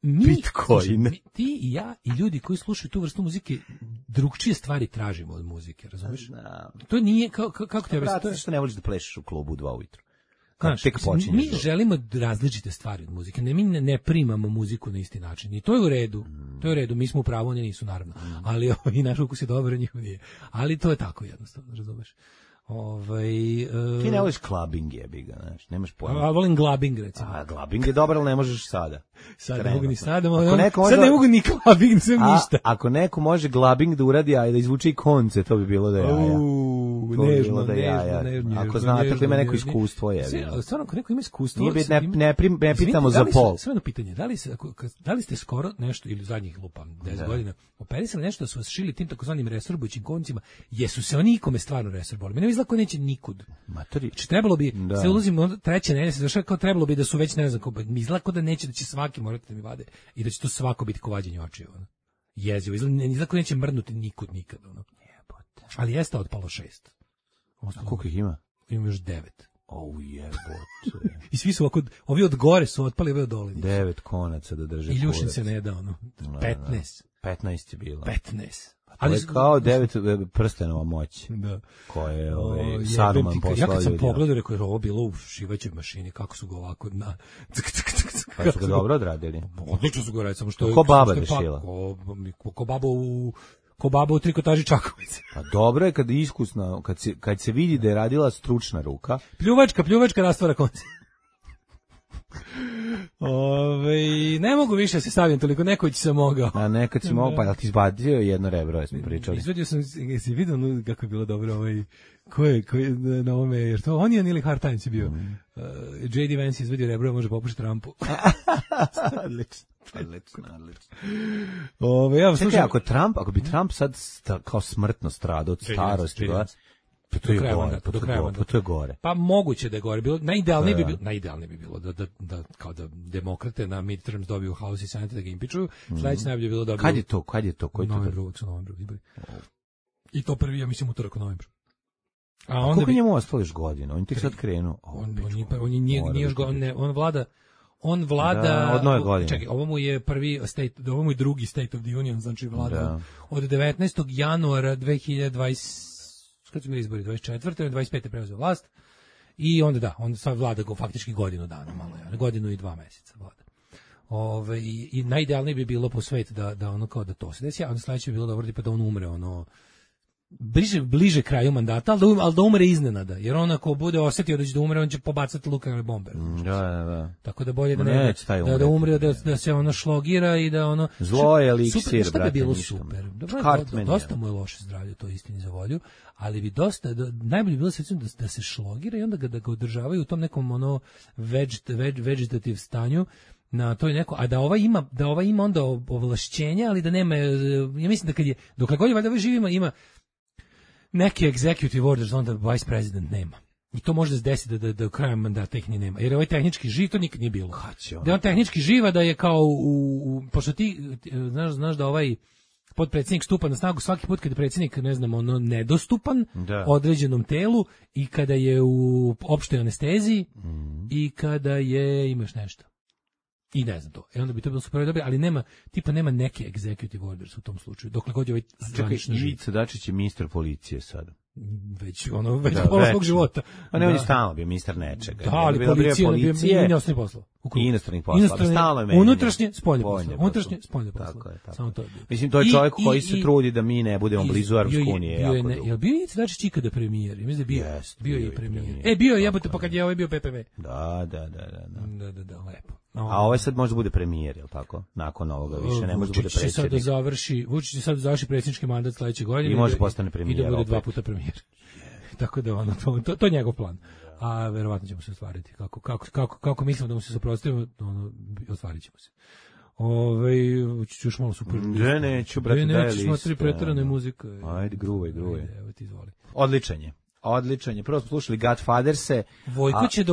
Bitcoin. Ti i ja i ljudi koji slušaju tu vrstu muzike drugčije stvari tražimo od muzike, razumiješ? To nije, kako te objasniti? Zato što ne voliš da plešeš u klubu u 2 ujutru. Mi želimo različite stvari od muzike, mi ne primamo muziku na isti način i to je u redu, mi smo u pravu, oni nisu naravno, ali i naš ukus je dobar, njihov nije, ali to je tako jednostavno, razumiješ? Ti ne voliš clubbing jebiga, znaš, nemaš pojma. A volim glabing, recimo. A glabing je dobar, ali ne možeš sada. Sad ne mogu ni sada, sad ne mogu ni clubbing, nisam ništa. Ako neko može glabing da uradi, a da izvuče i konce, to bi bilo da jaja. Nežno. Ako znate, ako ima neko iskustvo, je. Stvarno, ako neko ima iskustvo... Ne pitamo za pol. Sve jedno pitanje, da li ste skoro nešto, ili zadnjih lupam, 10 godina, operisali nešto da su vas šili tim takozvanim resorbujućim koncima, jesu se oni ikome stvarno resorboli? Mene izgleda ko neće nikud. Znači, trebalo bi, se ulazimo treće nedelje, se završava kao trebalo bi da su već, ne znam, izgleda ko da neće, da će svaki morati da mi vade i da će to svako biti ko vađenje očiju. Jezivo, izgleda ko neće mrnuti nikud nikad. Ali jeste otpalo 6. A koliko ih ima? Imam još 9. Jebote. I svi su ovako, ovi od gore su otpali, ovi od dole. 9 konaca da drže. I Ljušin se ne da, 15. 15 je bilo. 15. Ali je kao 9 prstenova moć. Da. Koje je Saruman poslao. Ja kad sam pogledao, rekao je ovo bilo u šivaćoj mašini, kako su ga ovako na... Pa su ga dobro odradili. Odlično su ga radili, samo što je... Ko baba da šila. Ko baba u trikotaži Čakovice. Pa dobro je kad je iskusna, kad se vidi da je radila stručna ruka. Pljuvačka rastvara konci. Ne mogu više da se stavim toliko, nekoć sam mogao. A nekad si mogao, pa ti izbacio jedno rebro, smo pričali. Izvadio sam, jesi vidio kako je bilo dobro ko je na ovome, jer to on je ili Hard Times je bio. J.D. Vance izvadio rebro, može popušiti Trumpu. Odlično. Ja slušam, ako bi Trump sad kao smrtno stradao od starosti, pa to je gore. Pa moguće da je gore. Najidealnije bi bilo da kao da demokrate na midterms dobiju House i Senate da ga impičuju. Sledeće najbolje bi bilo da... Kad je to? Koji to? Novembru izbori. I to prvi, ja mislim, utorak u novembru. A koliko njemu ostalo još godina? On tek sad krenu. On vlada od nove godine. Čekaj, ovo mu je ovo mu je drugi State of the Union, znači vlada od 19. januara 2020 kad su bili izbori, 24. i 25. preuzeo vlast i onda on sad vlada go faktički godinu dana, godinu i 2 meseca vlada. I najidealnije bi bilo po svetu da ono kao da to se desi, a onda sledeće bi bilo dobro tipa da on umre bliže kraju mandata, ali da umre iznenada, jer on ako bude osetio da će da umre, on će pobacati nuklearne bombe. Da. Tako da bolje da umre, da se ono šlogira i da ono... Zlo je eliksir, brate. Što bi bilo super. Dosta mu je loše zdravlje, to istini za volju, ali bi najbolje bilo da se šlogira i onda da ga održavaju u tom nekom ono vegetativ stanju, na to je neko, a da ova ima onda ovlašćenja, ali da nema, ja mislim da dokle god je valjda živima ima neki executive orders, onda vice president nema. I to može da se desi da u kraju mandata ih ni nema. Jer ovaj tehnički živ, to nikad nije bilo. Da je on tehnički živa, da je kao pošto ti znaš da ovaj potpredsjednik stupa na snagu svaki put kada je predsjednik, nedostupan određenom telu i kada je u opštoj anesteziji i kada imaš nešto. I ne znam to. Onda bi to bilo super dobro, ali nema neke executive orders u tom slučaju. Dokle god je ovaj zvanično živ. Ivica Dačić je ministar policije sada. Već pola svog života. A ne, on je stalno bio ministar nečega. Da, ali policija je bio inostranih poslova. I inostranih poslova. Stalno je menjanje. Unutrašnje, spoljne poslova. Samo to je bio. Mislim, to je čovjek koji se trudi da mi ne budemo blizu Evropske unije. Jel bio Ivica Dačić ikada premijer? Mislim da je bio je premijer. Bio je, jebote, pa kad je ovaj bio PPV. Da, lepo. A ovaj sad može da bude premijer, je li tako? Nakon ovoga više ne može da bude predsjednik. Vučić će sad da završi predsjednički mandat sledeće godine. I može postane premijer. I da bude 2 puta premijer. Tako da to je njegov plan. A verovatno ćemo se ostvariti. Kako mislimo da mu se suprotstavimo, ostvarit ćemo se. Ću još malo super. Neću, brate, daj list. Neću, smatri pretarane muzika. Ajde, gruvaj. Evo ti izvoli. Odličan je. Prvo smo slušali Godfatherse. Vojko će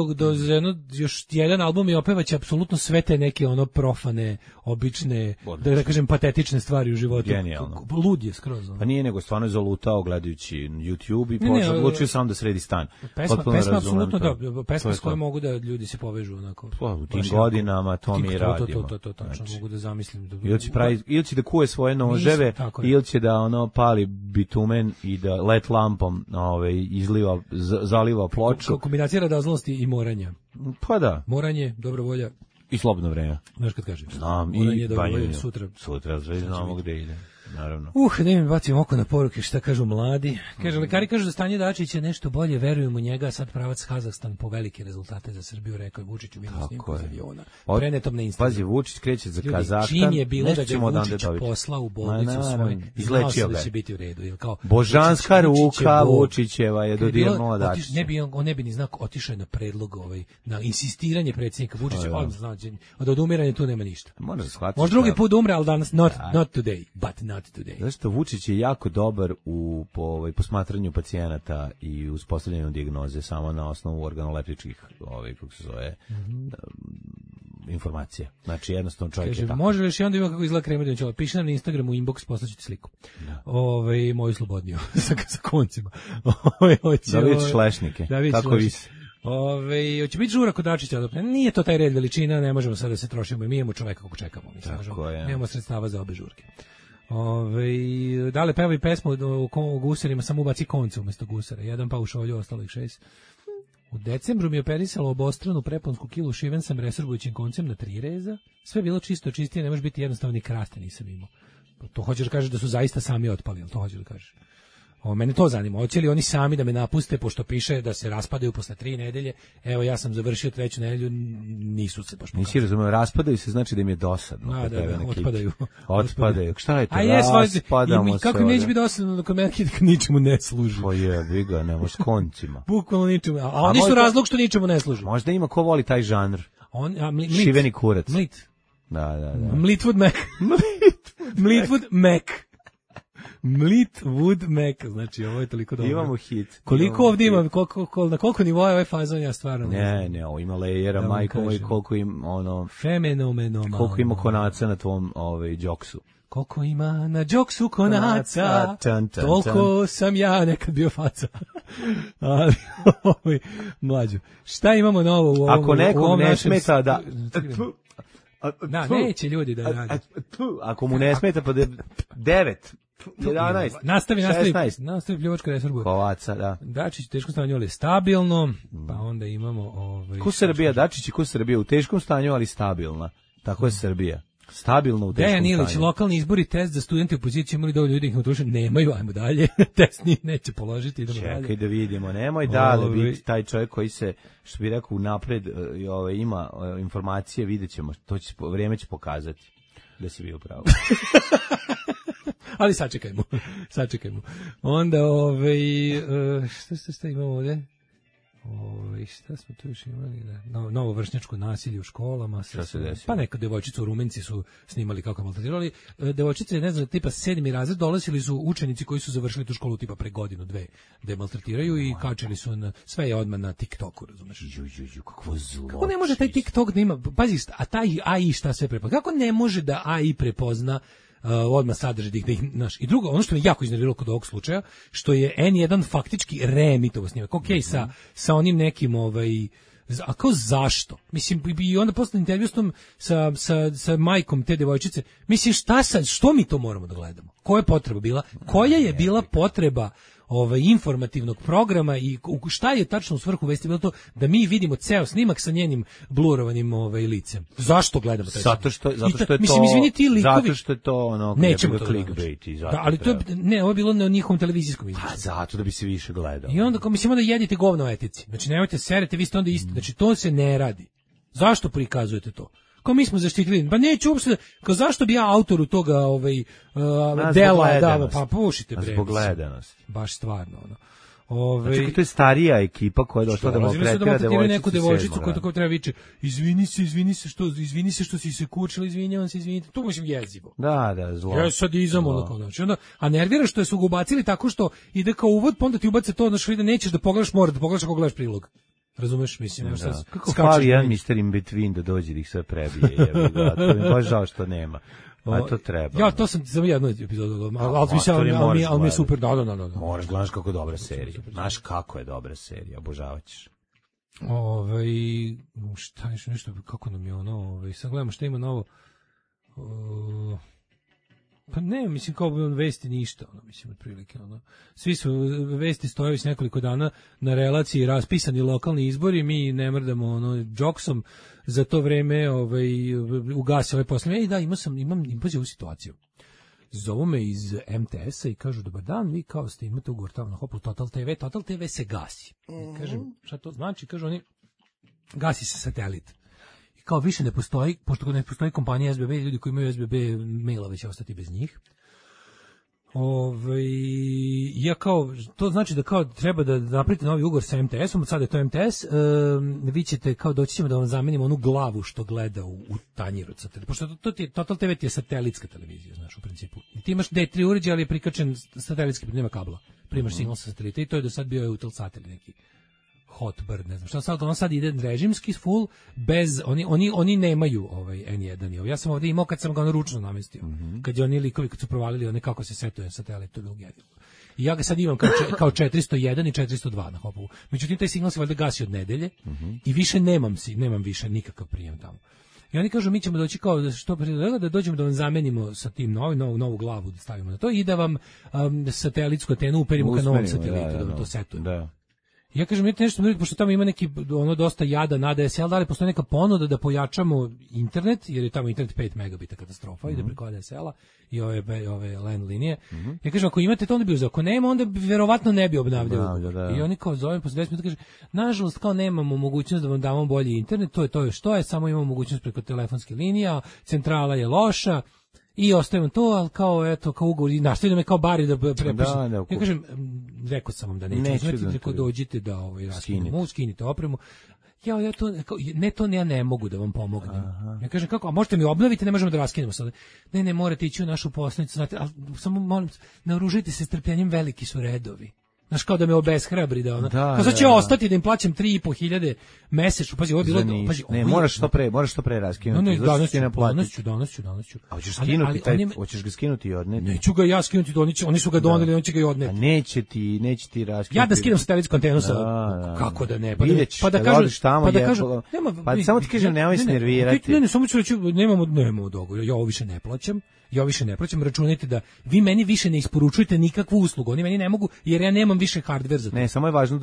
još jedan album i opevaće apsolutno sve te neke profane, obične, da kažem patetične stvari u životu. Genijalno. Lud je skroz. Pa nije nego stvarno je zalutao gledajući YouTube i odlučio sam da sredi stan. Pesma apsolutno da, pesma s kojom mogu da ljudi se povežu onako. U tim godinama to mi radimo. To tačno mogu da zamislim. Ili će da kuje svoje noževe, ili će da pali bitumen i da let lampom zaliva ploču. Kombinacija radoznosti i moranja. Pa da. Moranje, dobra volja. I slobodno vreme. Znaš kad kažeš. Znam. Moranje, dobra volja, Sutra znamo gde ide. Naravno. Da mi bacim oko na poruke šta kažu mladi. Kaže, lekari kažu da stanje Dačića nešto bolje, verujem u njega, sad pravac Kazahstan po velike rezultate za Srbiju, rekao je Vučić u minus snimku iz aviona. Prenetom na Instagram. Pazi, Vučić kreće za Kazahstan. Čim je bilo da ga Vučić poslao u bolnicu svoj, izlečio ga. Da će biti u redu. Božanska ruka Vučićeva je dodirnula Dačića. On ne bi ni znao, otišao je na predlog, na insistiranje predsjednika Vučića, od odumiranja tu nema ništa. Može drugi put umre, ali danas not today, but not today. Zašto Vučić je jako dobar u posmatranju pacijenata i uspostavljanju dijagnoze samo na osnovu organoleptičkih kako se zove informacije. Znači jednostavno čovjek je tako. Može li još i onda ima kako izgleda Kremlinović? Piši nam na Instagramu inbox, poslaću ti sliku. Moju slobodniju sa koncima. Da vidiš lešnike. Kako visi. Hoće biti žura kod Dačića, nije to taj red veličina, ne možemo sad da se trošimo, mi imamo čoveka kako čekamo, nemamo sredstava za obe žurke. Dale pevaj pesmu o gusarima, samo ubaci konce umesto gusara. Jedan pa u šolju, ostalo ih 6. U decembru mi je operisalo obostranu preponsku kilu, šiven sam resorbujućim koncem na 3 reza. Sve je bilo čisto, čistije, ne može biti jednostavno ni kraste nisam imao. To hoćeš da kažeš da su zaista sami otpali, ali to hoćeš da kažeš. Mene to zanima, hoće li oni sami da me napuste, pošto piše da se raspadaju posle 3 nedelje, evo ja sam završio 3. nedelju, nisu se baš pokazali. Nisi razumeo, raspadaju se znači da im je dosadno. Da, otpadaju. Otpadaju, šta je to? Raspadamo se. Kako neće biti dosadno dok me ničemu ne služi. Pa je, ga, nemo s koncima. Bukvalno ničemu, a oni su razlog što ničemu ne služi. Možda ima ko voli taj žanr. Šiveni kurac. Mlit. Da. Mlitwood Mac. Mlitwood Mac. Mlitwood Mac, znači ovo je toliko dobro. Imamo hit. Koliko ovdje ima, na koliko nivoa je ovaj fazon, ja stvarno ne, ovo ima lejera, majko i koliko im fenomenoma. Koliko ima konaca na tvom džoksu. Koliko ima na džoksu konaca, toliko sam ja nekad bio faca. Ali, mlađo, šta imamo novo u ovom? Ako nekom ne smeta da... neće ljudi da radi. Ako mu ne smeta, pa 9, 11, nastavi pljuvačka resorbu. Kovaca, da. Dačić u teškom stanju, ali stabilno, pa onda imamo... Ko Srbija, Dačić i ko Srbija, u teškom stanju, ali stabilna. Tako je Srbija. Stabilno u teškom stanju. Dejan Ilić, lokalni izbori, test za studente u opoziciji, imali dovoljno ljudi ih utroše, nemaju, ajmo dalje, test neće položiti, idemo dalje. Čekaj da vidimo, nemoj dalje biti taj čovjek koji se, što bi rekao, napred ima informacije, vidjet ćemo, vrijeme će pokazati da si bio pravo. Ali sačekajmo. Onda, šta imamo ovdje? Šta smo tu još imali? Novo vršnjačko nasilje u školama. Šta se desilo? Pa neka devojčica u Rumenci su snimali kako maltretirali. Devojčice, ne znam, tipa 7. razred, dolazili su učenici koji su završili tu školu tipa pre godinu, 2, da je maltretiraju i kačili su sve je odmah na TikToku, razumeš? Kakvo zlo. Kako ne može taj TikTok da ima, pazi, a taj AI šta sve prepozna? Kako ne može da AI prepozna odmah sadrži da ih naš. I drugo, ono što me jako iznerviralo kod ovog slučaja, što je N1 faktički reemitovo snimak. Okej, sa onim nekim a kao zašto? Mislim, i onda posle intervju sa majkom te devojčice, mislim, šta sad, što mi to moramo da gledamo? Koja je potreba bila? Koja je bila potreba informativnog programa i šta je tačno u svrhu vesti bilo to da mi vidimo ceo snimak sa njenim blurovanim licem. Zašto gledamo taj? Zato što je to. Mislim, izvini, ti likovi. Zato što je to ono nećemo to clickbait i zato. Da, ali to je, ovo je bilo na njihovom televizijskom izvješću. Pa zato da bi se više gledalo. I onda mislim da jedite govno o etici. Znači nemojte serete, vi ste onda isti. Znači to se ne radi. Zašto prikazujete to? Kao mi smo zaštitili, pa neću uopšte, kao zašto bi ja autoru toga dela dao, pa pušite bre. Zbog gledanosti. Baš stvarno, ono. Znači, to je starija ekipa koja je došla da maltretira neku devojčicu koja tako treba viče, izvini se što si se kučila, izvinjavam se, izvinite. To mislim jezivo. Da, zlo. Ja sad izam ono kao znači. Onda, a nervira što su ga ubacili tako što ide kao uvod, pa onda ti ubace to, znači da nećeš da pogledaš, mora da pogledaš ako gledaš prilog. Razumeš, mislim, kako skali jedan Mr. In Between da dođe da ih sve prebije, to mi baš žao što nema. A to treba. Ja, to sam samo jednu epizodu, ali mi je super, da. Moraš gledaš kako je dobra serija. Znaš kako je dobra serija, obožavat ćeš. Šta je nešto, kako nam je ono, sad gledamo šta ima novo. Pa ne, mislim kao vesti ništa, mislim otprilike svi su vesti stoje već nekoliko dana na relaciji raspisani lokalni izbori, mi ne mrdamo džoksom za to vreme ugasi ovaj posle. Da, imam ovu situaciju. Zovu me iz MTS-a i kažu, dobar dan, vi kao ste imate ugovor tamo na Hopu Total TV se gasi. Kažem, šta to znači? Kažu oni, gasi se satelit. Kao više ne postoji, pošto ne postoji kompanija SBB, ljudi koji imaju SBB mailove će ostati bez njih. Ja kao, to znači da kao treba da napravite novi ugovor sa MTS-om, sad je to MTS, vi ćete kao doći ćemo da vam zamenimo onu glavu što gleda u tanjiru. Pošto Total TV ti je satelitska televizija, znaš, u principu. I ti imaš D3 uređaj, ali je prikačen satelitski, nema kabla. Primaš signal sa satelita i to je do sad bio Eutelsat ili neki Hotbird, ne znam šta, sad ide režimski full, bez, oni nemaju N1. Ja sam ovdje imao kad sam ga ručno namestio, kad je oni likovi, kad su provalili one kako se setuje satelit, to je bilo genijalno. I ja ga sad imam kao 401 i 402 na Hopovu. Međutim, taj signal se valjda gasi od nedelje i više nemam više nikakav prijem tamo. I oni kažu mi ćemo doći kao da što pre da dođemo da vam zamenimo sa tim novu glavu da stavimo na to i da vam satelitsku antenu uperimo ka novom satelitu, da to setujemo. Da. Ja kažem, vidite nešto, pošto tamo ima neki dosta jada na ADSL, da li postoji neka ponuda da pojačamo internet, jer je tamo internet 5 megabita katastrofa, ide preko ADSL-a i ove LAN linije. Ja kažem, ako imate to, onda bi uzeo. Ako nema, onda bi verovatno ne bi obnavljao. I oni kao zovem posle 10 minuta kaže, nažalost, kao nemamo mogućnost da vam damo bolji internet, to je što je, samo imamo mogućnost preko telefonske linija, centrala je loša, i ostavim to, ali kao ugovor i nastavljam me kao bari da prepišem. Ja kažem, rekao sam vam da neću uzmeti, dođite da raskinemo, skinite opremu. Ja ne mogu da vam pomognem. Ja kažem, kako, a možete mi obnoviti, ne možemo da raskinemo sada. Ne, morate ići u našu poslanicu, znate, ali samo molim, naoružite se strpljenjem, veliki su redovi. Znaš, kao da me obeshrabri da ona. Kao sad će ostati da im plaćam 3.500 mesečno. Pazi, ovo je bilo, ne, moraš što pre raskinuti. No, danas ću. A hoćeš ga skinuti i odneti? Neću ga ja skinuti, oni su ga doneli, on će ga i odneti. A neće ti raskinuti. Ja da skinem satelitsku antenu sa, kako da ne, pa da kažu, pa samo ti kažem, nemoj se nervirati. Ne, samo ću reći, nemamo dogovor, ja ovo više ne plaćam, računajte da vi meni više ne isporučujete nikakvu uslugu, oni meni ne mogu, jer ja nemam više hardware za to. Ne, samo je važno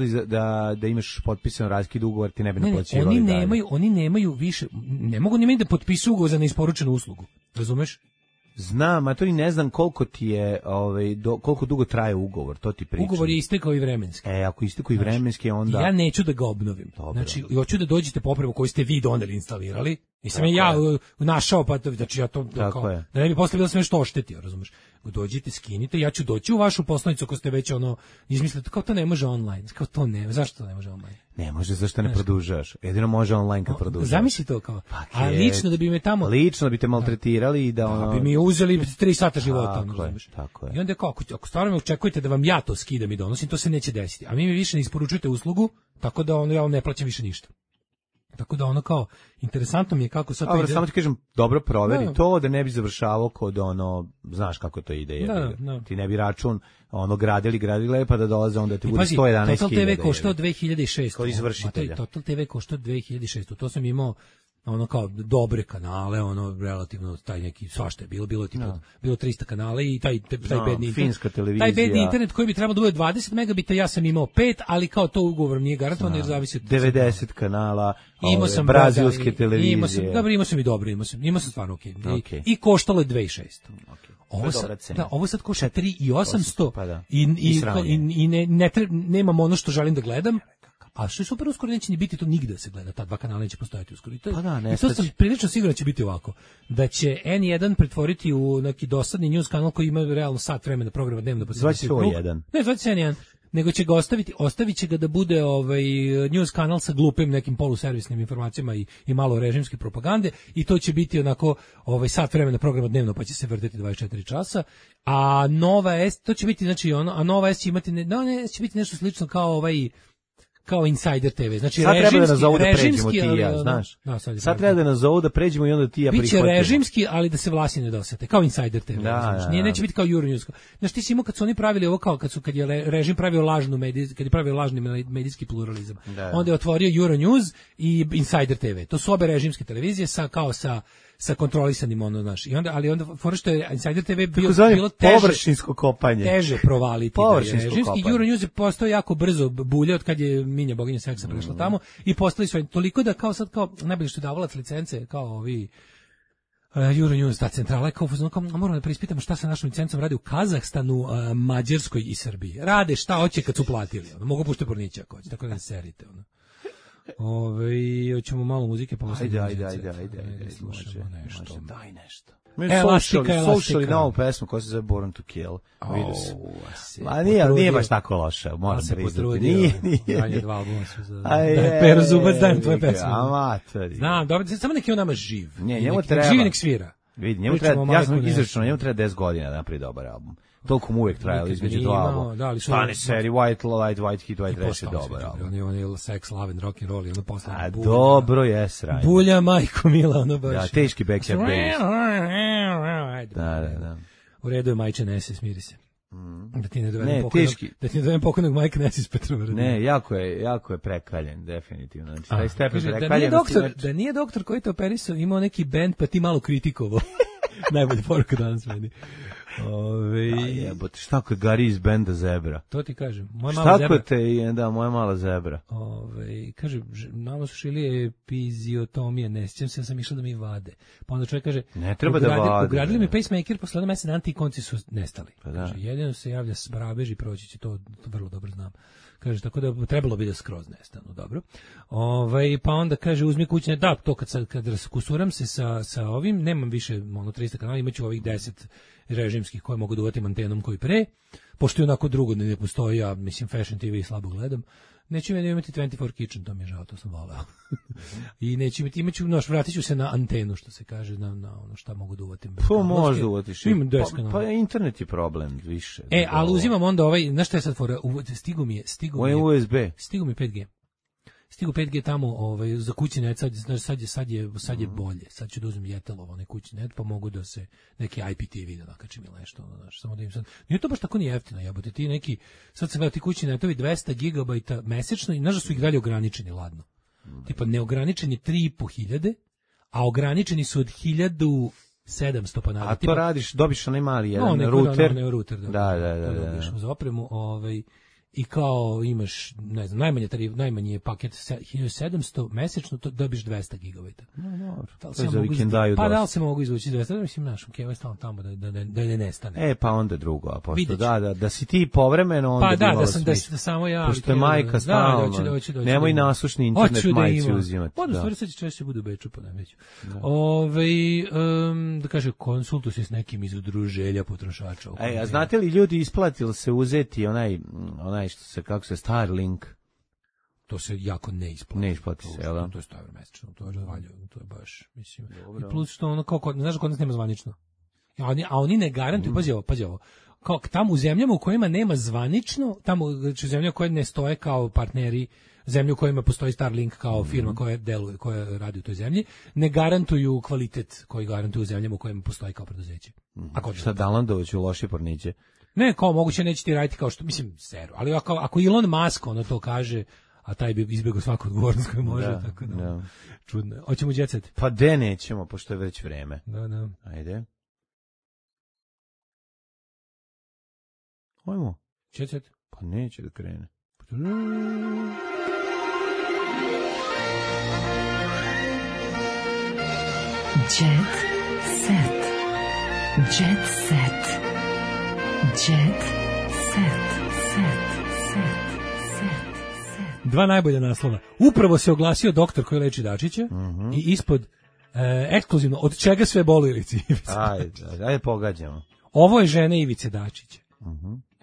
da imaš potpisan raskid ugovor, ti ne bi naplaćivali. Oni nemaju više, ne mogu ni meni da potpisu ugovor za neisporučenu uslugu, razumeš? Znam, a to i ne znam koliko ti je, koliko dugo traje ugovor, to ti pričam. Ugovor je istekao i vremenski. Ako istekao i vremenski, onda... Ja neću da ga obnovim. Dobro. Znači, hoću da dođete po opremu koju ste vi doneli, instalirali, i sam ja našao, pa znači ja to, kao, da ne bi posle bilo sve što oštetio, razumeš? Dođite, skinite, ja ću doći u vašu poslanicu ako ste već izmislite, kao to ne može online, kao to ne, zašto to ne može online? Ne može, zašto ne produžaš? Jedino može online kad produžaš. Zamisli to kao, a lično da bi me tamo... Lično bi te maltretirali i da bi mi uzeli 3 sata života. Tako je. I onda kao, ako stvarno me očekujete da vam ja to skidam i donosim, to se neće desiti. A mi više ne isporučujete uslugu, tako da ja ne plaćam više ništa. Tako da kao, interesantno mi je kako sad to ide. Samo ti kažem, dobro proveri to, da ne bi završavao kod znaš kako to ide. Ti ne bi račun gradili, pa da dolaze onda ti bude 111.000. Total TV koštao 2006. Kod izvršitelja. Total TV koštao 2006. To sam imao kao dobre kanale, relativno taj neki svašta je bilo tipa bilo 300 kanala i taj bedni internet. Finska televizija. Taj bedni internet koji bi trebalo da bude 20 megabita, ja sam imao 5, ali kao to ugovor nije garantovan jer zavisi od 90 kanala. Imao sam brazilske televizije. Imao sam imao sam stvarno okej. I koštalo je 2.600. Ovo sad košta 3.800 i nemam ono što želim da gledam. A što je super, uskoro neće ni biti to nigde da se gleda, ta dva kanala neće postojati uskoro. I to sam prilično siguran da će biti ovako, da će N1 pretvoriti u neki dosadni news kanal koji ima realno sat vremena programa dnevno. Zvaće se N1. Ne, zvaće se N1, nego će ga ostavit će ga da bude news kanal sa glupim nekim poluservisnim informacijama i malo režimske propagande i to će biti onako sat vremena programa dnevno pa će se vrteti 24 časa. A Nova S, to će biti znači a Nova S će imati će biti nešto slično kao Insider TV. Znači sad treba da nas zovu da pređemo ti i ja, znaš. Sad treba da nas zovu da pređemo i onda ti ja prihvatimo. Biće režimski, ali da se vlasti ne dosete, kao Insider TV. Neće biti kao Euronews. Znaš, ti si imao kad su oni pravili ovo kad je režim pravio kad je pravio lažni medijski pluralizam. Onda je otvorio Euronews i Insider TV. To su obe režimske televizije sa kontrolisanim znaš. I onda fora što je Insider TV bilo teže površinsko kopanje. Teže provaliti režimski. Euronews je postao jako brzo bulje od kad je Minja boginja seksa prešla tamo i postali su toliko da kao najbolje što je davalac licence kao ovi Euronews, ta centrala, kao moramo da preispitamo šta sa našom licencom radi u Kazahstanu, Mađarskoj i Srbiji. Rade šta hoće kad su platili. Mogu pušte pornića ako hoće, tako da ne serite. Hoćemo malo muzike pa ajde. Slušamo nešto. Daj nešto. Slušali novu pesmu koja se zove Born to Kill. Vidio sam. Nije baš tako loša, moram priznati. Nije. Danje 2 albuma su za... Pero Zubac, dajem tvoje pesme. Amatori. Znam, dobro, samo neki on nama živ. Njemu treba... Živi nek svira. Vidi, ja sam izračunao, njemu treba 10 godina da napravi dobar album. Toliko mu uvijek trajalo između dva albuma. Stani seri, White Hit, White Trash je dobar album. On je Sex, Love and Rock and Roll i ono posle. A dobro je sranje. Bulja, majko mila, ono baš. Da, teški Backyard Babies. Da. U redu je majče, ne se, smiri se. Da ti ne dovedem pokojnog Mike Ness iz Petrovaradina. Ne, jako je prekaljen, definitivno. Znači, taj stepen Kaže, prekaljenosti. da nije doktor koji te operisao imao neki bend, pa ti malo kritikovao. Najbolja poruka danas meni. Jebote, šta ako je Gari iz benda Zebra? To ti kažem. Moja mala zebra. Moja mala zebra. Kaže, nama su šili epiziotomije, ne sjećam se, ja sam išla da mi vade. Pa onda čovjek kaže, ne treba da vade. Ugradili mi pacemaker, posle jedno mesec antikonci su nestali. Pa da. Kaže, jedino se javlja sbrabež i proći će, to vrlo dobro znam. Kaže, tako da trebalo bi da skroz nestanu, dobro. Pa onda kaže, uzmi kućne, da, to kad kusuram se sa ovim, nemam više 300 kanala, imaću ovih 10 režimskih koje mogu da uvatim antenom koji pre, pošto je onako drugo ne postoji, ja mislim Fashion TV i slabo gledam, neću imati 24 Kitchen, to mi je žao, to sam voleo. I neću vratit ću se na antenu, što se kaže, na ono šta mogu da uvatim. Pa možda uvatiš. Pa internet je problem više. Ali uzimam onda znaš šta je sad fora, stigu mi USB. Stigu mi 5G. Stigu 5G tamo za kućni net, sad je bolje. Sad ću da uzmem Jetelov onaj kućni net, pa mogu da se neki IPTV da nakačim ili nešto. Samo da im sad. Nije to baš tako ni jeftino, jebote. Ti neki, sad sam gledao ti kućni netovi 200 gigabajta mesečno i znaš da su ih dalje ograničeni, ladno. Tipa neograničeni 3.500, a ograničeni su od 1700 pa nadalje. A to radiš, dobiš onaj mali jedan router. Da. Za opremu, i kao imaš, ne znam, najmanji je paket 1700 mesečno, to dobiš 200 gigabajta. To je za vikendaju dosta. Pa da li se mogu izvući 200, mislim, našom kevo stavim tamo da ne nestane. Pa onda drugo, a pošto da si ti povremeno, onda bi imalo smisla. Da samo ja. Pošto je majka stalno, nemoj nasušni internet majci uzimati. Onda stvari sad će češće budu u Beču, pa ne veću. Da kaže, konsultu se s nekim iz udruženja potrošača. A znate li ljudi, isplatili se uzeti onaj što se, kako se, Starlink? To se jako ne isplati. Ne isplati se, jel da? To je stavio mesečno, to je valjano, to je baš, mislim. Dobro. I plus što ono, znaš kod nas nema zvanično. A oni ne garantuju, pazi ovo, kao tamo u zemljama u kojima nema zvanično, tamo u zemljama koje ne stoje kao partneri, zemlje u kojima postoji Starlink kao firma koja deluje, koja radi u toj zemlji, ne garantuju kvalitet koji garantuju u zemljama u kojima postoji kao preduzeće. Šta Dalandović u loši porniće? Ne, kao moguće neće ti raditi kao što, mislim, seru, ali ako Elon Musk ono to kaže, a taj bi izbjegao svaku odgovornost koju može, tako da. Čudno. Hoćemo jet set? Pa nećemo, pošto je već vreme. Da. Ajde. Hajmo. Jet set? Pa neće da krene. Jet set. Jet set. Jet set. Dva najbolja naslova. Upravo se oglasio doktor koji leči Dačića i ispod ekskluzivno, od čega sve boli Ivici. Ajde pogađamo. Ovo je žena Ivice Dačića.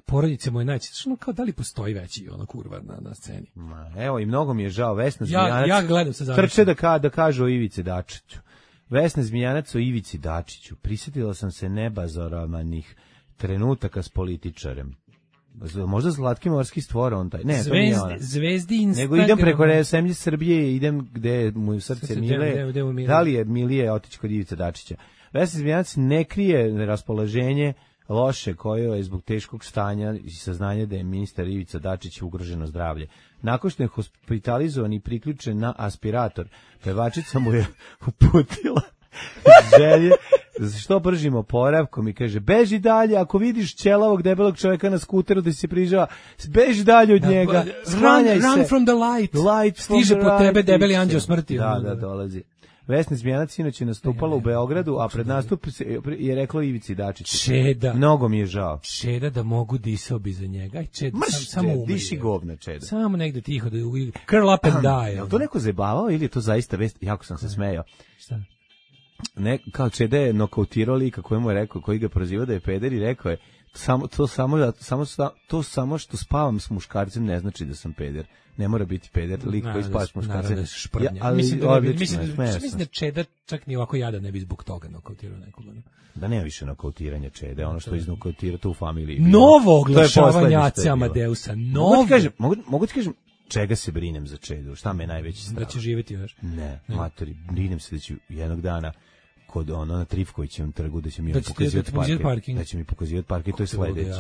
Porodice moje najče, kao da li postoji veći ona kurva na sceni. Evo i mnogo mi je žao, Vesna Zmijanac. Ja gledam sa završom. Trče da kaže o Ivici Dačiću. Vesna Zmijanac o Ivici Dačiću. Prisjetila sam se nebazoramanih trenutaka s političarem. Možda Zlatki morski stvora on taj. Ne, to nije ona. Zvezdi Instagram. Nego idem preko zemlje Srbije, idem gde mu srce mile. Da li je milije otići kod Ivice Dačića? Vesna Zmijanac ne krije raspoloženje loše koje je zbog teškog stanja i saznanja da je ministar Ivica Dačić ugroženo zdravlje. Nakon što je hospitalizovan i priključen na aspirator, pevačica mu je uputila želje što bržim oporavkom i kaže, beži dalje, ako vidiš ćelavog debelog čovjeka na skuteru da se prižava, beži dalje od njega, sklanjaj se. Run from the light. Stiže po tebe debeli anđeo smrti. Da, dolazi. Vesna Zmijanac sinoć je nastupala u Beogradu, a pred nastup je reklo Ivici Dačiću. Čeda. Mnogo mi je žao. Čeda da mogu disao bi za njega. Čeda, samo umri. Diši govna, Čeda. Samo negde tiho da curl up and die. Je li to neko zajebavao ili je to zaista vest? Jako sam se smejao. Šta? Ne, kao Čeda je nokautirao lika koji mu je rekao, koji ga proziva da je peder i rekao je, to samo što spavam s muškarcem ne znači da sam peder. Ne mora biti peder, lik koji spava s muškarcem. Mislim da Čeda čak ni ovako jada ne bi zbog toga nokautirao nekoga. Da nema više nokautiranja Čede, ono što iznokautira to u familiji. Novo oglašavanje Aca Amadeusa. Mogu ti kažem, čega se brinem za Čedu? Šta me najveći strah? Da će živjeti još? Ne, matori, brinem se da će jednog dana kod na Trifkovićevom trgu da će mi pokazivati parking. Da će mi pokazivati parking, to je sledeće.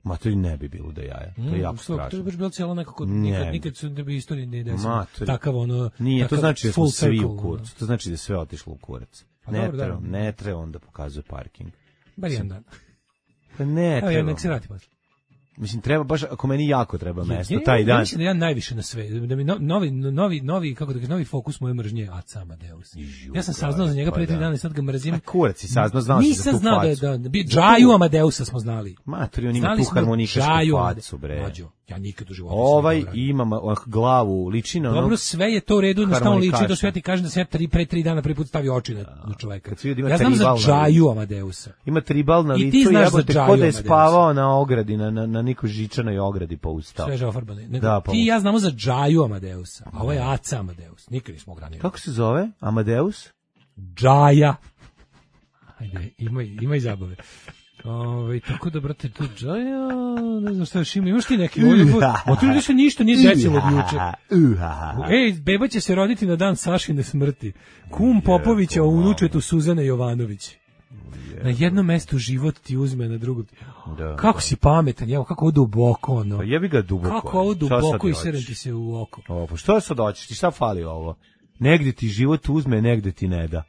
Ma to i ne bi bilo da jaja. To je jako strašno. To je baš bilo cijelo nekako, nikad su da bi istoriji ne desilo. Takav nije, to znači da smo svi u kurac. To znači da je sve otišlo u kurac. Ne treba on da pokazuje parking. Bar jedan dan. Pa ne treba. Evo, nek se vrati posle. Mislim, treba baš, ako meni jako treba mesto, taj dan. Mislim da ja najviše na sve, da mi novi fokus moje mržnje Aca Amadeus. Ja sam saznao za njega pre 3 dana i sad ga mrzim. Kurac si saznao, znao si za tu facu. Nisam znao da Džaju Amadeusa smo znali. Matri, on ima tu harmonikašku facu, bre. Ja nikad u životu. Ovaj ima glavu, liči na ono. Dobro, sve je to u redu, jednostavno liči, do sve ti kažem da se ja pre 3 dana prvi put stavio oči na čoveka. Ja znam za Džaju Amadeusa. Ima tribal na licu, jebote, ko da je spavao na ogradi, na nikoj žičanoj ogradi pa ustao. Sveže ofarbane. Ti i ja znamo za Džaju Amadeusa, a ovo je Aca Amadeus. Nikad nismo ogranili. Kako se zove? Amadeus? Džaja. Ajde, ima i zabave. Tako da, brate, tu Džaja, ne znam šta još ima, imaš ti neki ovdje se ništa nije desilo od juče. Ej, beba će se roditi na dan Sašine smrti. Kum Popovića o unučetu Suzane Jovanović. Na jednom mestu život ti uzme, na drugom. Kako si pametan, evo, kako ovo duboko, ono. Pa jebi ga duboko. Kako ovo duboko i seren ti se u oko. Pa što sad hoćeš, ti šta fali ovo? Negde ti život uzme, negde ti ne da.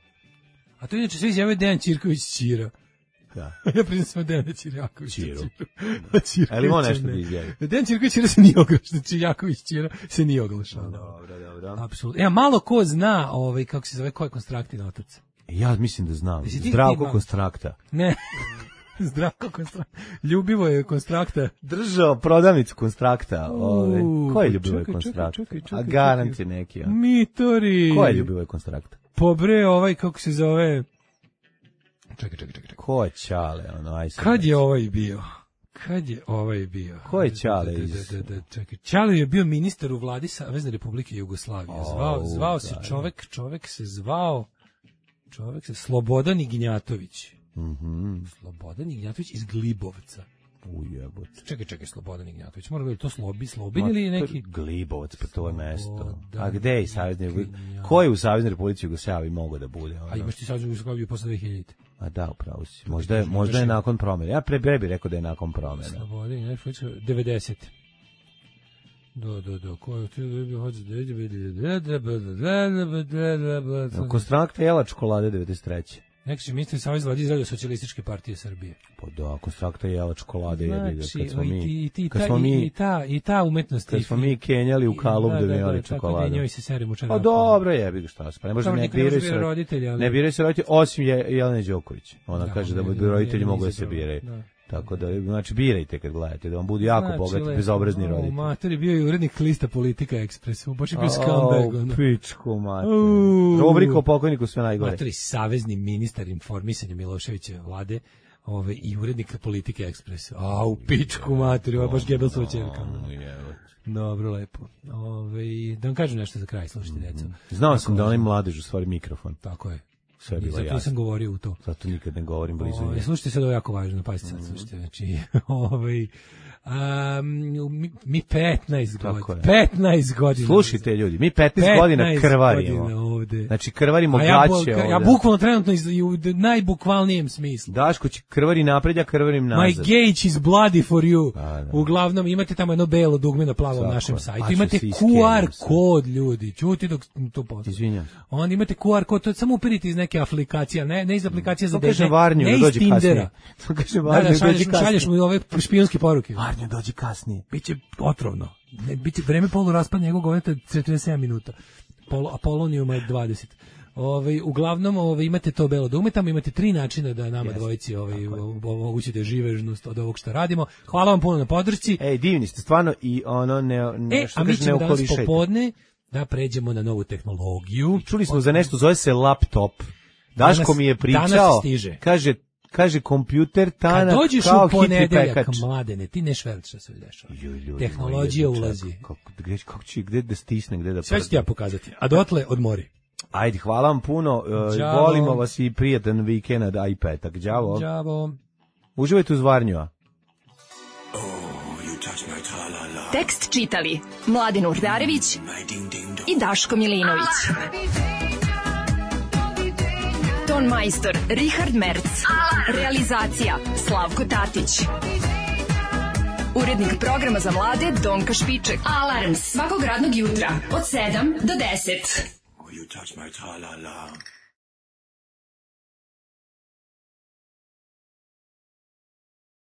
A to inače sve izjavio Dejan Ćirković Ćira. Da. Ja priznam sam Dejana Ćirjakovića Ćira. Ali ima nešto da izjavi. Dejan Ćirković Ćira se nije oglašao, Ćirjaković Ćira se nije oglašao. Dobro. Apsolutno. Malo ko zna, kako se zove, ko je Konstraktin otac? Ja mislim da znam. Zdravko Konstrakta. Ne. Zdravko Konstrakta. Ljubivo je Konstrakta. Držao prodavnicu Konstrakta. Ko je Ljubivo je Konstrakta? A garant je neki. Mitori. Ko je Ljubivo je Konstrakta? Pobre, kako se zove... Čekaj. Ko je Ćale? Kad je ovaj bio? Ko je Ćale? Čekaj. Ćale je bio ministar u vladi Savezne Republike Jugoslavije. Zvao se čovek se zvao Slobodan Ignjatović. Slobodan Ignjatović iz Glibovca. Ujebote. Čekaj, Slobodan Ignjatović. Mora biti to Slobin ili neki... Glibovac, pa to je mesto. A gde je Savezni? Ko je u Saveznoj Republici Jugoslaviji mogao da bude? A imaš ti Saveznu Jugoslaviju posle 2000. A da, upravo si. Možda je nakon promjene. Ja pre bi rekao da je nakon promjene. Slobodan Ignjatović, 90. Ko je to? Konstrakta jela čokolade 93. Neki su ministri Savez vlade Izraelja Socijalističke partije Srbije. Pa da, Konstrakta jela čokolade i ta umetnost. Kad smo mi kenjali u kalub da mi jeli čokolade. Tako da njoj se serem u čarapu. Pa dobro jebi ga šta se. Pa ne može ne biraju se roditelji, osim Jelene Đoković. Ona kaže da roditelji mogu da se biraju. Tako da, znači, birajte kad gledate, da vam budu jako bogati, bezobrazni roditelji. Mater je bio i urednik lista Politika Ekspresu, baš je bio scumbag. Pičku, mater. Rubrika o pokojniku sve najgore. Mater je savezni ministar informisanja Miloševića vlade i urednik Politike Ekspresu. U pičku, mater, ovo je baš Gebelsova ćerka. Dobro, lepo. Da vam kažem nešto za kraj, slušajte, deco. Znao sam da onaj mladež u stvari mikrofon. Tako je. Zato sam govorio u to. Zato nikad ne govorim blizu nje. Slušajte sad, ovo je jako važno, pazite sad, slušajte, znači, mi 15 godina. Slušajte ljudi, mi 15 godina krvarimo. Znači krvarimo gaće. Ja bukvalno trenutno u najbukvalnijem smislu. Daško će krvari napred, ja krvarim nazad. My gauge is bloody for you. Uglavnom imate tamo jedno belo dugme na plavom našem sajtu. Imate QR kod, ljudi. Čuti dok to postoji. Izvinjam. Onda imate QR kod, to samo uperite iz neke aplikacije, ne iz aplikacije za dete, ne iz Tindera. Šalješ mu ove špijunske poruke. Varnju, dođi kasnije. Biće otrovno. Biće vreme poluraspa njegovog goveta 47 minuta. Apolonijuma je 20. Uglavnom imate to belo dugme, tamo imate 3 načina da nama dvojici omogućite živežnost od ovog što radimo. Hvala vam puno na podršci. Divni ste stvarno i ono a mi ćemo danas popodne da pređemo na novu tehnologiju. Čuli smo za nešto, zove se laptop. Daško mi je pričao, kaže kompjuter tanak kao hitri pekač. Kad dođeš u ponedeljak, Mladene, ti ne šverč što se dešava. Tehnologija ulazi. Gde da stisne, gde da sve ću ti ja pokazati, a dotle odmori. Ajde, hvala vam puno, volimo vas i prijatan vikend, a i petak. Đavo. Uživajte uz Varnju. Tekst čitali Mladen Urdarević i Daško Milinović. ton majstor Richard Merc. Realizacija Slavko Tatić. Urednik programa za mlade Donka Špiček. Alarms svakog radnog jutra od 7 do 10. You touch my tra-la-la.